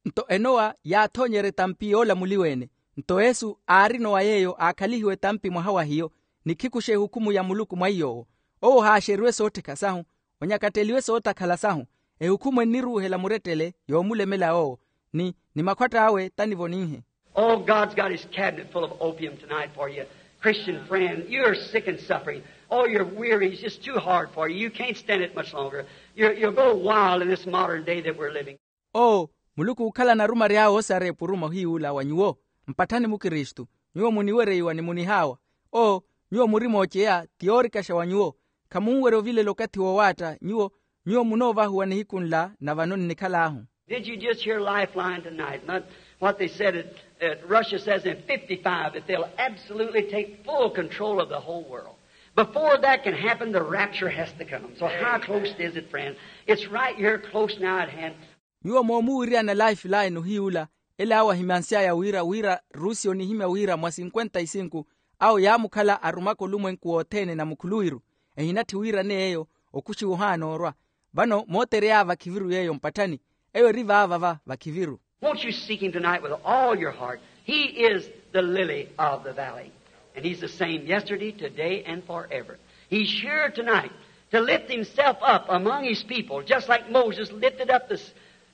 Nto enowa yaathoonyerya etampi yoolamuliwa-ene. Nto yesu aari enowa yeeyo aakhalihiwa etampi mwaha wa hiyo, ni khikuxa ehukhumu ya muluku mwa iy'owo. Owo ohaaxeriwe soottheka sahu, onyakatteliwe sootakhala sahu. Ehukhumu enniruuhela murettele yoomulemela owo, ni, ni makhwatt'awe tanivo ninhe. Oh, God's got his cabinet full of opium tonight for you, Christian friend. You're sick and suffering. Oh, you're weary. It's just too hard for you. You can't stand it much longer. You're, you'll go wild in this modern day that we're living. Oo, muluku ookhalana arumary'awe osareya epuruma ohiy'ula wa nyuwo. Mpatthani mukristu, nyuwo muniwereiwa ni munihaawa. Oo, nyuwo muri mooceya ti yoorikaxa wa nyuwo. Khamunwerya ovilela okathi woowaatta nyuwo. Nyuwo munoovahuwa nihiku nla na vano nnikhal'ahu. Did you just hear Lifeline tonight? Not what they said at, at Russia says in fifty-five that they'll absolutely take full control of the whole world. Before that can happen, the rapture has to come. So how close is it, friend? It's right here close now at hand. Nyuwo moomuwiriyana lifeline ohiy'ula, ele awo ahimansy'aya wira, wira rusi onihimya wira mwa sinkwenta isinku awo yaamukhala arumaka olumwenku wothene na mukhuluwiru. Ehinatthi wira n'eyo okuxiwa ohaana orwa. Vano mooterey'awe vakhiviru yeeyo mpatthani. Eyo eri vaava va vakhiviru. Won't you seek him tonight with all your heart? He is the lily of the valley. And he's the same yesterday, today, and forever. He's here tonight to lift himself up among his people, just like Moses lifted up the,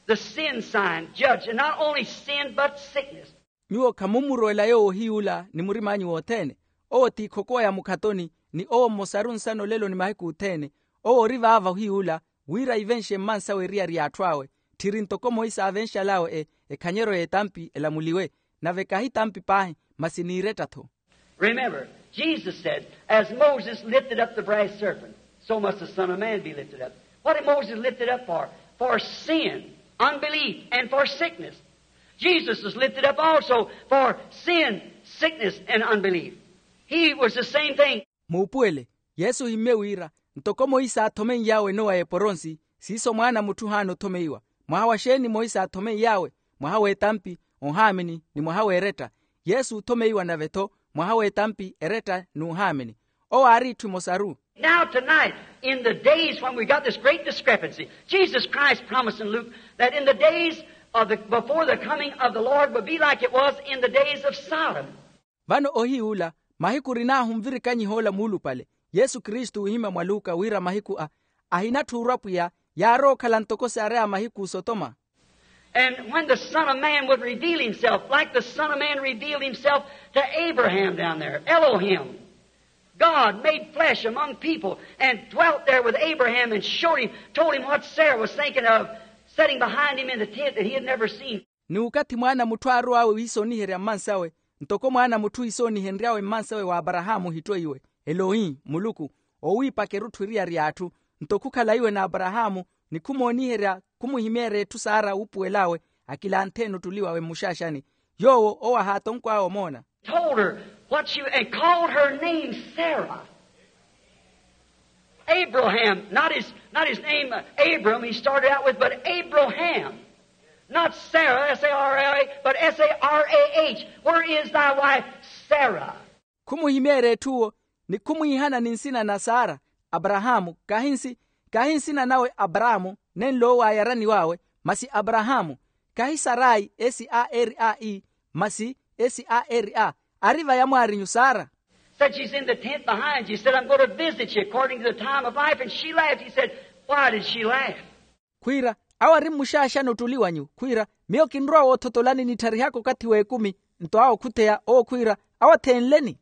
the sin sign, judge, and not only sin, but sickness. Nyuwo khamumurwela yoowo ohiy'ula ni murim'anyu wothene. Owo ti ikhokowa ya mukhatoni, ni owo mmosaru nsana olelo ni mahiku othene. Owo ori vaava ohiy'ula, wira ivenxe mmansawe eriyari y'atthu awe, tthiri ntoko moisa aavenxal'awe e, ekhanyeryo y'etampi elamuliwe. Nave kahi tampi paahi, masi n'iretta-tho. Remember, Jesus said, as Moses lifted up the brass serpent, So must the Son of Man be lifted up. What did Moses lifted up for? For sin, unbelief, and for sickness. Jesus was lifted up also for sin, sickness, and unbelief. He was the same thing. Muupuwele, yesu ohimmye wira, ntoko moisa aathomen'yawe enowa y'eporonsi, siiso mwaana a mutthu ohaana othomeiwa. Mwaha wa xeeni moisa aathomen'yawe? Mwaha w'etampi, ohaamini, ni mwaha w'eretta. Yesu oothomeiwa nave-tho, mwaha w'etampi, eretta, n'uhaamini. Owo aari itthu emosaru. Now tonight, in the days when we got this great discrepancy, Jesus Christ promised in Luke that in the days of the, before the coming of the Lord would be like it was in the days of Sodom. Vano ohiy'ula, mahiku orinaahu nvirikanyiha ola muulupale, yesu kristu oohimya mwa luka wira mahiku a, ahinatthuurwa pwiya, yaarowa okhala ntoko saari a mahiku a sotoma. And when the Son of Man would reveal himself, like the Son of Man revealed himself to Abraham down there, Elohim, God made flesh among people and dwelt there with Abraham and showed him, told him what Sarah was thinking of, sitting behind him in the tent that he had never seen. Ni okathi mwaana a mutthu aarow'awe wiisoniherya mmansawe, ntoko mwaana a mutthu iisonihenry'awe mmansawe w'aparahaamu ohittoiwe, elohi, muluku, oowiipaka erutthu eriyari y'atthu, nto khukhala iwe n'aparahaamu, ni khumooniherya khumuhimeerya etthu saara wuupuwel'awe, akilanthe-ene ottuli wawe mmuxaaxani. Yoowo owo ahaatonkw'awe omoona. Told her what she, and called her name Sarah. Abraham, not his, not his name, uh, Abram, he started out with, but Abraham. Not Sarah, S A R A, but S A R A H. Where is thy wife Sarah? Khumuhimeerya etthuwo, ni khumwiihana ni nsina na sara, aparahaamu, kahi nsi, kahi nsina nawe aparaamu, nenlo owo aayaraniw'awe, masi aparahaamu, kahi sarayi, S A R A E, masi, S A R A, ari va yamwaarinyu sara. Said she's in the tent behind you. Said, I'm going to visit you according to the time of life. And she laughed. He said, why did she laugh? Khwiira, awo ari mmuxaaxani ottuli wanyu khwiira, miyo kinrowa woothotolani nittarihaka okathi w'ekumi. Nto awo khutheya owo khwiira, awo athenleni.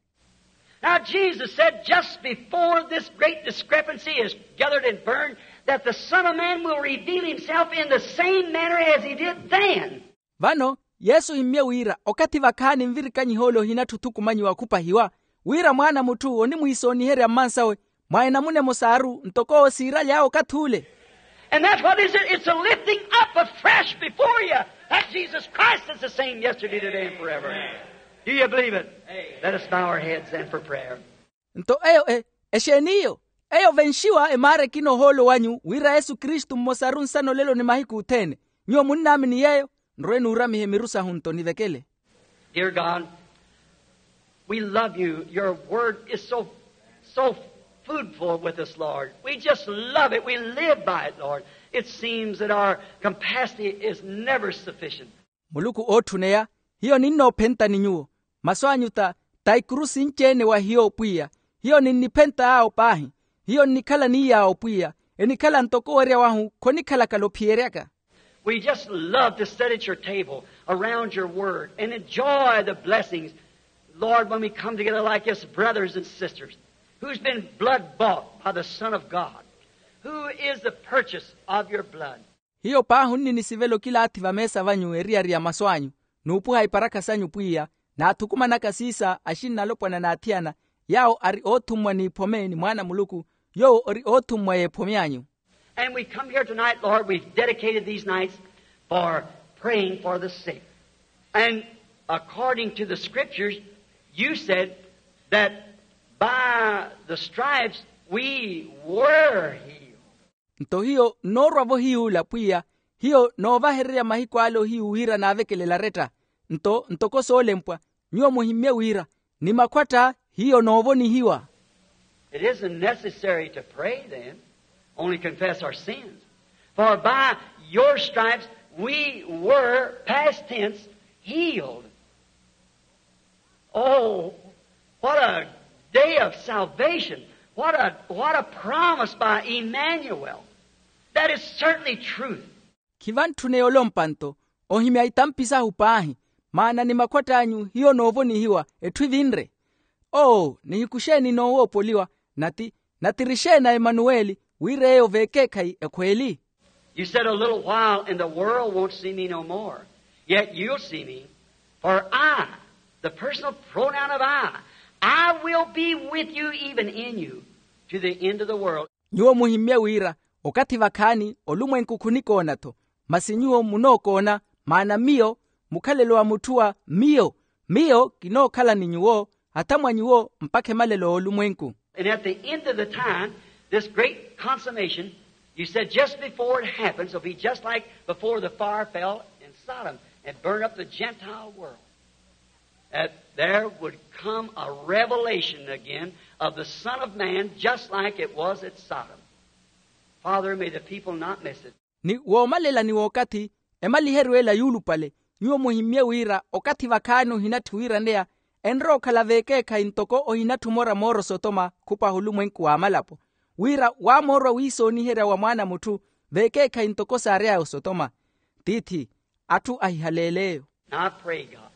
Now Jesus said, just before this great discrepancy is gathered and burned, that the Son of Man will reveal himself in the same manner as he did then. Vano, yesu ohimmye wira okathi vakhaani nvirikanyiha ole ohinatthu othukumanyiwa khupahiwa, wira mwaana a mutthu onimwiisooniherya mmansawe, mwa enamuna emosaaru ntoko owo siiraly'awe okathi ule. And that's what is it? It's a lifting up afresh before you that Jesus Christ is the same yesterday, today, and forever. Do you believe it? Let us bow our heads then for prayer. Nto eyo e, exeeni iyo? Eyo venxiwa emaara ekina ohoolo wanyu wira yesu kristu mmosaru nsana olelo ni mahiku othene. Nyuwo munnaamini yeeyo? Nrwe nuuramihe miru sahu nto nivekele. Dear God, we love you. Your word is so, so foodful with us, Lord. We just love it. We live by it, Lord. It seems that our capacity is never sufficient. Muluku ootthuneya, hiyo ninnoophentani nyuwo. Masu anyu ta, ta ikuru sinci-ene wa hiyo pwiya. Hiyo ninniphentay'awo paahi. Hiyo nnikhala n'iiy'awo pwiya. Enikhala ntoko owerya wahu khonikhalakala ophiyeryaka. We just love to sit at your table around your word and enjoy the blessings, Lord, when we come together like this, brothers and sisters, who's been blood bought by the Son of God, who is the purchase of your blood. Hiyo paahi onnini sivela okilaathi vameesa vanyu eriyari ya masu anyu, n'upuha iparakha sanyu pwiya, naathukumanaka siisa axinn'alopwana n'athiyana, yaawo ari oothummwa n'iphome ni mwaana a muluku, yoowo ori oothummwa y'ephome anyu. And we come here tonight, Lord, we've dedicated these nights for praying for the sick. And according to the scriptures, you said that by the stripes we were healed. Nto hiyo nnoorwa-vo hiy'ula pwiya, hiyo noovahererya mahiku ale ohiyu wira naavekelela aretta. Nto ntoko soolempwa, nyuwo muhimmye wira, ni makhwatta hiyo noovonihiwa. It isn't necessary to pray then, only confess our sins. For by your stripes we were, past tense, healed. Oh, what a day of salvation. What a, what a promise by Emmanuel. That is certainly truth. Khivantthuneya olompa nto, ohimya itampi sahu paahi, maana ni makhwatt'anyu hiyo noovonihiwa etthu evinre. Oo, nihiku xeeni noowoopoliwa, nati, nati ri xeeni a emanuweli, wira eyo v'ekeekhayi ekhweeli. You said, a little while and the world won't see me no more. Yet you'll see me. For I, the personal pronoun of I, I will be with you, even in you, to the end of the world. Nyuwo muhimmye wira okathi vakhaani olumwenku khunikoona-tho, masi nyuwo munookoona, maana miyo mukhalelo wa mutthu wa miyo, miyo kinookhala ni nyuwo, hata mwa nyuwo mpakha emalelo oolumwenku. And at the end of the time, this great consummation, you said, just before it happens, will be just like before the fire fell in Sodom and burned up the Gentile world. That there would come a revelation again of the Son of Man, just like it was at Sodom. Father, may the people not miss it. Ni woomalela ni wookathi, emaliheriwe ela yuulupale, nyuwo muhimmye wira okathi vakhaani ohinatthi wiiraneya, enrowa okhala veekeekhayi ntoko ohinatthi omora mooro sotoma khupaha olumwenku w'amalapo, wira waamoorwa wiisooniherya wa mwaana a mutthu veekeekhayi ntoko saary'aya osotoma. Tiithi, atthu ahihaleele eyo. Now I pray, God,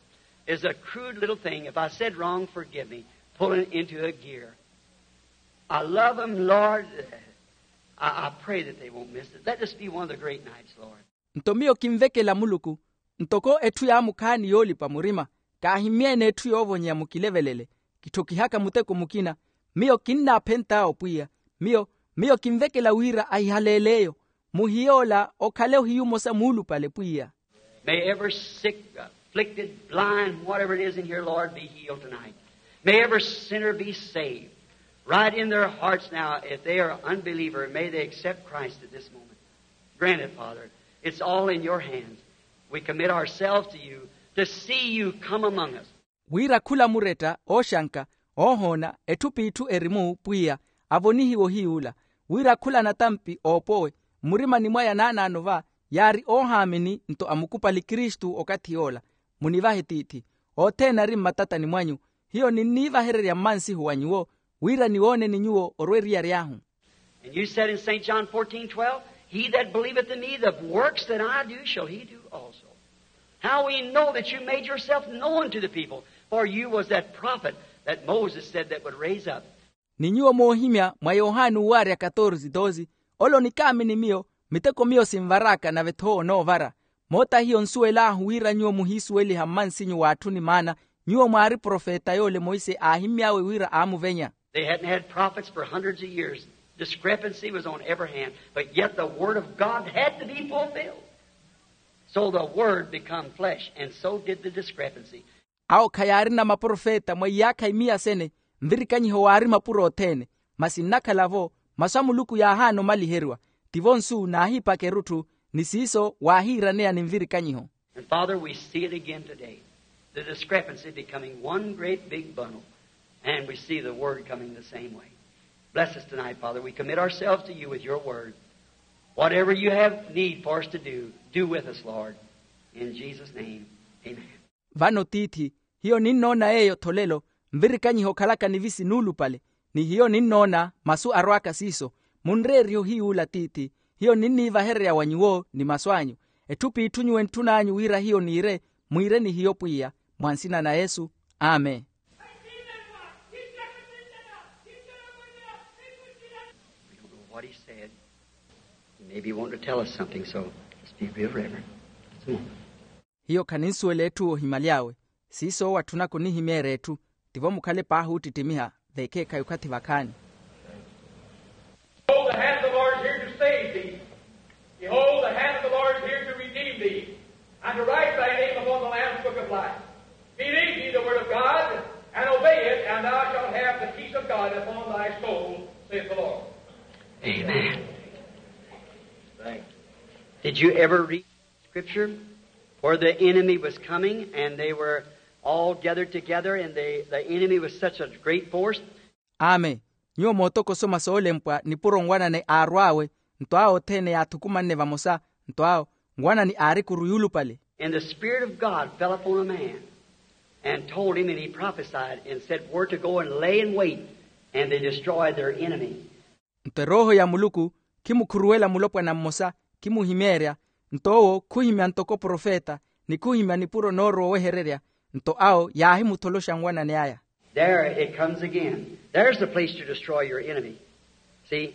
is a crude little thing. If I said wrong, forgive me. Pulling into a gear. I love them, Lord. I, I pray that they won't miss it. Let this be one of the great nights, Lord. Nto miyo kinvekela muluku, ntoko etthu yaamukhaani yoolipa murima, kaahimmyeene etthu yoovonyeya mukilevelele, kitthokihaka muteko mukina. Miyo kinnaaphent'awe pwiya. Miyo miyo kinvekela wira ahihaleele eyo. Muhiy'ola okhale ohiyu omosa muulupale pwiya. May every sick, afflicted, blind, whatever it is in here, Lord, be healed tonight. May every sinner be saved. Right in their hearts now, if they are an unbeliever, may they accept Christ at this moment. Grant it, Father. It's all in your hands. We commit ourselves to you to see you come among us. Wira khula muretta ooxanka, oohoona etthu p'itthu eri-mu pwiya, avonihiwe ohiy'ula. Wira khula natampi oopowe, mmurimani mwaya naanaano va yaari oohaamini nto amukupali kristu okathi yoola. Munivahe tiithi, othene ari mmatatani mwanyu. Hiyo ninniivahererya mmansihu wa nyuwo, wira niwooneni nyuwo orwa eriyari ahu. And you said in Saint John fourteen twelve, he that believeth in me, the works that I do shall he do also. How we know that you made yourself known to the people, for you was that prophet that Moses said that would raise up. Ni nyuwo moohimya mwa yohani uwaarya katorsi dosi, ole onikaamini miyo, miteko miyo sinvar'aka nave-tho onoovara. Moota hiyo nsuwel'ahu wira nyuwo muhiisuweliha mmansinyu w'atthu ni maana, nyuwo mwaari profeta yoole monse aahimmy'awe wira aamuvenya. They hadn't had prophets for hundreds of years. Discrepancy was on every hand, but yet the word of God had to be fulfilled. So the word become flesh, and so did the discrepancy. Awo khayaarina maprofeta mwa iyaakha imiya sene, nvirikanyiho waari mapuro othene. Masi nnakhala-vo, masu a muluku yaahaana omaliheriwa. Tivo nsu naahiipaka erutthu, ni siiso waahiiraneya ni nvirikanyiho. And Father, we see it again today, the discrepancy becoming one great big bundle, and we see the word coming the same way. Bless us tonight, Father. We commit ourselves to you with your word. Whatever you have need for us to do, do with us, Lord. In Jesus' name, amen. Vano tiithi, hiyo ninnoona yeeyo tholelo, nvirikanyiho okhalaka nivisi nuulupale, ni hiyo ninnoona masu arwaaka siiso. Munreerihe ohiy'ula tiithi, hiyo ninniivahererya wa nyuwo ni masu anyu. Etthu p'itthu nyuwo entthun'anyu wira hiyo niire, mwiire ni hiyo pwiya. Mwa nsina na yesu, amen. What he said. He may be wanting to tell us something, so let's be real reverent. Hiyo khaninsuwela etthu oohimaly'awe. Siiso owo atthunaka onihimeerya etthu. Tivo mukhale paahi oottittimiha veekeekhayi okhathi vakhaani. Behold, the hand of the Lord is here to save thee. Behold, the hand of the Lord is here to redeem thee, and to write thy name upon the Lamb's book of life. Believe ye the word of God, and obey it, and thou shalt have the peace of God upon thy soul, saith the Lord. Amen. Did you ever read scripture where the enemy was coming and they were all gathered together and they, the enemy was such a great force? Amen. Nyuwo mootokosoma soolempwa nipuro nwanani aarw'awe, nto awo othene yaathukumanne vamosa, nto awo nwanani aari ekuru yuulupale. And the Spirit of God fell upon a man and told him, and he prophesied and said where to go and lay in wait, and they destroyed their enemy. Nto erooho ya muluku khimukhuruwela mulopwana mmosa, khimuhimeerya, nto owo khuhimya ntoko profeta, ni khuhimya nipuro noorowa owehererya, nto awo yaahimutholoxa nwanani aya. There it comes again. There's the place to destroy your enemy. See,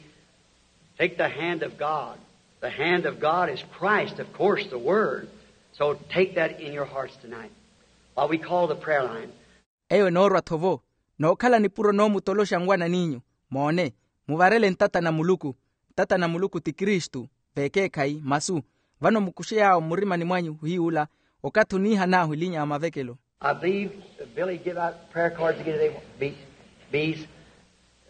take the hand of God. The hand of God is Christ, of course, the Word. So take that in your hearts tonight. While we call the prayer line. Eyo enoorwa-tho vo, nookhala nipuro noomutoloxa nwanan'inyu. Moone, Muvarele ntata na muluku. Ntata na muluku ti kristu. Vekeekhayi masu. Vano mukuxe yaawo mmurimani mwanyu hiy'ula. Okathi oniihan'ahu elinya ya mavekelo. I believe billy give out prayer cards again today. Bees. Bees.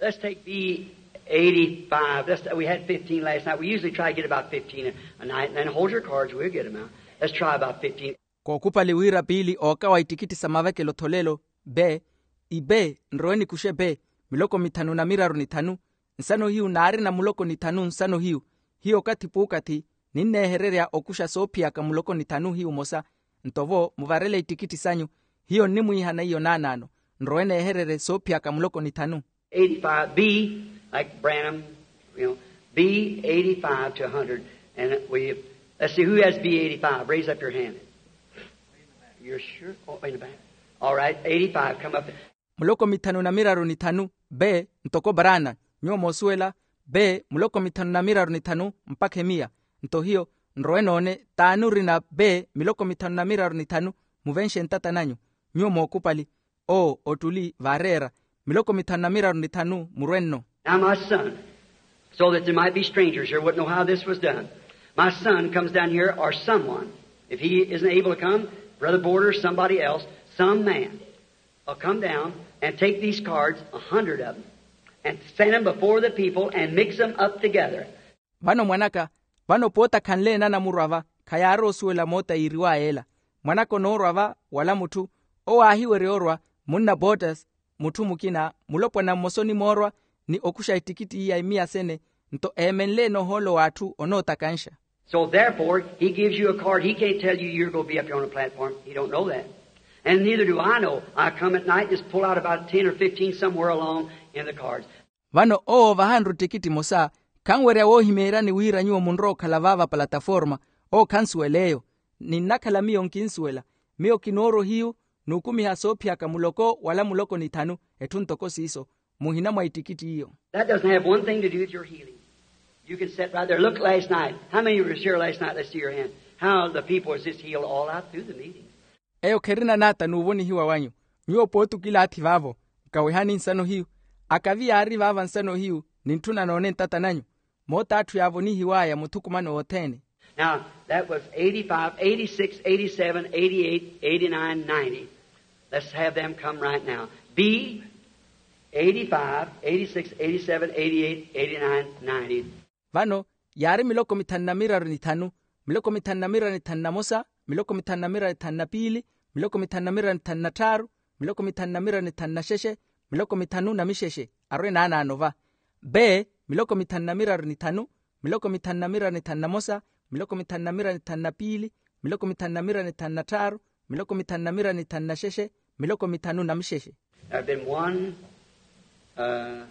Let's take b eighty-five. Let's, we had fifteen last night. We usually try to get about fifteen a night, and then hold your cards, we'll get them out. Let's try about fifteen. Kookhupali wira piili ookawa ittikitti sa mavekelo-tho lelo. Be ibe nrowe nikuxe be miloko mithanu na miraru ni thanu. Nsano hiyu naarina muloko ni thanu nsano hiyu. Hiyo okathi puukathi ninneehererya okuxa soophiyaka muloko ni thanu hiyu mosa. Nto vo muvarele ittikitti sanyu. Hiyo nnimwiihana iyo naanaano. Nrowe neehererye soophiyaka muloko ni thanu. Eighty-five b, like branham, you know, b eighty-five to a hundred. And we let's see who has b eighty-five, raise up your hand. You're sure? Oh, in the back. All right, eighty-five, come up. Muloko mithanu na miraru ni thanu. Be ntoko branham. Nyuwo moosuwela. Be muloko mithanu na miraru ni thanu mpakha emiya. Nto hiyo nrowe noone t'ani orina be miloko mithanu na miraru ni thanu. Muvenxe ntata nanyu. Nyuwo mookupali. Oo ottuli vaareera miloko mithanu na miraru ni thanu murwe nno. Now my son, so that there might be strangers here wouldn't know how this was done. My son comes down here, or someone, if he isn't able to come, brother border or somebody else, some man will come down and take these cards, a hundred of them, and send them before the people and mix them up together. Vano mwanaka, vano pooti akhanle-ene anamurwa va khayaari osuwela moota yiiriwaya ela. Mwanaka onoorwa va wala mutthu owo aahiwerya orwa. Munna botters mutthu mukina mulopwana mmosa onimoorwa ni okuxa ettikitti iya emiya sene. Nto eemenle-ene ohoolo w'atthu onootakanxa. So therefore he gives you a card, he can't tell you you're going to be up here on a platform, he don't know that. And neither do I know. I come at night, just pull out about ten or fifteen somewhere along in the cards. Vano owo ovahanru ttikitti emosa. Khanwerya woohimeeryani wira nyuwo munrowa okhala vaava palataforma. Owo khansuwela eyo. Ninnakhala miyo nkinsuwela. Miyo kinoorwa ohiyu n'ukumiha soophiyaka muloko wala muloko ni thanu. Etthu ntoko siiso muhina mwa ittikitti iyo. That doesn't have one thing to do with your healing. You can sit right there. Look last night. How many of you were here last night? Let's see your hand. How the people was just healed all out through the meeting. Eyo kherina naata n'uvonihiwa wanyu. Nyuwo pooti okilaathi vaavo. Nkawihani nsano hiyu. Akavi yaari vaava nsano hiyu nintthuna noone ntata nanyu. Moota atthu yaavonihiwaya muthukumano wothene. Now that was eighty-five, eighty-six, eighty-seven, eighty-eight, eighty-nine, ninety. Let's have them come right now. B eighty-five, eighty-six, eighty-seven, eighty-eight, eighty-nine, ninety. Vano yaari miloko mithanu na miraru ni thanu, miloko mithanu na miraru ni thanu na mosa, miloko mithanu na miraru ni thanu na piili, miloko mithanu na miraru ni thanu na tthaaru, miloko mithanu na miraru ni thanu na xexe, miloko mithanu na mixexe. Arwe naanaano va. Be miloko mithanu na miraru ni thanu, miloko mithanu na miraru ni thanu na mosa, miloko mithanu na miraru ni thanu na piili, miloko mithanu na miraru ni thanu na tthaaru, miloko mithanu na miraru ni thanu na xexe, miloko mithanu na mixexe. There have been one, uh,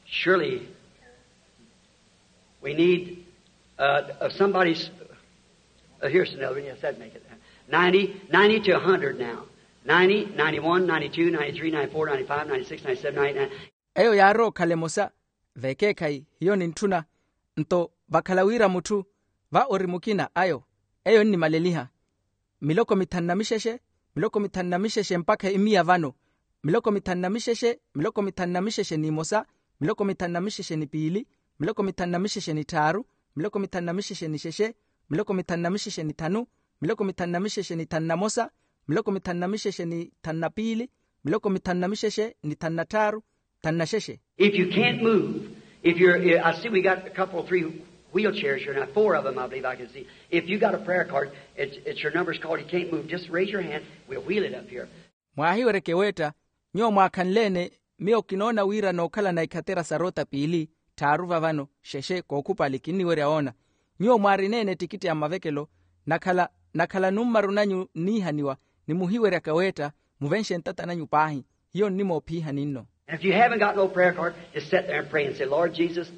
surely we need, uh, of somebody's, uh, here's another one. Yes, that'd make it. Ninety, ninety to a hundred now. Ninety, ninety-one, ninety-two, ninety-three, ninety-four, ninety-five, ninety-six, ninety-seven, ninety-nine. Eyo yaarowa okhala emosa. Vekeekhayi hiyo nintthuna. Nto vakhala wira mutthu va ori mukina ayo. Eyo nnimaleliha. Miloko mithanu na mixexe, miloko mithanu na mixexe mpakha imiya vano. Miloko mithanu na mixexe, miloko mithanu na mixexe n'imosa, miloko mithanu na mixexe ni piili, miloko mithanu na mixexe ni tthaaru, miloko mithanu na mixexe ni xexe, miloko mithanu na mixexe ni thanu, miloko mithanu na mixexe ni thanu na mosa, miloko mithanu na mixexe ni thanu na piili, miloko mithanu na mixexe ni thanu na tthaaru, thanu na xexe. If you can't move, if you're, I see we got a couple, three wheelchairs here now, four of them I believe I can see. If you got a prayer card, it's, it's your number's called, you can't move, just raise your hand, we'll wheel it up here. Mwaahiweryeke weetta, nyuwo mwaakhanle-ene. Miyo kinoona wira nookhalana ikhatera sa roota piili tthaaru vavano xexe kookhupali kinniwerya woona. Nyuwo mwaarina-ene ettikitti ya mavekelo, nakhala nakhala nummaru nanyu nniihaniwa, ni muhiweryaka weetta muvenxe ntata nanyu paahi. Hiyo nnimoophiihani nno. And if you haven't got no prayer card, just sit there and pray and say, lord jesus,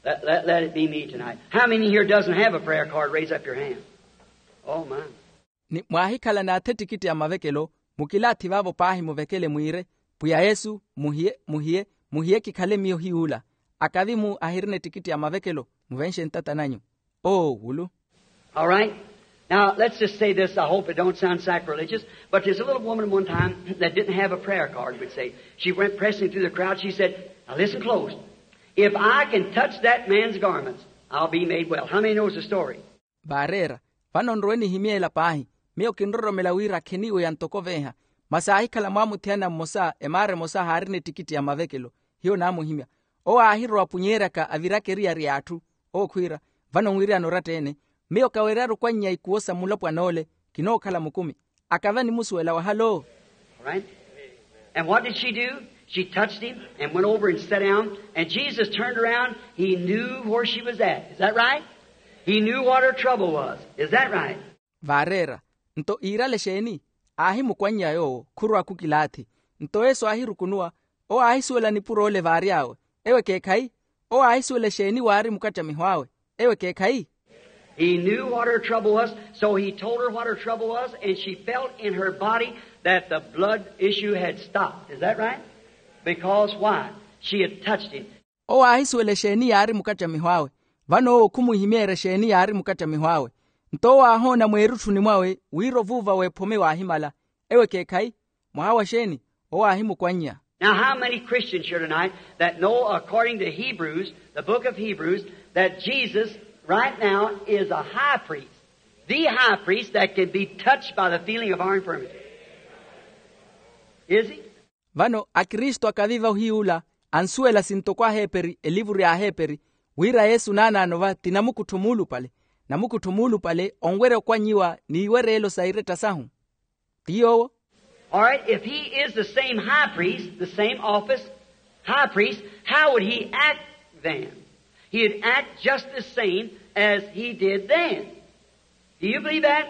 let, let, let it be me tonight. How many here doesn't have a prayer card? Raise up your hand. Oh my. Ni mwaahikhala naatha ettikitti ya mavekelo, mukilaathi vaavo paahi muvekele mwiire, pwiya yesu, muhiye muhiye, muhiye kikhale miyo hiy'ula. Akavi-mu ahirina ettikitti ya mavekelo, muvenxe ntata nanyu. Oo wulu. All right. Now, let's just say this. I hope it don't sound sacrilegious, but there's a little woman one time that didn't have a prayer card, we'd say. She went pressing through the crowd. She said, now listen close. If I can touch that man's garments, I'll be made well. How many knows the story? Vaareera, vano nrowe nihimyeela paahi. Miyo kinroromela wira akheniiwe ya ntoko veeha. Masi aahikhala mwaamuthiyana mmosa emaara emosa haarina ettikitti ya mavekelo. Hiyo naamuhimya. Owo aahirowa apunyeeryaka aviraka eriyari y'atthu. Owo khwiira, vano nwiriyana oratta-ene. Miyo kaweryaru okwannya ikuwo sa mulopwana ole. Kinookhala mukumi. Akava nimusuwela wahalo. All right. And what did she do? She touched him and went over and sat down. And Jesus turned around. He knew where she was at. Is that right? He knew what her trouble was. Is that right? Vaareera. Nto iirale exeeni? Aahimukwannya yoowo khurowa khukilaathi. Nto yesu aahirukunuwa. Owo aahisuwela nipuro ole vaary'awe. Ewo ekeekhayi? Owo aahisuwela exeeni waari mukattamiho awe? Ewo ekeekhayi? He knew what her trouble was, so he told her what her trouble was, and she felt in her body that the blood issue had stopped. Is that right? Because why? She had touched him. Owo aahisuwela exeeni yaari mukattamiho awe. Vano owo khumuhimeerya exeeni yaari mukattamiho awe. Nto owo aahoona mweerutthuni mwawe wira ovuuva w'ephome waahimala. Ewo ekeekhayi? Mwaha wa xeeni? Owo aahimukwannya. Now, how many Christians here tonight that know, according to Hebrews, the book of Hebrews, that Jesus right now is a high priest, the high priest that can be touched by the feeling of our infirmity? Is he? Vano akristu akaviva ohiy'ula ansuwela sintoko aheeperi elivuru y'aheeperi, wira yesu naanaano va ti namukuttho muulupale. Namukuttho muulupale onwerya okwannyiwa n'iwereelo sa iretta sahu. Ti yoowo. All right, if he is the same high priest, the same office, high priest, how would he act then? He'd act just the same as he did then. Do you believe that?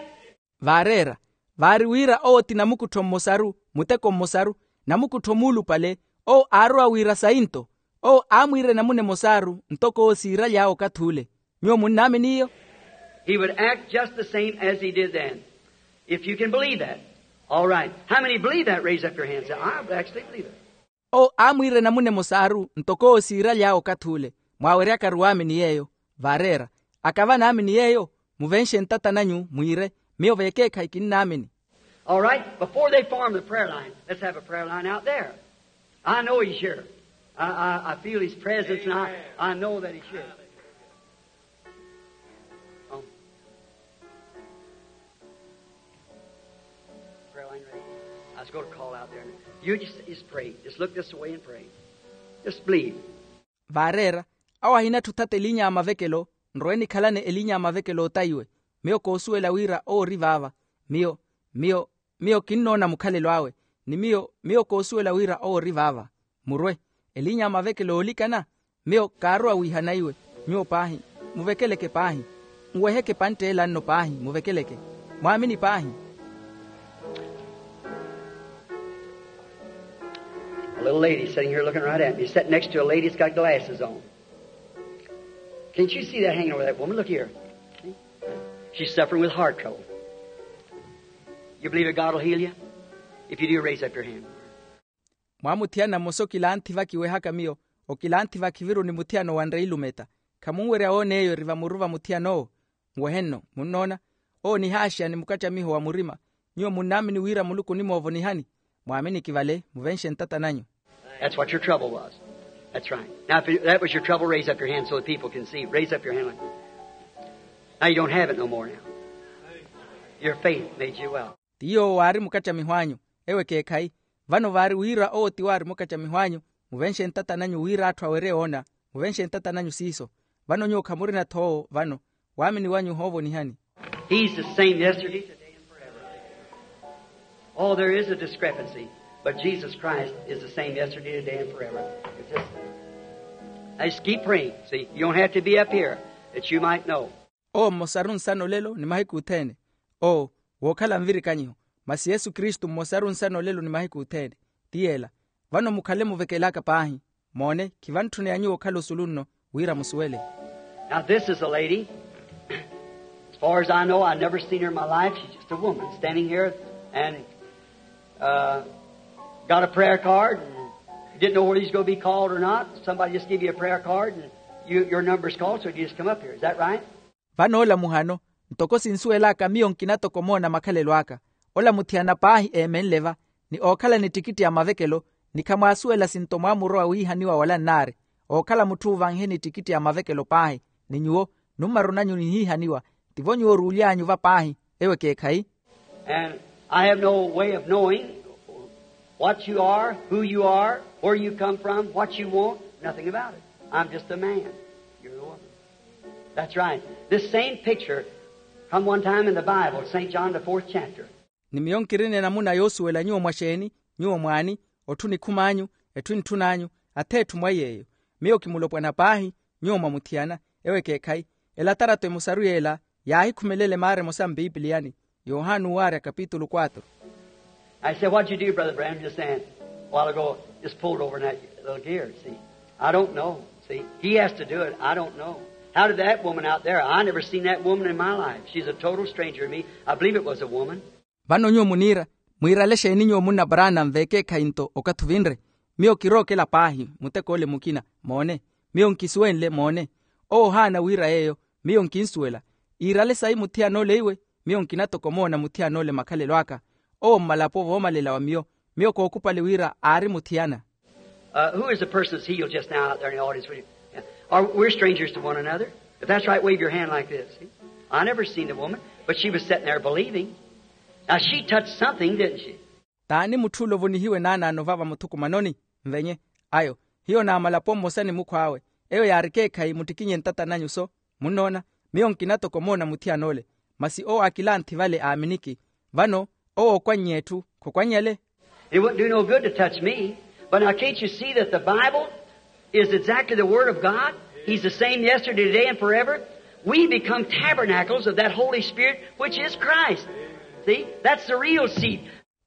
Vaareera, vaari wira owo ti namukuttho mmosaru, muteko mmosaru, namukuttho muulupale. Owo aarowa wira sayi nto. Owo aamwiira enamuna emosaru ntoko owo siiry'awe okathi ule. Nyuwo munnaamini iyo? He would act just the same as he did then. If you can believe that. All right. How many believe that? Raise up your hand. Say, I actually believe it. Owo aamwiira enamuna emosaru ntoko owo siiry'awe okathi ule. Mwaaweryakaru waamini yeeyo. Vaareera, akava naamini yeeyo. Muvenxe ntata nanyu mwiire, miyo vekeekhayi kinnaamini. All right, before they form the prayer line, let's have a prayer line out there. I know he's here. I, I, I feel his presence, and I, I know that he's here. Oh. Prayer line ready? I was going to call out there. You just, just pray. Just look this way and pray. Just believe. Vaareera, awo ahinatthu othata elinya ya mavekelo. Nrowe nikhalane elinya ya mavekelo otayiwe. Miyo koosuwela wira owo ori vaava. Miyo, miyo, miyo kinnoona mukhalelo awe. Ni miyo, miyo koosuwela wira owo ori vaava. Murwe. Elinya ya mavekelo oolikana. Miyo kaarowa wiihana iwe. Nyuwo paahi, muvekeleke paahi. Nweheke epantte ela nno paahi, muvekeleke. Mwaamini paahi. A little lady sitting here looking right at me, sitting next to a lady that's got glasses on. Can't you see that hanging over that woman? Look here. See? She's suffering with heart trouble. You believe that God will heal you? If you do, raise up your hand. Mwaamuthiyana mmosa okilanthi vakiwehaka miyo, okilanthi vakhiviru ni muthiyana owanre ilumeta. Khamunwerya woona eyo eri vamuru va muthiyana owo. Nwehe nno munnoona. Owo nihaaxeya ni mukattamiho wa murima. Nyuwo munnaamini wira muluku onimoovonihani? Mwaamini kivale muvenxe ntata nanyu. That's what your trouble was. That's right. Now if that was your trouble, raise up your hand so the people can see. Raise up your hand like that. Now you don't have it no more now. Your faith made you well. Ti yoowo waari mukattamiho anyu. Ewo ekeekhayi. Vano vaari wira owo ti waari mukattamiho anyu. Muvenxe ntata nanyu wira atthu awerye woona. Muvenxe ntata nanyu siiso. Vano nyuwo khamurina-tho owo vano. Waamini wanyu ohoovonihani. He's the same yesterday, today, and forever. Oh, there is a discrepancy, but Jesus Christ is the same yesterday, today, and forever. It's just, now just keep praying. See, you don't have to be up here that you might know. Owo mmosaru nsana olelo ni mahiku othene. Owo wookhala nvirikanyiho. Masi yesu kristu mmosaru nsana olelo ni mahiku othene. Ti yeela. Vano mukhale muvekelaka paahi. Moone, khivantthune ya nyuwo okhala osulu nno wira musuwele. Now this is a lady. As far as I know, I've never seen her in my life. She's just a woman standing here and, uh, got a prayer card and didn't know whether he's going to be called or not. Somebody just gave you a prayer card and you, your number's called, so you just come up here. Is that right? Vanoola muhano. Ntoko sinsuwel'aka miyo nkina toko omoona makhalelo aka. Ola muthiyana paahi eemenle va, ni ookhala ni ttikitti ya mavekelo, ni khamwaasuwela sinto mwaamurowa wiihaniwa wala nnaari. Ookhala mutthu oovankhe ni ttikitti ya mavekelo paahi, ni nyuwo nummarunanyu nihiihaniwa. Tivo nyuwo oruuly'anyu va paahi? Ewo ekeekhayi. And I have no way of knowing what you are, who you are, where you come from, what you want, nothing about it. I'm just a man. You're the woman. That's right. This same picture come one time in the Bible, St. John, the fourth chapter. Ni miyo nkirina enamuna yoosuwela nyuwo mwaxeeni, nyuwo mwaani, otthu nikhum'anyu, etthu entthun'anyu, atheetthu mwa yeeyo. Miyo kimulopwana paahi, nyuwo mwamuthiyana. Ewo ekeekhayi. Elatarato emosaru yeela yaahikhumelela emaara emosa mpipiliyani. Yohani owaarya kapitulu quatro. I said, "What did you do, Brother Branham, just then, a while ago? Just pulled over in that little gear, see? I don't know. See, he has to do it. I don't know. How did that woman out there? I never seen that woman in my life. She's a total stranger to me. I believe it was a woman." Vano nyuwo muniira, mwiirale exeeni nyuwo munna paraana nveekeekhayi nto okathi ovinre? Miyo kirookela paahi, mutek'ole mukina. Moone. Miyo nkisuwenle. Moone. Owo ohaana wiira yeeyo. Miyo nkinsuwela. Iirale sayi muthiyan'ole iwe? Miyo nkina toko omoona muthiyan'ole makhalelo aka. Owo mmalapo voomalela wa miyo. Miyo kookhupale wira aari muthiyana. Who is the person that's healed just now out there in the audience? We're strangers to one another. If that's right, wave your hand like this. I never seen the woman, but she was sitting there believing. Now she touched something, didn't she? T'ani mutthu ole ovonihiwe naanaano vava muthukumanoni? Nvenye. Ayo, hiyo naamalapo mmosa ni mukhw'awe. Eyo yaari ekeekhayi muttikinye ntata nanyu so. Munnoona? Miyo nkina toko omoona muthiyan'ole. Masi owo aakilanthi vale aaminiki. Vano owo okwannye etthu, khokwannyale? It wouldn't do no good to touch me. But now, can't you see that the Bible is exactly the Word of God? He's the same yesterday, today, and forever. We become tabernacles of that Holy Spirit, which is Christ. See, that's the real seed.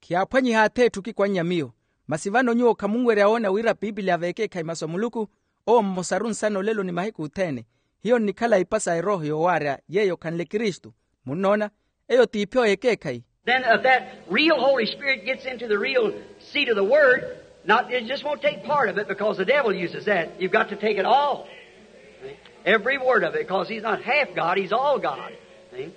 Khiyaaphwanyiha atheetthu okikwannya miyo. Masi vano nyuwo khamunwerya woona wira piipiliya veekeekhayi masu a muluku? Owo mmosaru nsana olelo ni mahiku othene. Hiyo nnikhala ipa sa erooho yoowaarya yeeyo khanle kristu. Munnoona? Eyo t'ipyo y'ekeekhayi. Then if that real Holy Spirit gets into the real seed of the Word, not, it just won't take part of it because the devil uses that. You've got to take it all. Every word of it, because he's not half God, he's all God. See?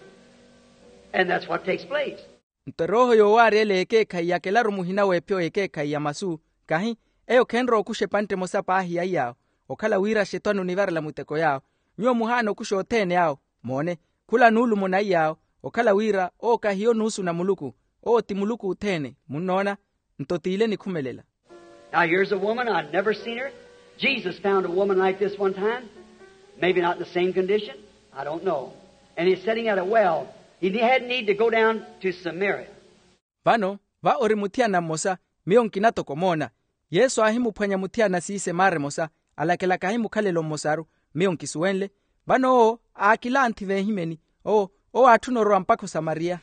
And that's what takes place. Nto erooho yoowaarya ele y'ekeekhayi yakelaru muhina w'epyo y'ekeekhayi ya masu. Kahi? Eyo khenrowa okuxa epantte emosa paahi ya iyaawo, okhala wira axetwani onivarela muteko yaawo. Nyuwo muhaana okuxa othene awo. Moone, khula nuulumo na iyaawo, okhala wira owo kahiyo nuusu na muluku. Owo ti muluku othene. Munnoona? Nto t'ile enikhumelela. Now here's a woman, I've never seen her. Jesus found a woman like this one time. Maybe not in the same condition. I don't know. And he's sitting at a well. He hadn't need to go down to Samaria. Vano va ori muthiyana mmosa. Miyo nkina toko omoona. Yesu aahimuphwanya muthiyana siise maara emosa, alakela kahi mukhalelo mmosaru. Miyo nkisuwenle. Vano owo aakilanthi veehimeni. Owo, owo aatthuna orowa mpakha osamariya.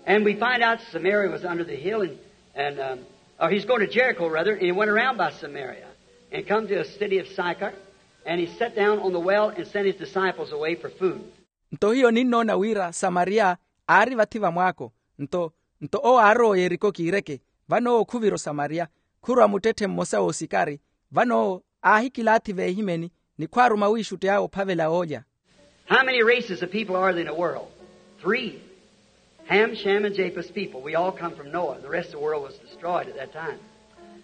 And we find out Samaria was under the hill, and, and um, or he's going to Jericho, rather, and he went around by Samaria and come to a city of Sychar, and he sat down on the well and sent his disciples away for food. Nto hiyo ninnoona wira samariya aari vathi va mwaako. Nto, nto owo aarowa yeriko kiireke. Vano owo khuvira osamariya, khurwa muttetthe mmosa w'osikari. Vano owo aahikilaathi veehimeni, ni khwaaruma wiixutti awe ophavela oolya. How many races of people are there in the world? Three. Ham, Shem, and Japheth's people. We all come from Noah. The rest of the world was destroyed at that time.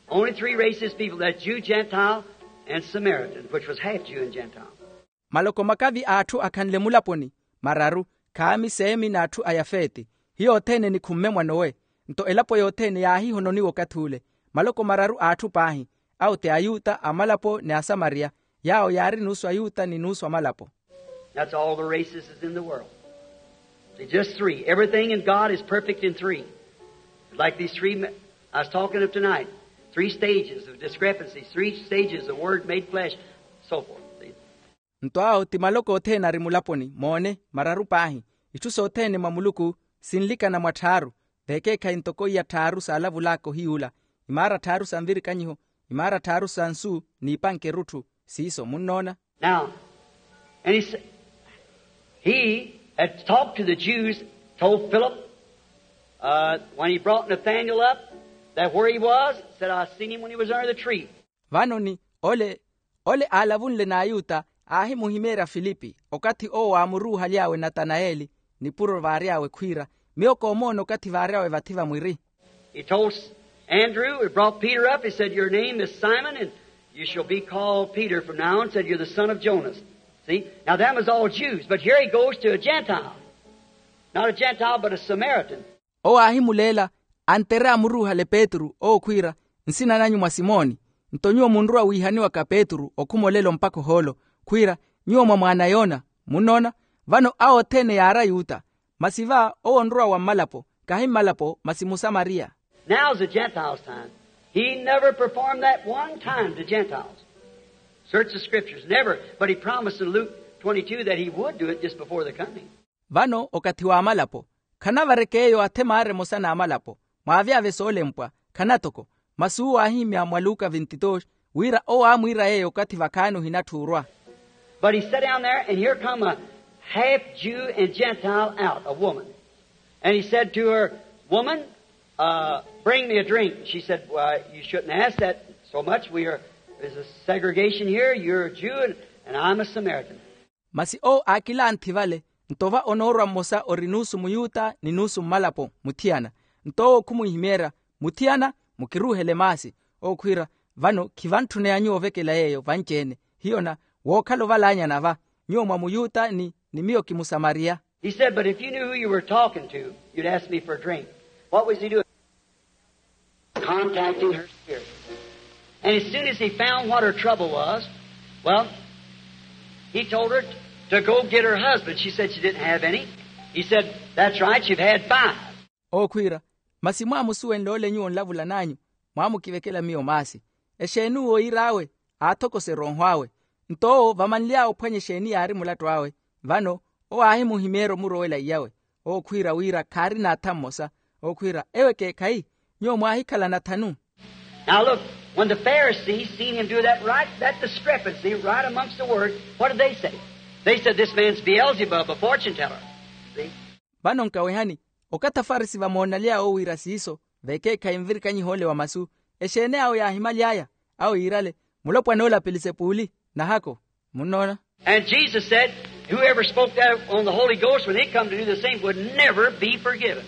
Only three races of people, that Jew, Gentile, and Samaritan, which was half Jew and Gentile. Maloko makavi a atthu akhanle mulaponi? Mararu. Khami, semi n'atthu a yafeti. Hiyo othene enikhumme mwa nowe. Nto elapo yothene yaahihononiwa okathi ule. Maloko mararu a atthu paahi, awo ti ayuta, amalapo ni asamariya. Yaawo yaari nuusu ayuta ni nuusu amalapo. That's all the races is in the world. Just three. Everything in God is perfect in three. Like these three I was talking of tonight. Three stages of discrepancies, three stages of word made flesh, so forth. Nto awo ti maloko othene ari mulaponi. Moone, mararu paahi. Itthu sothene mwa muluku sinlikana mwa tthaaru. Vekeekhayi ntoko iya tthaaru saalavulaka ohiyuula, imaara tthaaru sa nvirikanyiho, imaara tthaaru sa nsu, n'ipanke erutthu. Siiso munnoona. Now, and he said, he had talked to the Jews, told Philip, uh, when he brought Nathanael up, that where he was, said, "I seen him when he was under the tree." Vano ni ole, ole aalavunle n'ayuta aahimuhimeerya filipi okathi owo aamuruuhaly'awe natanayeli, nipuro vaary'awe khwiira, miyo koomoona okathi vaary'awe vathi vamwiri. He told Andrew, he brought Peter up, he said, your name is Simon, and you shall be called Peter from now on, said, you're the son of Jonas. See? Now, them was all Jews, but here he goes to a Gentile. Not a Gentile, but a Samaritan. Owo aahimuleela, antere amuruuhale petru owo khwiira, nsina nanyu mwa simoni. Nto nyuwo munrowa wiihaniwaka petru okhuma olelo mpakha ohoolo, khwiira, nyuwo mwa mwaana yoona. Munnoona? Vano awo othene yaari ayuta. Masi va owo onrowa wa mmalapo, kahi mmalapo masi musamariya. Now is the gentiles time. He never performed that one time to gentiles. Search the scriptures, never. But he promised in Luke twenty-two that he would do it just before the coming. Vano okathi w'amalapo, khanavarek'eyo athemaari emosa n'amalapo. Mwaavyavye soolempwa, khanatoko. Masi uwo aahimya mwa luka vintitoxi, wira owo aamwiira yeeyo okathi vakhaani ohinatthi orwa. But he sat down there, and here come a half Jew and Gentile out, a woman. And he said to her, woman, uh, bring me a drink. She said, why, you shouldn't ask that so much. We are, there's a segregation here. You're a Jew, and, and I'm a Samaritan. Masi owo aakilanthi vale, nto va onoorwa mmosa ori nuusu muyuta ni nuusu mmalapo muthiyana. Nto owo khumwihimeerya, muthiyana, mukiruuhele maasi. Owo khwiira, vano khivantthuneyani ovekela yeeyo vanci-ene. Hiyo na wookhala ovalaanyana va, nyuwo mwa muyuta ni ni miyo kimusamariya. He said, but if you knew who you were talking to, you'd ask me for a drink. What was he doing? Contacting her spirit. And as soon as he found what her trouble was, well, he told her to go get her husband. She said she didn't have any. He said, that's right, you've had five. Owo khwiira, masi mwaamusuwenle ole nyuwo nlavula n'anyu, mwaamukivekela miyo maasi. Exeeni uwo iir'awe? Aathokoserya onhw'awe. Nto owo vamanly'awe ophwanya exeeni yaari mulattu awe. Vano owo aahimuhimeerya omurowela iyawe. Owo khwiira wira khaarina atha mmosa. Owo khwiira, ewo ekeekhayi, nyuwo mwaahikhalana thanu. Now look, when the Pharisees seen him do that, right, that discrepancy right amongst the word, what did they say? They said, this man's Beelzebub, a fortune teller. See? Vano nkawehani, okathi afarisi vamoonalyawe owiira siiso, vekeekhayi nvirikanyiha ole wa masu. Exeeni awo yaahimaly'aya? Awo yiirale, mulopwana ole a pelisepuli. Nahako. Munnoona? And Jesus said, whoever spoke that on the Holy Ghost, when they come to do the same, would never be forgiven.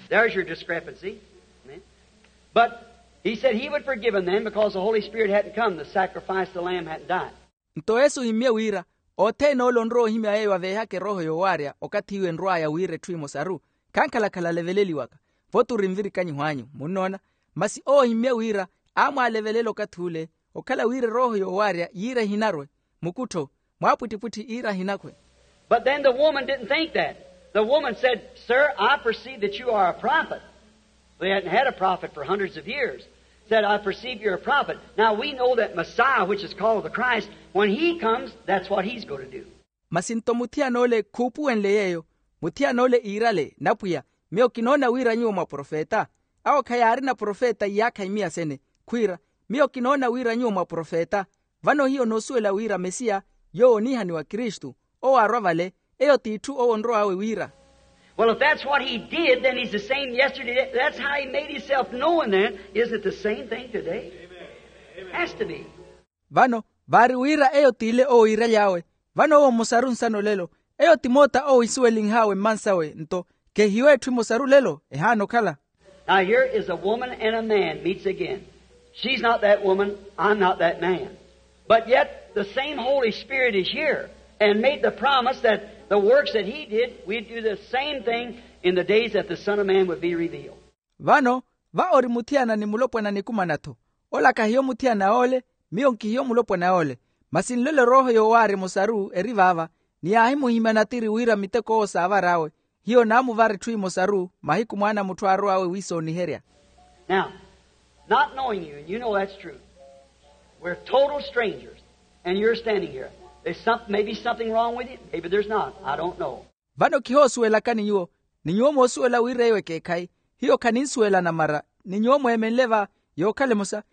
There's your discrepancy. Amen. But he said he would forgive him then because the Holy Spirit hadn't come, the sacrifice, the Lamb hadn't died. Nto yesu ohimmye wira, othene ole onrowa ohimya yeeyo aveehaka erooho yoowaarya okathi iwo enrw'aya wira etthu emosaru, khankhalakhala aleveleliwaka. Voti ori nvirikanyiho anyu. Munnoona? Masi owo ohimmye wira, aamwaalevelela okathi ule, okhala wira erooho yoowaarya yiira ehinarwe, mukuttho, mwaapwittipwitthi iira ahinakhwe. But then the woman didn't think that. The woman said, sir, I perceive that you are a prophet. They hadn't had a prophet for hundreds of years. Said, I perceive you're a prophet. Now we know that Messiah, which is called the Christ, when he comes, that's what he's going to do. Masi nto muthiyana ole khuupuwenle yeeyo, muthiyana ole iirale, napwiya, miyo kinoona wira nyuwo mwaprofeta. Awo khayaarina profeta iyaakha imiya sene. Khwiira, miyo kinoona wira nyuwo mwaprofeta. Vano hiyo noosuwela wira mesiya, yoowo oniihaniwa kristu, owo aarwa vale, eyo t'itthu owo onrow'awe wira. Well, if that's what he did, then he's the same yesterday. That's how he made himself known then. Isn't it the same thing today? Has to be. Vano vaari wira eyo t'ile owo iiraly'awe. Vano owo mmosaru nsana olelo. Eyo ti moota owo isuwelinh'awe mmansawe nto, khehiyo etthu emosaru lelo ehaana okhala. Now here is a woman and a man meets again. She's not that woman, I'm not that man. But yet the same Holy Spirit is here and made the promise that the works that he did, we'd do the same thing in the days that the Son of Man would be revealed. Vano va ori muthiyana ni mulopwana a nikumana-tho. Ola khahiyo muthiyana ole, miyo nkihiyo mulopwana ole. Masi nlole erooho yoowaarya emosaru eri vaava, ni yaahimuhimya natiri wira miteko owo saavar'awe. Hiyo naamuvara etthu emosaru mahiku mwaana a mutthu aarow'awe wiisooniherya. Now, not knowing you, and you know that's true, we're total strangers, and you're standing here. There's some, maybe something wrong with you, maybe there's not, I don't know. Vano khihoosuwelakani nyuwo, ni nyuwo moosuwela wira eyo ekeekhayi. Hiyo khaninsuwelana mara, ni nyuwo mweemenle va, yookhala emosa.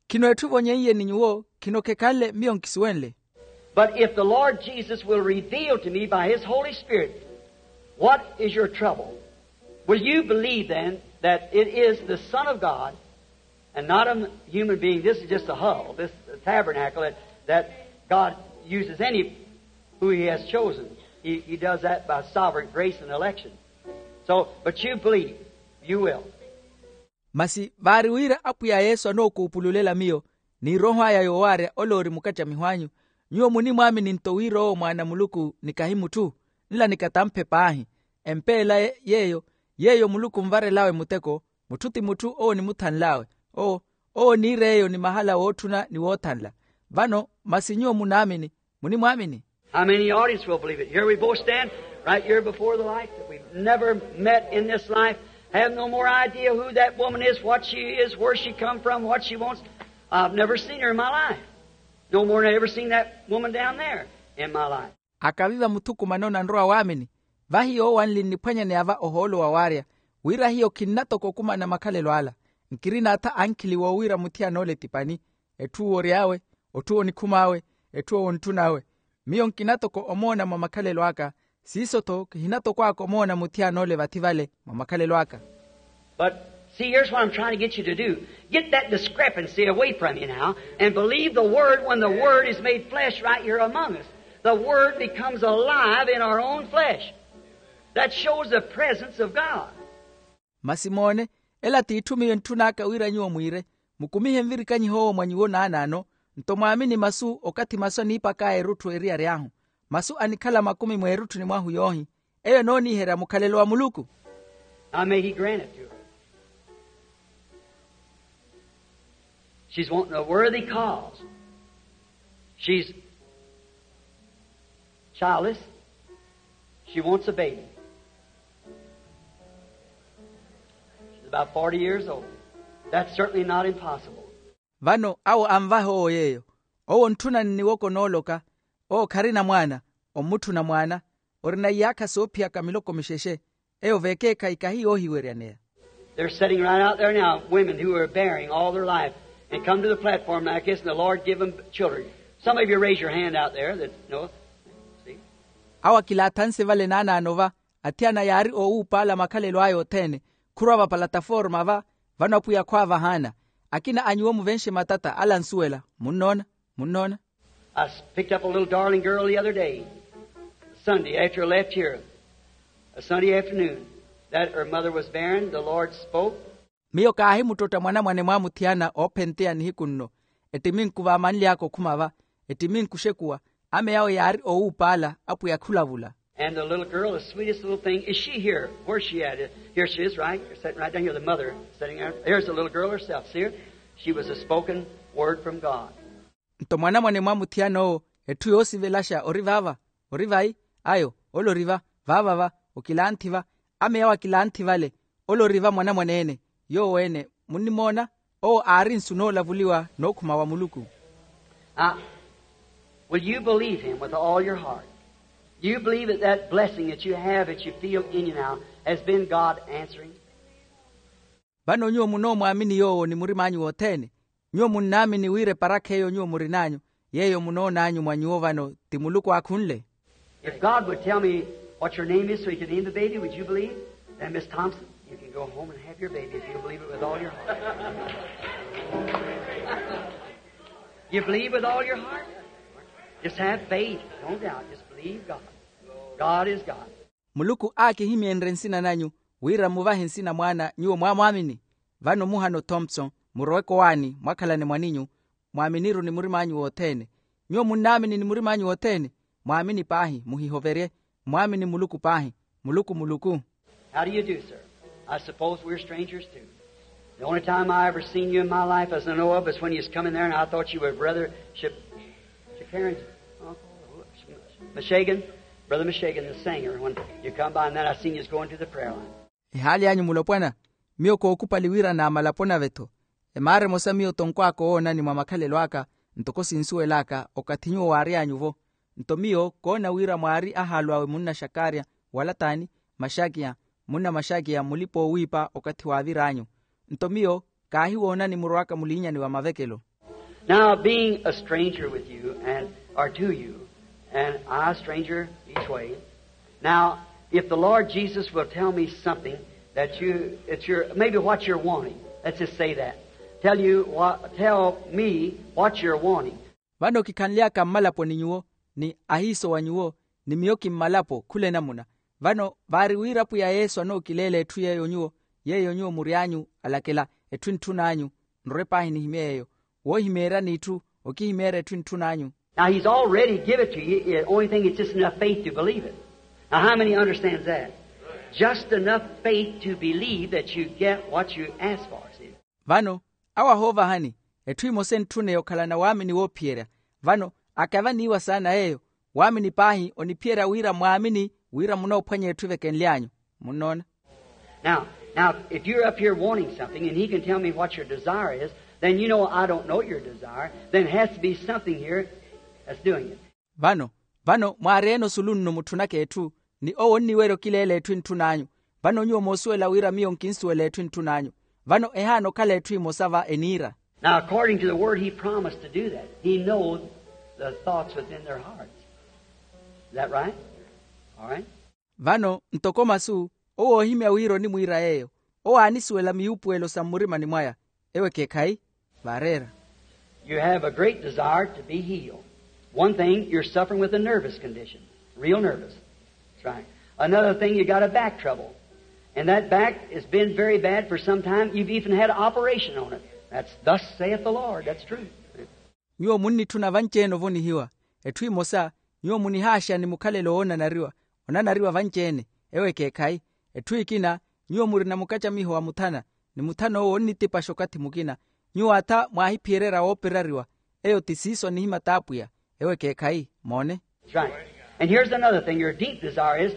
Khino etthu evonyeiye ni nyuwo, khino khekhanle miyo nkisuwenle. But if the Lord Jesus will reveal to me by his Holy Spirit what is your trouble, will you believe then that it is the Son of God and not a human being? This is just a hull, this tabernacle that, that God uses any who he has chosen. He does that by sovereign grace and election. So but you believe, you will. Masi vaari wira apwiya yesu anookuupululela miyo n'irooho aya yoowaarya ole ori mukattamiho anyu. Nyuwo munimwaamini nto wira owo mwaana a muluku ni kahi mutthu, nla ni katamphe paahi. Empeela yeeyo yeeyo muluku onvarel'awe mutteko. Mutthu ti mutthu owo onimuthanl'awe. Owo owo oniir'eyo ni mahala wootthuna ni woothanla. Vano masi nyuwo munaamini? Munimwaamini? How many audience will believe it? Here we both stand right here before the light that we've never met in this life. Have no more idea who that woman is, what she is, where she come from, what she wants. I've never seen her in my life. No more than I ever seen that woman down there in my life. Akaviva muthukumano nanrowa waamini. Vahiyo owanli nniphwanyaneya va ohoolo wawaarya wira hiyo khinnatoka okumana makhalelo ala. Nkirina atha ankhili woowiira muthiyana ole ti pani. Etthu owory'awe, otthu onikhum'awe, etthu owontthunawe. Miyo nkina toko omoona mwa makhalelo aka. Siiso-tho kihina toko aka omoona muthiyana ole vathi vale mwa makhalelo aka. But see, here's what I'm trying to get you to do. Get that discrepancy away from you now, and believe the word when the word is made flesh right here among us. The word becomes alive in our own flesh. That shows the presence of God. Masi moone, ela t'itthu miyo entthun'aka wira nyuwo mwiire. Mukumihe nvirikanyiho owo mwa nyuwo naanaano, nto mwaamini masu okathi masu aniipak'aya erutthu eriyari ahu. Masu anikhala makumi mweerutthuni mwahu yoohi. Eyo enooniiherya mukhalelo wa muluku. Now may he grant it to her. She's wanting a worthy cause. She's childless. She wants a baby. She's about forty years old. That's certainly not impossible. Vano awo anvaha owo yeeyo. Owo ontthuna nniwoko nooloka. Owo kharina mwaana. Ommutthuna mwaana. Orina iyaakha soophiyaka miloko mixexe. Eyo vekeekhayi kahi yoohiweryaneya. They're sitting right out there now, women who are bearing all their life and come to the platform like this, and the Lord give them children. Some of you raise your hand out there that know. See? Awo akilaathanse vale naanaano va. Athiyana yaari oowuupaala makhalelo aya othene. Khurwa vapalataforma va. Vano apwiya khwaavahaana. Akina a nyuwo muvenxe matata ala ansuwela. Munnoona? Munnoona? I picked up a little darling girl the other day, Sunday after I left here, a Sunday afternoon, that her mother was barren. The Lord spoke. Miyo kaahimuttotta mwanamwane mwaamuthiyana oophenteya nihiku nno. Ettiminku vaamanly'aka okhuma va. Ettiminku oxekuwa. Ameya awe yaari oowuupaala. Apwiya khulavula. And the little girl, the sweetest little thing, is she here? Where's she at? Here she is, right here, sitting right down here. The mother sitting there. Here's the little girl herself. See her? She was a spoken word from God. Nto mwanamwane mwamuthiyana owo, etthu yoosivelaxa ori vaava. Ori vayi? Ayo, ole ori va. Vaava va. Okilanthi va. Ameya awe akilanthi vale. Ole ori va mwanamwane-ene. Yoowo-ene munnimoona? Owo aari nsu noolavuliwa nookhuma wa muluku. Will you believe him with all your heart? Do you believe that that blessing that you have, that you feel in you now, has been God answering? Vano nyuwo munoomwaamini yoowo ni murim'anyu wothene? Nyuwo munnaamini wira eparakha eyo nyuwo murin'anyu, yeeyo munoon'anyu mwa nyuwo vano ti muluku aakhunle? If God would tell me what your name is so you can name the baby, would you believe? Then Miss Thompson, you can go home and have your baby if you believe it with all your heart. You believe with all your heart? Just have faith. No doubt. Just believe God. God is God. Muluku aakihimyenrye nsina nanyu, wira muvahe nsina mwaana nyuwo mwaamwaamini. Vano muhano thompson, murowe kowaani mwakhalane mwaninyu. Mwaaminiru ni murim'anyu wothene. Nyuwo munnaamini ni murim'anyu wothene? Mwaamini paahi, muhihoverye. Mwaamini muluku paahi. Muluku muluku. How do you do, sir? I suppose we're strangers too. The only time I ever seen you in my life as I know of is when you was coming there and I thought you were brother Shakarian, uncle Mishagan, brother Mishagan the singer, when you come by, and then I seen you was going to the prayer line. Ehaali anyu mulopwana. Miyo kookupali wira naamala pona ave-tho. Emaara emosa miyo tonkw'aka owoonani mwa makhalelo aka, ntoko sinsuwel'aka okathi nyuwo waary'anyu-vo. Nto miyo koona wira mwaari ahaalu awe munna xakarya, wala t'ani, maxakiya, munna maxakiya mulipa-oowiipa okathi waavir'anyu. Nto miyo kaahiwoonani murowaka muliinyani wa mavekelo. Now being a stranger with you and or to you, and I a stranger each way. Now if the Lord Jesus will tell me something that you, it's your, maybe what you're wanting, let's just say that, tell you what, tell me what you're wanting. Vano kikhanly'aka mmalaponi nyuwo, ni ahiiso wa nyuwo, ni miyo kimmalapo khula enamuna. Vano vaari wira apwiya yesu anookileela etthu yeeyo nyuwo yeeyo nyuwo mury'anyu alakela etthu entthun'anyu. Nrwe paahi nihimye yeeyo woohimeeryani itthu okihimeerya etthu entthun'anyu. Now he's already give it to you. The only thing, it's just enough faith to believe it. Now how many understands that? Just enough faith to believe that you get what you ask for, see? Vano awo ahoovahani etthu emosa entthune okhalana waamini woophiyerya. Vano akavaniiwa saana yeeyo waamini paahi oniphiyerya wira mwaamini wira munoophwanya etthu evekenly'anyu. Munnoona? Now, now, if you're up here wanting something and he can tell me what your desire is, then you know I don't know your desire. Then it has to be something here that's doing it. Vano vano mwaari-ene osulu nno mutthunaka etthu ni owo onniwerya okileela etthu entthun'anyu. Vano nyuwo moosuwela wira miyo nkinsuwela etthu entthun'anyu. Vano ehaana okhala etthu emosa va eniira. Now according to the word he promised to do that. He knows the thoughts within their hearts. Is that right? All right. Vano ntoko masu owo oohimya wira onimwiira yeeyo owo aanisuwela miyuupuwelo sa mmurimani mwaya. Ewo ekeekhayi vaareera. You have a great desire to be healed. One thing, you're suffering with a nervous condition. Real nervous. That's right. Another thing, you got a back trouble. And that back has been very bad for some time. You've even had an operation on it. That's thus saith the Lord. That's true. Nyuwo munnitthuna vanci-ene ovonihiwa. Etthu emosa nyuwo munihaaxa ni mukhalelo woonanariwa onanariwa vanci-ene. Ewo ekeekhayi. Etthu ekina nyuwo murina mukacamiho wa muthana ni muthana owo onnitipaxa okathi mukina. Nyuwo atha mwaahiphiyererya wooperariwa. Eyo ti siiso anihimya t'apwiya. Ewo ekeekhayi. Moone. That's right. And here's another thing your deep desire is,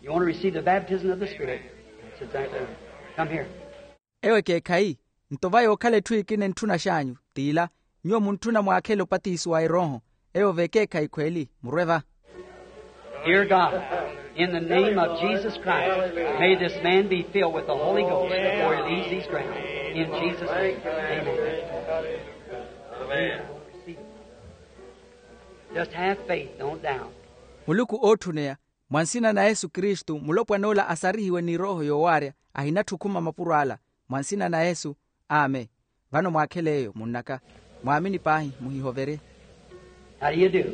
you want to receive the baptism of the Spirit. That's exactly right. Come here. Ewo ekeekhayi. Nto va yookhala etthu ekina entthuna xaanyu t'ila nyuwo muntthuna mwaakhele opatiso wa erooho. Ewo v'ekeekhayi khweeli murwe va. Dear God, in the name of Jesus Christ, may this man be filled with the Holy Ghost before he leaves these grounds. In Jesus' name, amen. Just have faith, don't doubt. Muluku ootthuneya mwa nsina na yesu kristu mulopwan'ola asarihiwe ni erooho yoowaarya. Ahinatthi okhuma mapuro ala mwa nsina na yesu. Amen. Vano mwaakhele eyo munnaka mwaamini paahi muhihoverye. How do you do?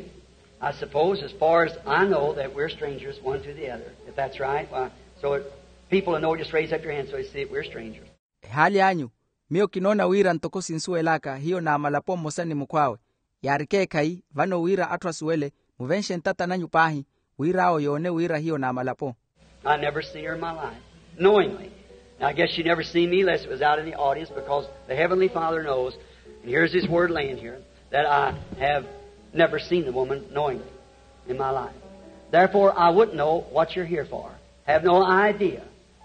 I suppose as far as I know that we're strangers one to the other, if that's right. Why, so people to know, just raise up your hand so they see that we're strangers. Ehaali anyu miyo kinoona wira ntoko sinsuwel'aka hiyo naamalapo mmosa ni mukhw'awe. Yaari ekeekhayi vano wira atthu asuwele muvenxe ntata nanyu paahi wira awo yoone wira hiyo naamalapo. I never seen her in my life, knowingly. Now, I guess she never seen me unless it was out in the audience, because the Heavenly Father knows, and here's His Word laying here, that I have never seen the woman knowingly in my life. Therefore, I wouldn't know what you're here for. Have no idea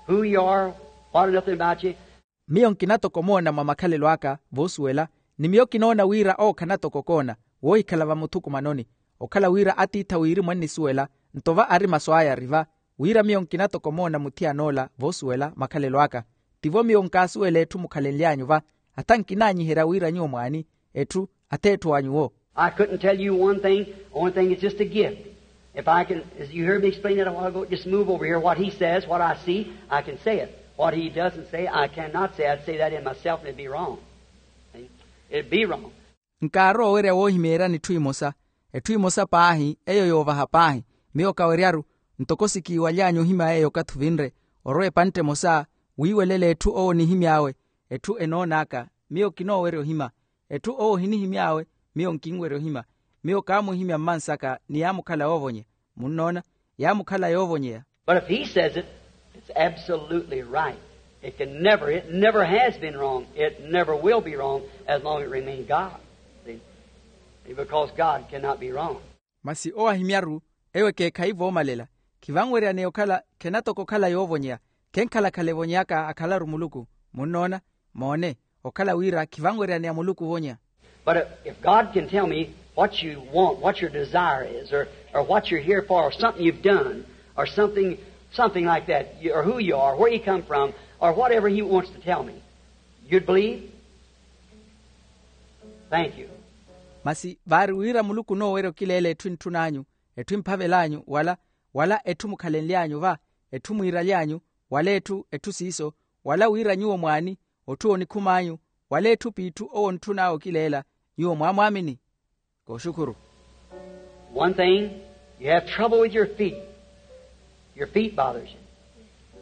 who you are, what, nothing about you. Miyo nkina toko omoona mwa makhalelo aka voosuwela ni miyo kinoona wira owo khana toko okoona woohikhala vamuthukumanoni. Okhala wira atiitha wiri mwannisuwela nto va ari masu aya ari va wira miyo nkina toko omoona muthiyan'ola voosuwela makhalelo aka. Tivo miyo nkaasuwela etthu mukhalenly'anyu va atha nkinaanyiherya wira nyuwo mwaani etthu ath'etthu wa nyuwo. I couldn't tell you one thing. Only thing, it's just a gift. If I can, as you heard me explain that a while ago, just move over here. What he says, what I see, I can say it. What he doesn't say, I cannot say. I'd say that in myself and it'd be wrong. See? It'd be wrong. Nkaaroowerya woohimeeryani etthu emosa. Etthu emosa paahi eyo yoovaha paahi miyo kaweryaru ntoko sikiiwaly'anyu ohimya eyo okathi ovinre orwa epantte emosa wiiwelela etthu owo onihimy'awe. Etthu enoon'aka miyo kinoowerya ohimya. Etthu owo ohinihimy'awe miyo nkinwerya ohimya. Miyo kaamuhimya mmansaka ni yaamukhala yoovonya. Munnoona? Yaamukhala yoovonyeya. But if he says it, it's absolutely right. It can never, it never has been wrong. It never will be wrong as long as it remains God. See? Because God cannot be wrong. Masi owo ahimyaru ewo ekeekhayi voomalela. Khivanweryaneya okhala khena toko okhala yoovonyeya. Khenkhala-khala evonyeyaka akhalaru muluku. Munnoona? Moone. Okhala wira khivanweryaneya muluku ovonya. But if, if God can tell me what you want, what your desire is, or, or what you're here for, or something you've done, or something, something like that, you, or who you are, where you come from, or whatever he wants to tell me, you'd believe? Thank you. Masi vaari wira muluku onoowerya okileela etthu entthun'anyu, etthu emphavel'anyu wala wala etthu mukhalenly'anyu va, etthu mwiiraly'anyu wala etthu etthu siiso, wala wira nyuwo mwaani otthu oonikhum'anyu, wala etthu p'itthu owo ontthun'awe okileela, nyuwo mwaamwaamini? Kooxukhuru. One thing, You have trouble with your feet. Your feet bothers you.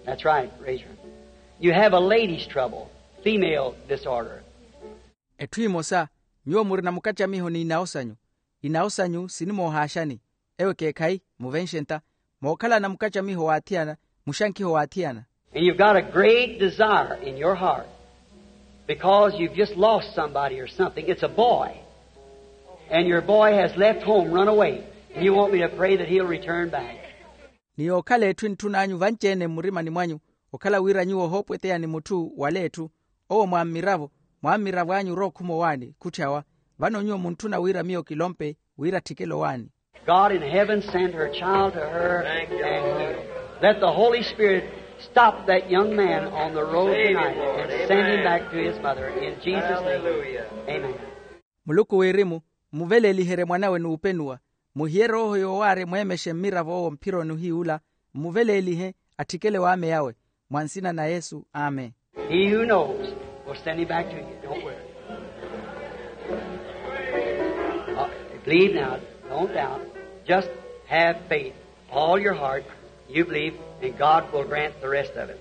That's right, raise your hand. You have a lady's trouble, female disorder. Etthu emosa, nyuwo murina mukattamiho n'inawo sanyu. Inawo sanyu sinimoohaaxani. Ewo ekeekhayi, muvenxe ntta. Mookhalana mukattamiho w'athiyana, muxankiho w'athiyana. And you've got a great desire in your heart because you've just lost somebody or something. It's a boy. And your boy has left home, run away. And you want me to pray that he'll return back. Ni yookhala etthu entthun'anyu vanci-ene mmurimani mwanyu, okhala wira nyuwo ohoopweteya ni mutthu wala etthu. Owo mwammiravo, mwammiravo anyu orookhuma owaani khutthi awa. Vano nyuwo muntthuna wira miyo kilompe, wira atthikele owaani. God in heaven, send her child to her and heal. Let the Holy Spirit stop that young man on the road tonight and send him back to his mother. In Jesus' name, amen. Muluku wirimu, mmuveleliherye mwanawe n'upenuwa. Muhiye rooho yoowaarya mweemexe mmiravo owo mphironi ohiy'ula, mmuvelelihe atthikele waameyawe. Mwa nsina na yesu, amen. He who knows will send him back to you. Don't worry. Uh, believe now. Don't doubt. Just have faith. All your heart, you believe, and God will grant the rest of it.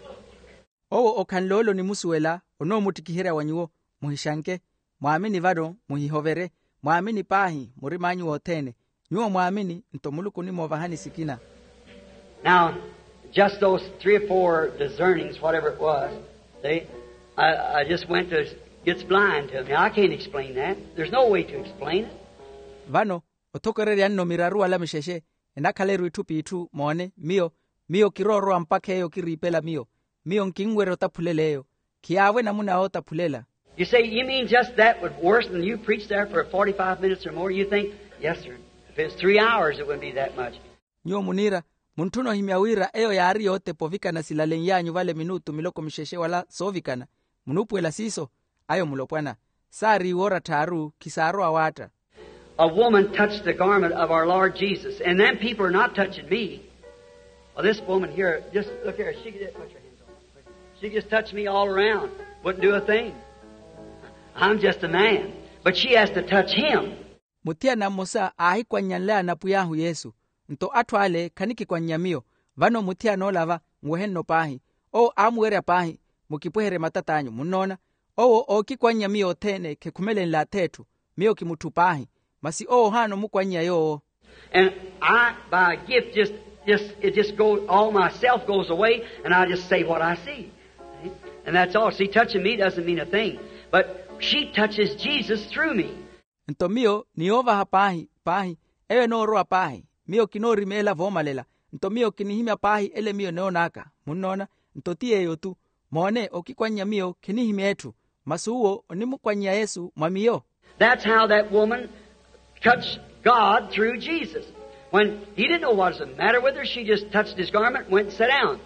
Owo okhanle ole onimusuwela, onoomuttikiherya wa nyuwo. Muhixanke. Mwaamini vano, muhihoverye. Mwaamini paahi murim'anyu wothene. Nyuwo mwaamini, nto muluku onimoovahani sikina. Now, just those three or four discernings, whatever it was, they, I, I just went to, it's blind to me. I can't explain that. There's no way to explain it. Vano, othokorerya nno miraru wala mixexe, enakhala-ru itthu p'itthu moone miyo. Miyo kiroorowa mpakha eyo kiriipela miyo. Miyo nkinwerya otaphulela eyo. Khiyaavo enamuna yootaphulela. You say, you mean just that would worse than you preach there for forty-five minutes or more? You think, yes, sir. If it's three hours, it wouldn't be that much. Nyuwo muniira, muntthuna ohimya wira eyo yaari yootepa ovikana silalen'yanyu vale minutu miloko mixexe wala soovikana. Munuupuwela siiso? Ayo mulopwana. Saari iwoora tthaaru, khisaarowa waatta. A woman touched the garment of our Lord Jesus, and them people are not touching me. Well, this woman here, just look here, she could put your hands on her. She just touched me all around, wouldn't do a thing. I'm just a man, but she has to touch him. Muthiyana mmosa aahikwannyale anapwiy'ahu yesu, nto atthu ale khanikikwannya miyo. Vano muthiyana ola va nwehe-nno paahi. Owo aamuwerya paahi, mukipweherye matat'anyu munnoona. Owo ookikwannya miyo othene khekhumelenle ath'etthu. Miyo kimutthu paahi. Masi owo ohaana omukwannya yoowo. And I, by a gift, just, just, it just goes, all myself goes away, and I just say what I see. And that's all. See, touching me doesn't mean a thing. But she touches Jesus through me. Nto miyo ni yoovaha paahi paahi, eyo enoorowa paahi. Miyo kinoorimeela voomalela. Nto miyo kinihimya paahi ele miyo enoon'aka. Munnoona? Nto ti yeeyo-tu. Moone, okikwannya miyo khinihimya etthu. Masi uwo onimukwannya yesu mwa miyo. That's how that woman touched God through Jesus. When he didn't know what was the matter with her, she just touched his garment and went and sat down.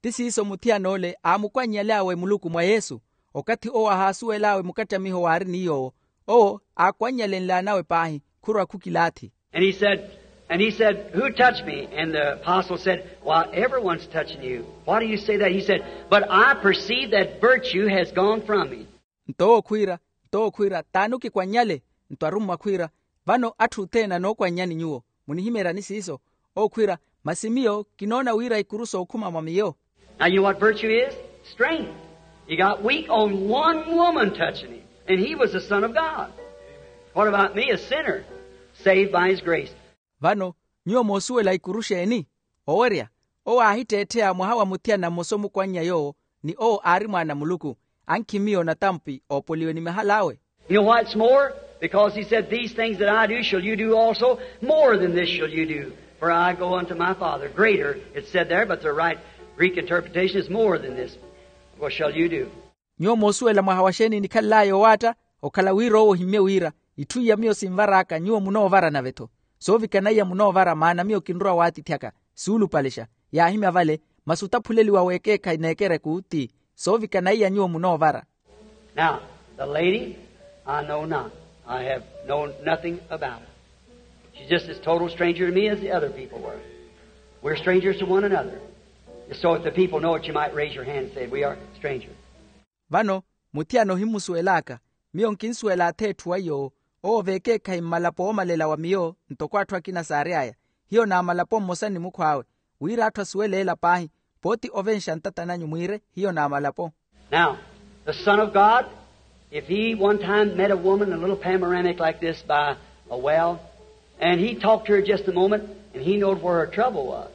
Ti siiso muthiyana-ole aamukwannyal'awe muluku mwa yesu. Okathi owo ahaasuwel'awe mukattamiho waari ni yoowo, owo aakwanyalenl'anawe paahi, khurwa khukilaathi. And he said, and he said, who touched me? And the apostle said, why, everyone's touching you. Why do you say that? He said, but I perceive that virtue has gone from me. Nto owo khwiira, nto owo khwiira, t'ani okikwannyale? Nto arummwa khwiira, vano atthu othene anookwannyani nyuwo. Munihimeeryani siiso? Owo khwiira, masi miyo kinoona wira ikuru sookhuma mwa miyo. Now, you know what virtue is? Strength. He got weak on one woman touching him, and he was the Son of God. What about me, a sinner, saved by his grace? Vano nyuwo moosuwela ikuru xeeni? Owerya, owo aahitteettheya mwaha wa muthiyana mmosa omukwannya yoowo, ni owo aari mwaana a muluku. Ankhi miyo natampi oopoliwe ni mahal'awe. You know why it's more? Because he said, these things that I do shall you do also, more than this shall you do. For I go unto my Father. Greater, it's said there, but the right Greek interpretation is more than this. What shall you do? Nyuwo moosuwela mwaha wa xeeni enikhalel'aya owaatta? Okhala wira owo ohimmye wira, itthu iya miyo sinvar'aka nyuwo munoovara nave-tho. Soovikana iya munoovara maana miyo kinrowa waatithyaka. Suulupalexa. Yaahimya vale. Masi otaphuleliwa w'ekeekhayi n'ekereku ti soovikana iya nyuwo munoovara. Now, the lady, I know not. I have known nothing about her. She's just as total stranger to me as the other people were. We're strangers to one another. So if the people know it, you might raise your hand and say, we are strangers. Vano muthiyana ohimusuwel'aka. Miyo nkinsuwela ath'etthu wa yoowo. Owo v'ekeekhayi mmalapo oomalela wa miyo ntoko atthu akina saary'aya. hiyo n'amalapo mmosa ni mukhw'awe, wira atthu asuwele ela paahi, pooti ovenxa ntata nanyu mwiire hiyo n'amalapo. Now, the Son of God, if he one time met a woman, a little panoramic like this by a well, and he talked to her just a moment, and he knowed where her trouble was,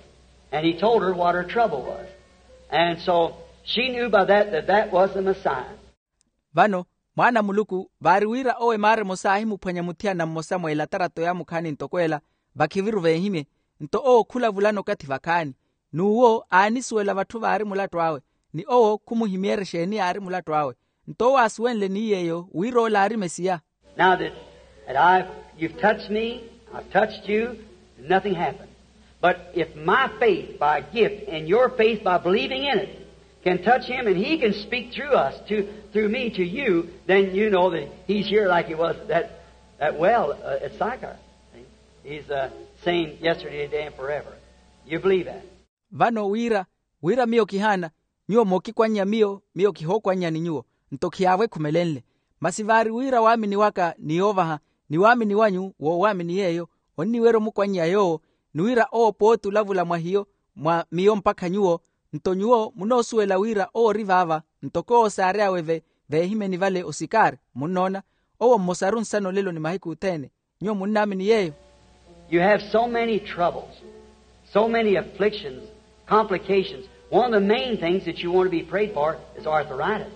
and he told her what her trouble was. And so she knew by that that that was the Messiah. Vano, mwaana a muluku vaari wira owo emaara emosa aahimuphwanya muthiyana mmosa mwa elatarato yaamukhaani ntoko ela, vakhiviru veehimye. Nto owo khulavulana okathi vakhaani, n'uwo aanisuwela vatthu vaari mulattu awe, ni owo khumuhimyeera exeeni yaari mulattu awe. Nto owo aasuwenle ni yeeyo wira ola aari mesiya. Now that, that I've, you've touched me, I've touched you, nothing happened. But if my faith by gift and your faith by believing in it can touch him and he can speak through us, to, through me to you, then you know that he's here like he was that, that well, uh, at Sychar. See? He's the same yesterday, today, and forever. You believe that? Vano wira, wira miyo kihaana, nyuwo mookikwannya miyo, miyo kihookwannyani nyuwo, nto khiyaavwekhumelenle. Masi vaari wira waamini waka ni yoovaha, ni waamini wanyu woowaamini yeeyo, onniwerya omukwannya yoowo, ni wira owo pooti olavula mwa hiyo, mwa miyo mpakha nyuwo, nto nyuwo munoosuwela wira owo ori vaava, ntoko owo saary'awe ve, veehimyeni vale osikari. Munnoona, owo mmosaru nsana olelo ni mahiku othene. Nyuwo munnaamini yeeyo? You have so many troubles, so many afflictions, complications. One of the main things that you want to be prayed for is arthritis.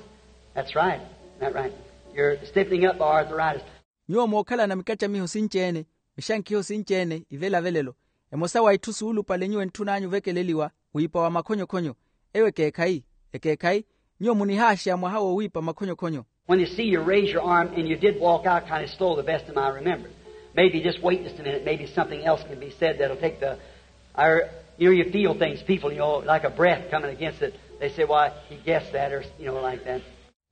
That's right. Isn't that right? You're stiffening up by arthritis. Nyuwo mookhalana mikattamiho sinci-ene, mixankhiho sinci-ene ivelavelelo. Emosa wa itthu suulupale nyuwo entthun'anyu ovekeleliwa wiipa wa makhonyokhonyo. Eyo ekeekhayi, ekeekhayi. Nyuwo munihaaxeya mwaha woowiipa makhonyokhonyo. When you see you raise your arm and you did walk out kind of slow, the best of my remembrance. Maybe just wait just a minute. Maybe something else can be said that'll take the, or, you know, you feel things, people, you know, like a breath coming against it. They say, "Why, he guessed that," or, you know, like that.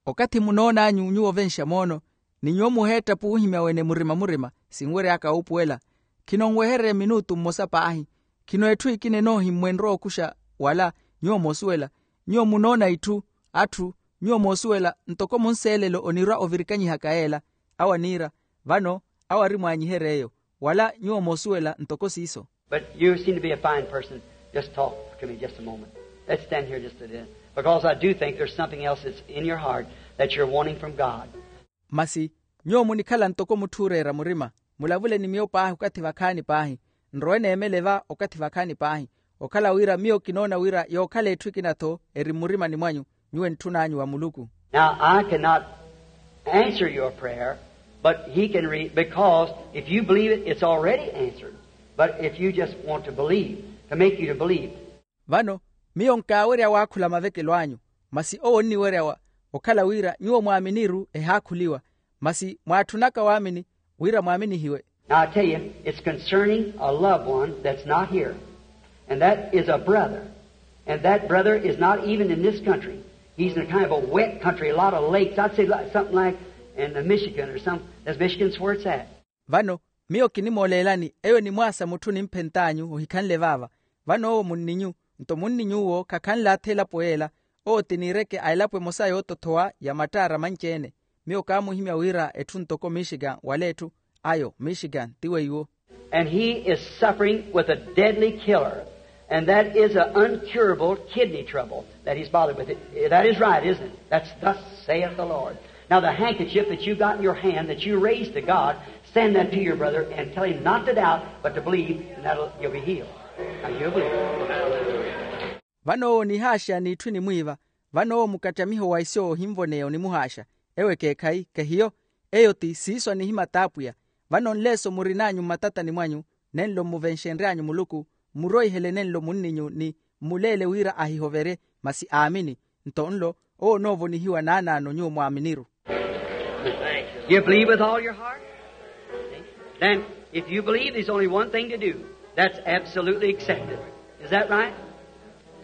Okathi munoon'anyu nyuwo ovenxa moono, ni nyuwo muheetta puuhimya wene murima-murima, sinwery'aka wuupuwela. Khinonwehererye minutu mmosa paahi. Khino etthu ekina enoohimmwenrya okuxa wala, nyuwo moosuwela. Nyuwo munoona itthu, atthu, nyuwo moosuwela, ntoko munseelelo onirwa ovirikanyihaka yeela. Awo aniira, vano, awo ari mwaanyihery'eyo, wala nyuwo moosuwela ntoko siiso. But you seem to be a fine person. Just talk to me just a moment. Let's stand here just a minute. Because I do think there's something else that's in your heart that you're wanting from God. Masi, nyuwo munikhala ntoko mutthu ooreera murima. Mulavule ni miyo paahi okathi vakhaani paahi. Nrowe neemele va okathi vakhaani paahi. Okhala wira miyo kinoona wira yookhala etthu ekina-tho eri mmurimani mwanyu, nyuwo entthun'anyu wa Muluku. Now, I cannot answer your prayer, but he can re-, because if you believe it, it's already answered. But if you just want to believe, to make you to believe. Vano, miyo nkaawerya waakhula mavekelo anyu, masi owo onniwerya wa, okhala wira nyuwo mwaaminiru ehaakhuliwa, masi mwaatthunaka waamini wira mwaaminihiwe. Now, I tell you, it's concerning a loved one that's not here. And that is a brother. And that brother is not even in this country. He's in a kind of a wet country, a lot of lakes. I'd say li-, something like in the Michigan or some, that's Michigan's where it's at. Vano, miyo kinimooleelani, eyo enimwaasa mutthu nimphent'anyu ohikhanle vaava. Vano owo munninyu, nto munninyuwo khakhanle atha elapo yeela. Owo ti niireke a elapo emosa yoottothowa ya mattaara manci-ene. Miyo kaamuhimya wira etthu ntoko Michigan wala etthu, ayo Michigan ti weiwo. And he is suffering with a deadly killer, and that is an uncurable kidney trouble that he's bothered with. It, that is right, isn't it? That's thus saith the Lord. Now, the handkerchief that you got in your hand that you raised to God, send that to your brother and tell him not to doubt, but to believe, and that'll, you'll be healed. Now, you'll believe. Vano owo onihaaxa n'itthu enimwiiva. Vano owo mukattamiho wa iso ohinvoneya onimuhaaxa. Ewo ekeekhayi, kehiyo. Eyo ti siiso anihimata apwiya. Vano nleeso murin'anyu mmatatani mwanyu, nenlo mmuvenxenry'anyu Muluku, mmuroihele nenlo munninyu ni mmuleele wira ahihoverye, masi aamini. Nto nlo owo onoovonihiwa naanaano nyuwo mwaaminiru. You believe with all your heart? Then, if you believe, there's only one thing to do. That's absolutely accept it. Is that right?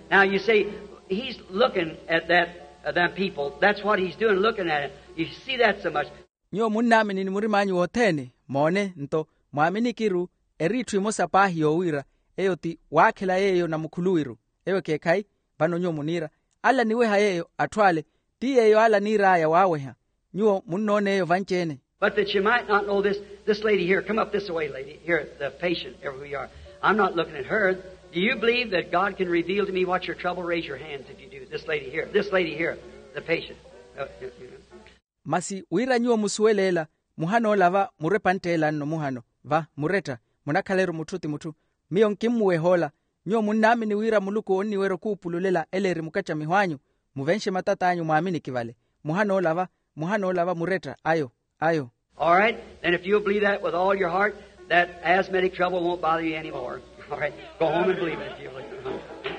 Now, you say, "He's looking at that, uh, them people. That's what he's doing, looking at it." You see that so much. Nyuwo munnaamini ni murim'anyu wothene, moone, nto mwaaminikiru eri itthu emosa paahi yoowiira, eyo ti waakhela yeeyo namukhuluwiru. Ewo ekeekhayi. Vano nyuwo muniira, ala aniweha yeeyo atthu ale, ti yeeyo ala aniir'aya waaweha. Nyuwo munnoona eyo vanci-ene. But that you might not know this, this lady here, come up this way, lady, here, the patient, wherever you are. I'm not looking at her. Do you believe that God can reveal to me what's your trouble? Raise your hands if you do. This lady here, this lady here, the patient. Uh, you know. Masi wira nyuwo musuwele ela, muhana ola va murwe epantte ela nno muhano va muretta, munakhala-ru mutthu ti mutthu. Miyo nkimmuweha ola. Nyuwo munnaamini wira muluku onniwerya okuupululela ela eri mukattamiho anyu? Muvenxe matat'anyu mwaaminiki vale. Muhana ola va, muhana ola va muretta ayo, ayo. All right, then if you'll believe that with all your heart, that asthmatic trouble won't bother you anymore. All right, go home and believe it if you'll believe it.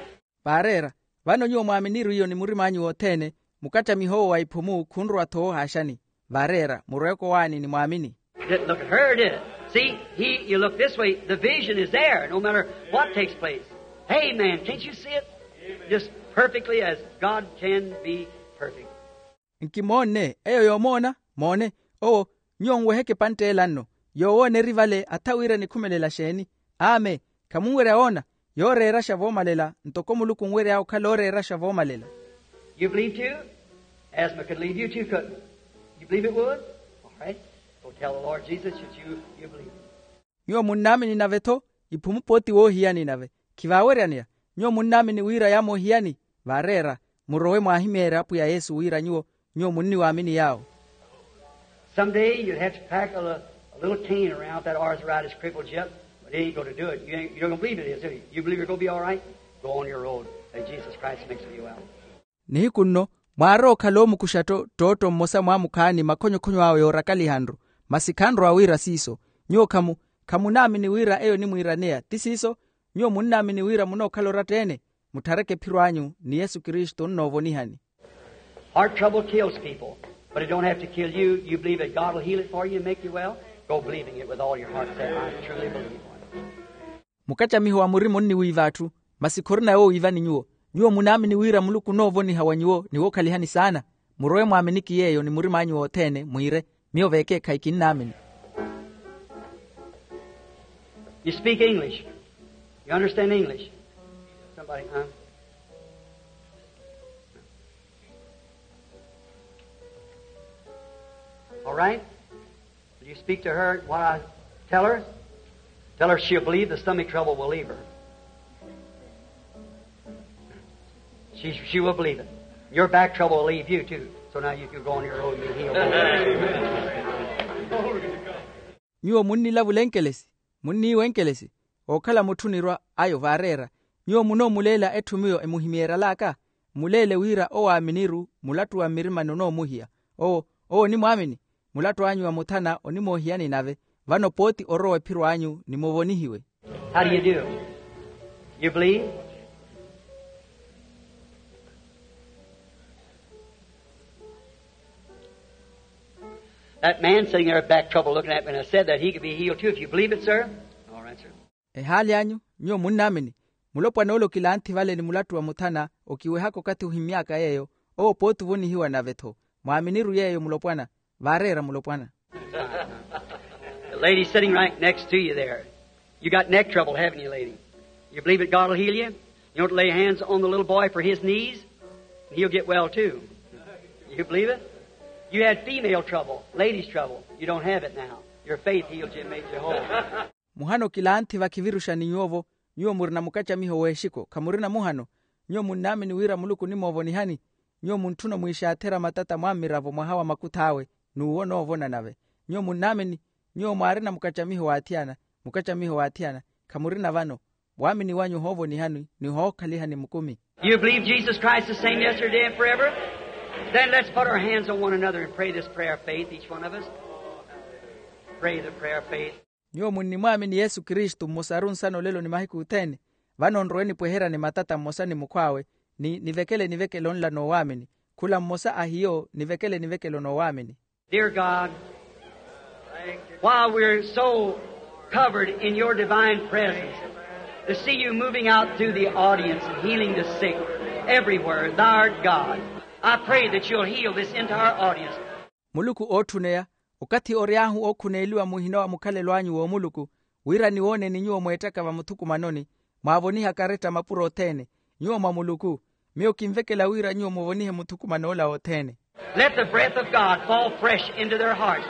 Vaareera, vano nyuwo mwaaminiru iyo ni murim'anyu wothene, mukattamiho owo wa iphumu khunrwa-tho woohaaxani. Vaareera, murweke owaani ni mwaamini. Didn't look at her, did it? See, he, you look this way, the vision is there, no matter what takes place. Amen. Can't you see it? Just perfectly as God can be perfect. Nkimoonne eyo yoomoona. Moone, owo, nyuwo nweheke epantte ela nno. Yoowooneri vale atha wira enikhumelela xeeni? Aame. Khamunwerya woona? Yooreeraxa voomalela ntoko muluku onwery'awe okhala ooreeraxa voomalela. You believe too? Asthma could leave you too, couldn't it? You believe it would? All right. Go tell the Lord Jesus that you, you believe it. Nyuwo munnaamini nave-tho, iphumu pooti woohiyani nave. Khivaaweryaneya. Nyuwo munnaamini wira yaamoohiyani? Vaareera, murowe mwaahimeerye apwiya yesu wira nyuwo, nyuwo munniwaamini yaawo. Some day you'd have to pack a, li- a little cane around with that arthritis crippled you up, but it ain't going to do it. You, ain't, you don't believe it is, do you? You believe you're going to be all right? Go on your road. Let Jesus Christ makes you well. Nihiku nno, mwaarowa okhala oomukuxa tto ttootto mmosa mwaamukhaani makhonyokhonyo awe yoorakalihanru. Masi khanrowa wira siiso. Nyuwo khamu, khamunaamini wira eyo onimwiiraneya ti siiso? Nyuwo munnaamini wira munookhala oratta-ene? Mutthareke ephiro anyu ni yesu kristu onnoovonihani. Heart trouble kills people, but it don't have to kill you. You believe that God will heal it for you and make you well? Go believing it with all your heart. Say, I truly believe. Mukattamiho wa murima onniwiiva atthu, masi khorina yoowiivani nyuwo. Nyuwo munaamini wira muluku onoovoniha wa nyuwo ni wookhalihani saana? Murowe mwaaminiki yeeyo ni murim'anyu wothene mwiire, miyo vekeekhayi kinnaamini. You speak English? You understand English? Somebody, huh? All right. Will you speak to her what I tell her? Tell her she'll believe the stomach trouble will leave her. She, she will believe it. Your back trouble will leave you too. So now you can go on your road and be healed. Nyuwo munnilavula enkelesi, munniiwa enkelesi, ookhala mutthu onirwa ayo vaareera. Nyuwo munoomuleela etthu miyo emuhimyeeral'aka? Mmuleele wira owaaminiru mulattu wa mmirimani onoomuhiya. Owo, owo onimwaamini. Mulattu anyu wa muthana onimoohiyani nave. Vano pooti orowa ephiro anyu ni muvonihiwe. How do you do? You believe? That man sitting there with back trouble looking at me, and I said that he could be healed too if you believe it, sir. All right, sir. Ehaali anyu, nyuwo munnaamini? Mulopwana ole okilanthi vale ni mulattu wa muthana okiwehaka okathi ohimmy'aka yeeyo, owo pooti ovonihiwa nave-tho. Mwaaminiru yeeyo mulopwana? Vaareera mulopwana. The lady sitting right next to you there. You got neck trouble, haven't you, lady? You believe that God will heal you? You want to lay hands on the little boy for his knees, and he'll get well too. You believe it? You had female trouble, ladies' trouble. You don't have it now. Your faith healed you and made you whole. Muhano kilanthi vakhiviruxani nyuwo-vo. Nyuwo murina mukattamiho w'exiko, khamurina muhano? Nyuwo munnaamini wira muluku onimoovonihani? Nyuwo muntthuna omwiixaatherya matata mwammiravo mwaha wa makuth'awe, n'uwo onoovona nave. Nyuwo munnaamini? Nyuwo mwaarina mukattamiho w'athiyana, mukattamiho w'athiyana, khamurina vano. Waamini wanyu ohoovonihani ni ohookhalihani mukumi. You believe Jesus Christ the same yesterday and forever? Then let's put our hands on one another and pray this prayer of faith, each one of us. Pray the prayer of faith. Nyuwo munnimwaamini yesu kristu mmosaru nsana olelo ni mahiku othene? Vano nrowe nipweheryane matata mmosa ni mukhw'awe, ni nivekele nivekele onla n'owaamini. Khula mmosa a hiyo nivekele nivekele onoowaamini. Dear God, while we're so covered in your divine presence, to see you moving out through the audience and healing the sick everywhere, thou art God. I pray that you'll heal this entire audience. Muluku ootthuneya, okathi ory'ahu ookhuneeliwa muhina wa mukhalelo anyu w'omuluku, wira niwooneni nyuwo mweettaka vamuthukumanoni, mwaavoniha karetta mapuro othene. Nyuwo mwa muluku, miyo kinvekela wira nyuwo muvonihe muthukuman'ola wothene. Let the breath of God fall fresh into their hearts,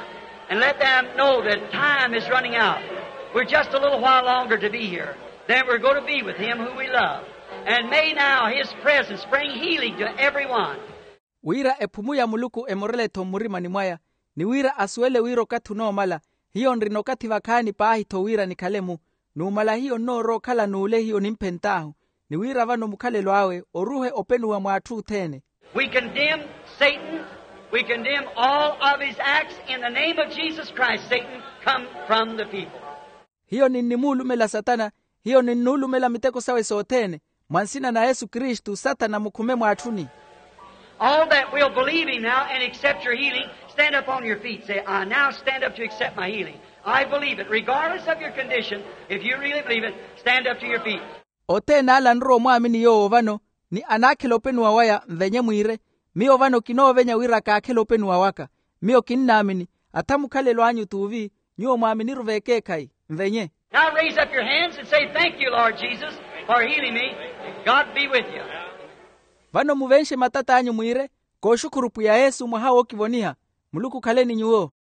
and let them know that time is running out. We're just a little while longer to be here. Then we're going to be with him who we love. And may now his presence bring healing to everyone. Wira ephumu ya muluku emorele-tho mmurimani mwaya, ni wira asuwele wira okathi onoomala, hiyo nrina okathi vakhaani paahi-tho wira nikhale-mu. Numala hiyo nnoorowa okhala n'ule hiyo nimphent'ahu, ni wira vano mukhalelo awe oruhe openuwa mw'atthu othene. We condemn Satan. We condemn all of his acts. In the name of Jesus Christ, Satan, come from the people. Hiyo ninnimuulumela satana, hiyo ninnuulumela miteko sawe sothene. Mwa nsina na yesu kristu satana mukhume mwaatthuni. All that will believe him now and accept your healing, stand up on your feet. Say, I now stand up to accept my healing. I believe it regardless of your condition. If you really believe it, stand up to your feet. Othene ale anrowa omwaamini yoowo vano, ni anaakhela openuwa waya nvenye mwiire, miyo vano kinoovenya wira kaakhele openuwa waka. Miyo kinnaamini. Atha mukhalelo anyu t'uvi. Nyuwo mwaaminiru v'ekeekhayi. Nvenye. Now raise up your hands and say, thank you, Lord Jesus, for healing me. God be with you. Vano muvenxe matat'anyu mwiire, kooxukhuru pwiya yesu mwaha wookivoniha. Muluku okhale ni nyuwo.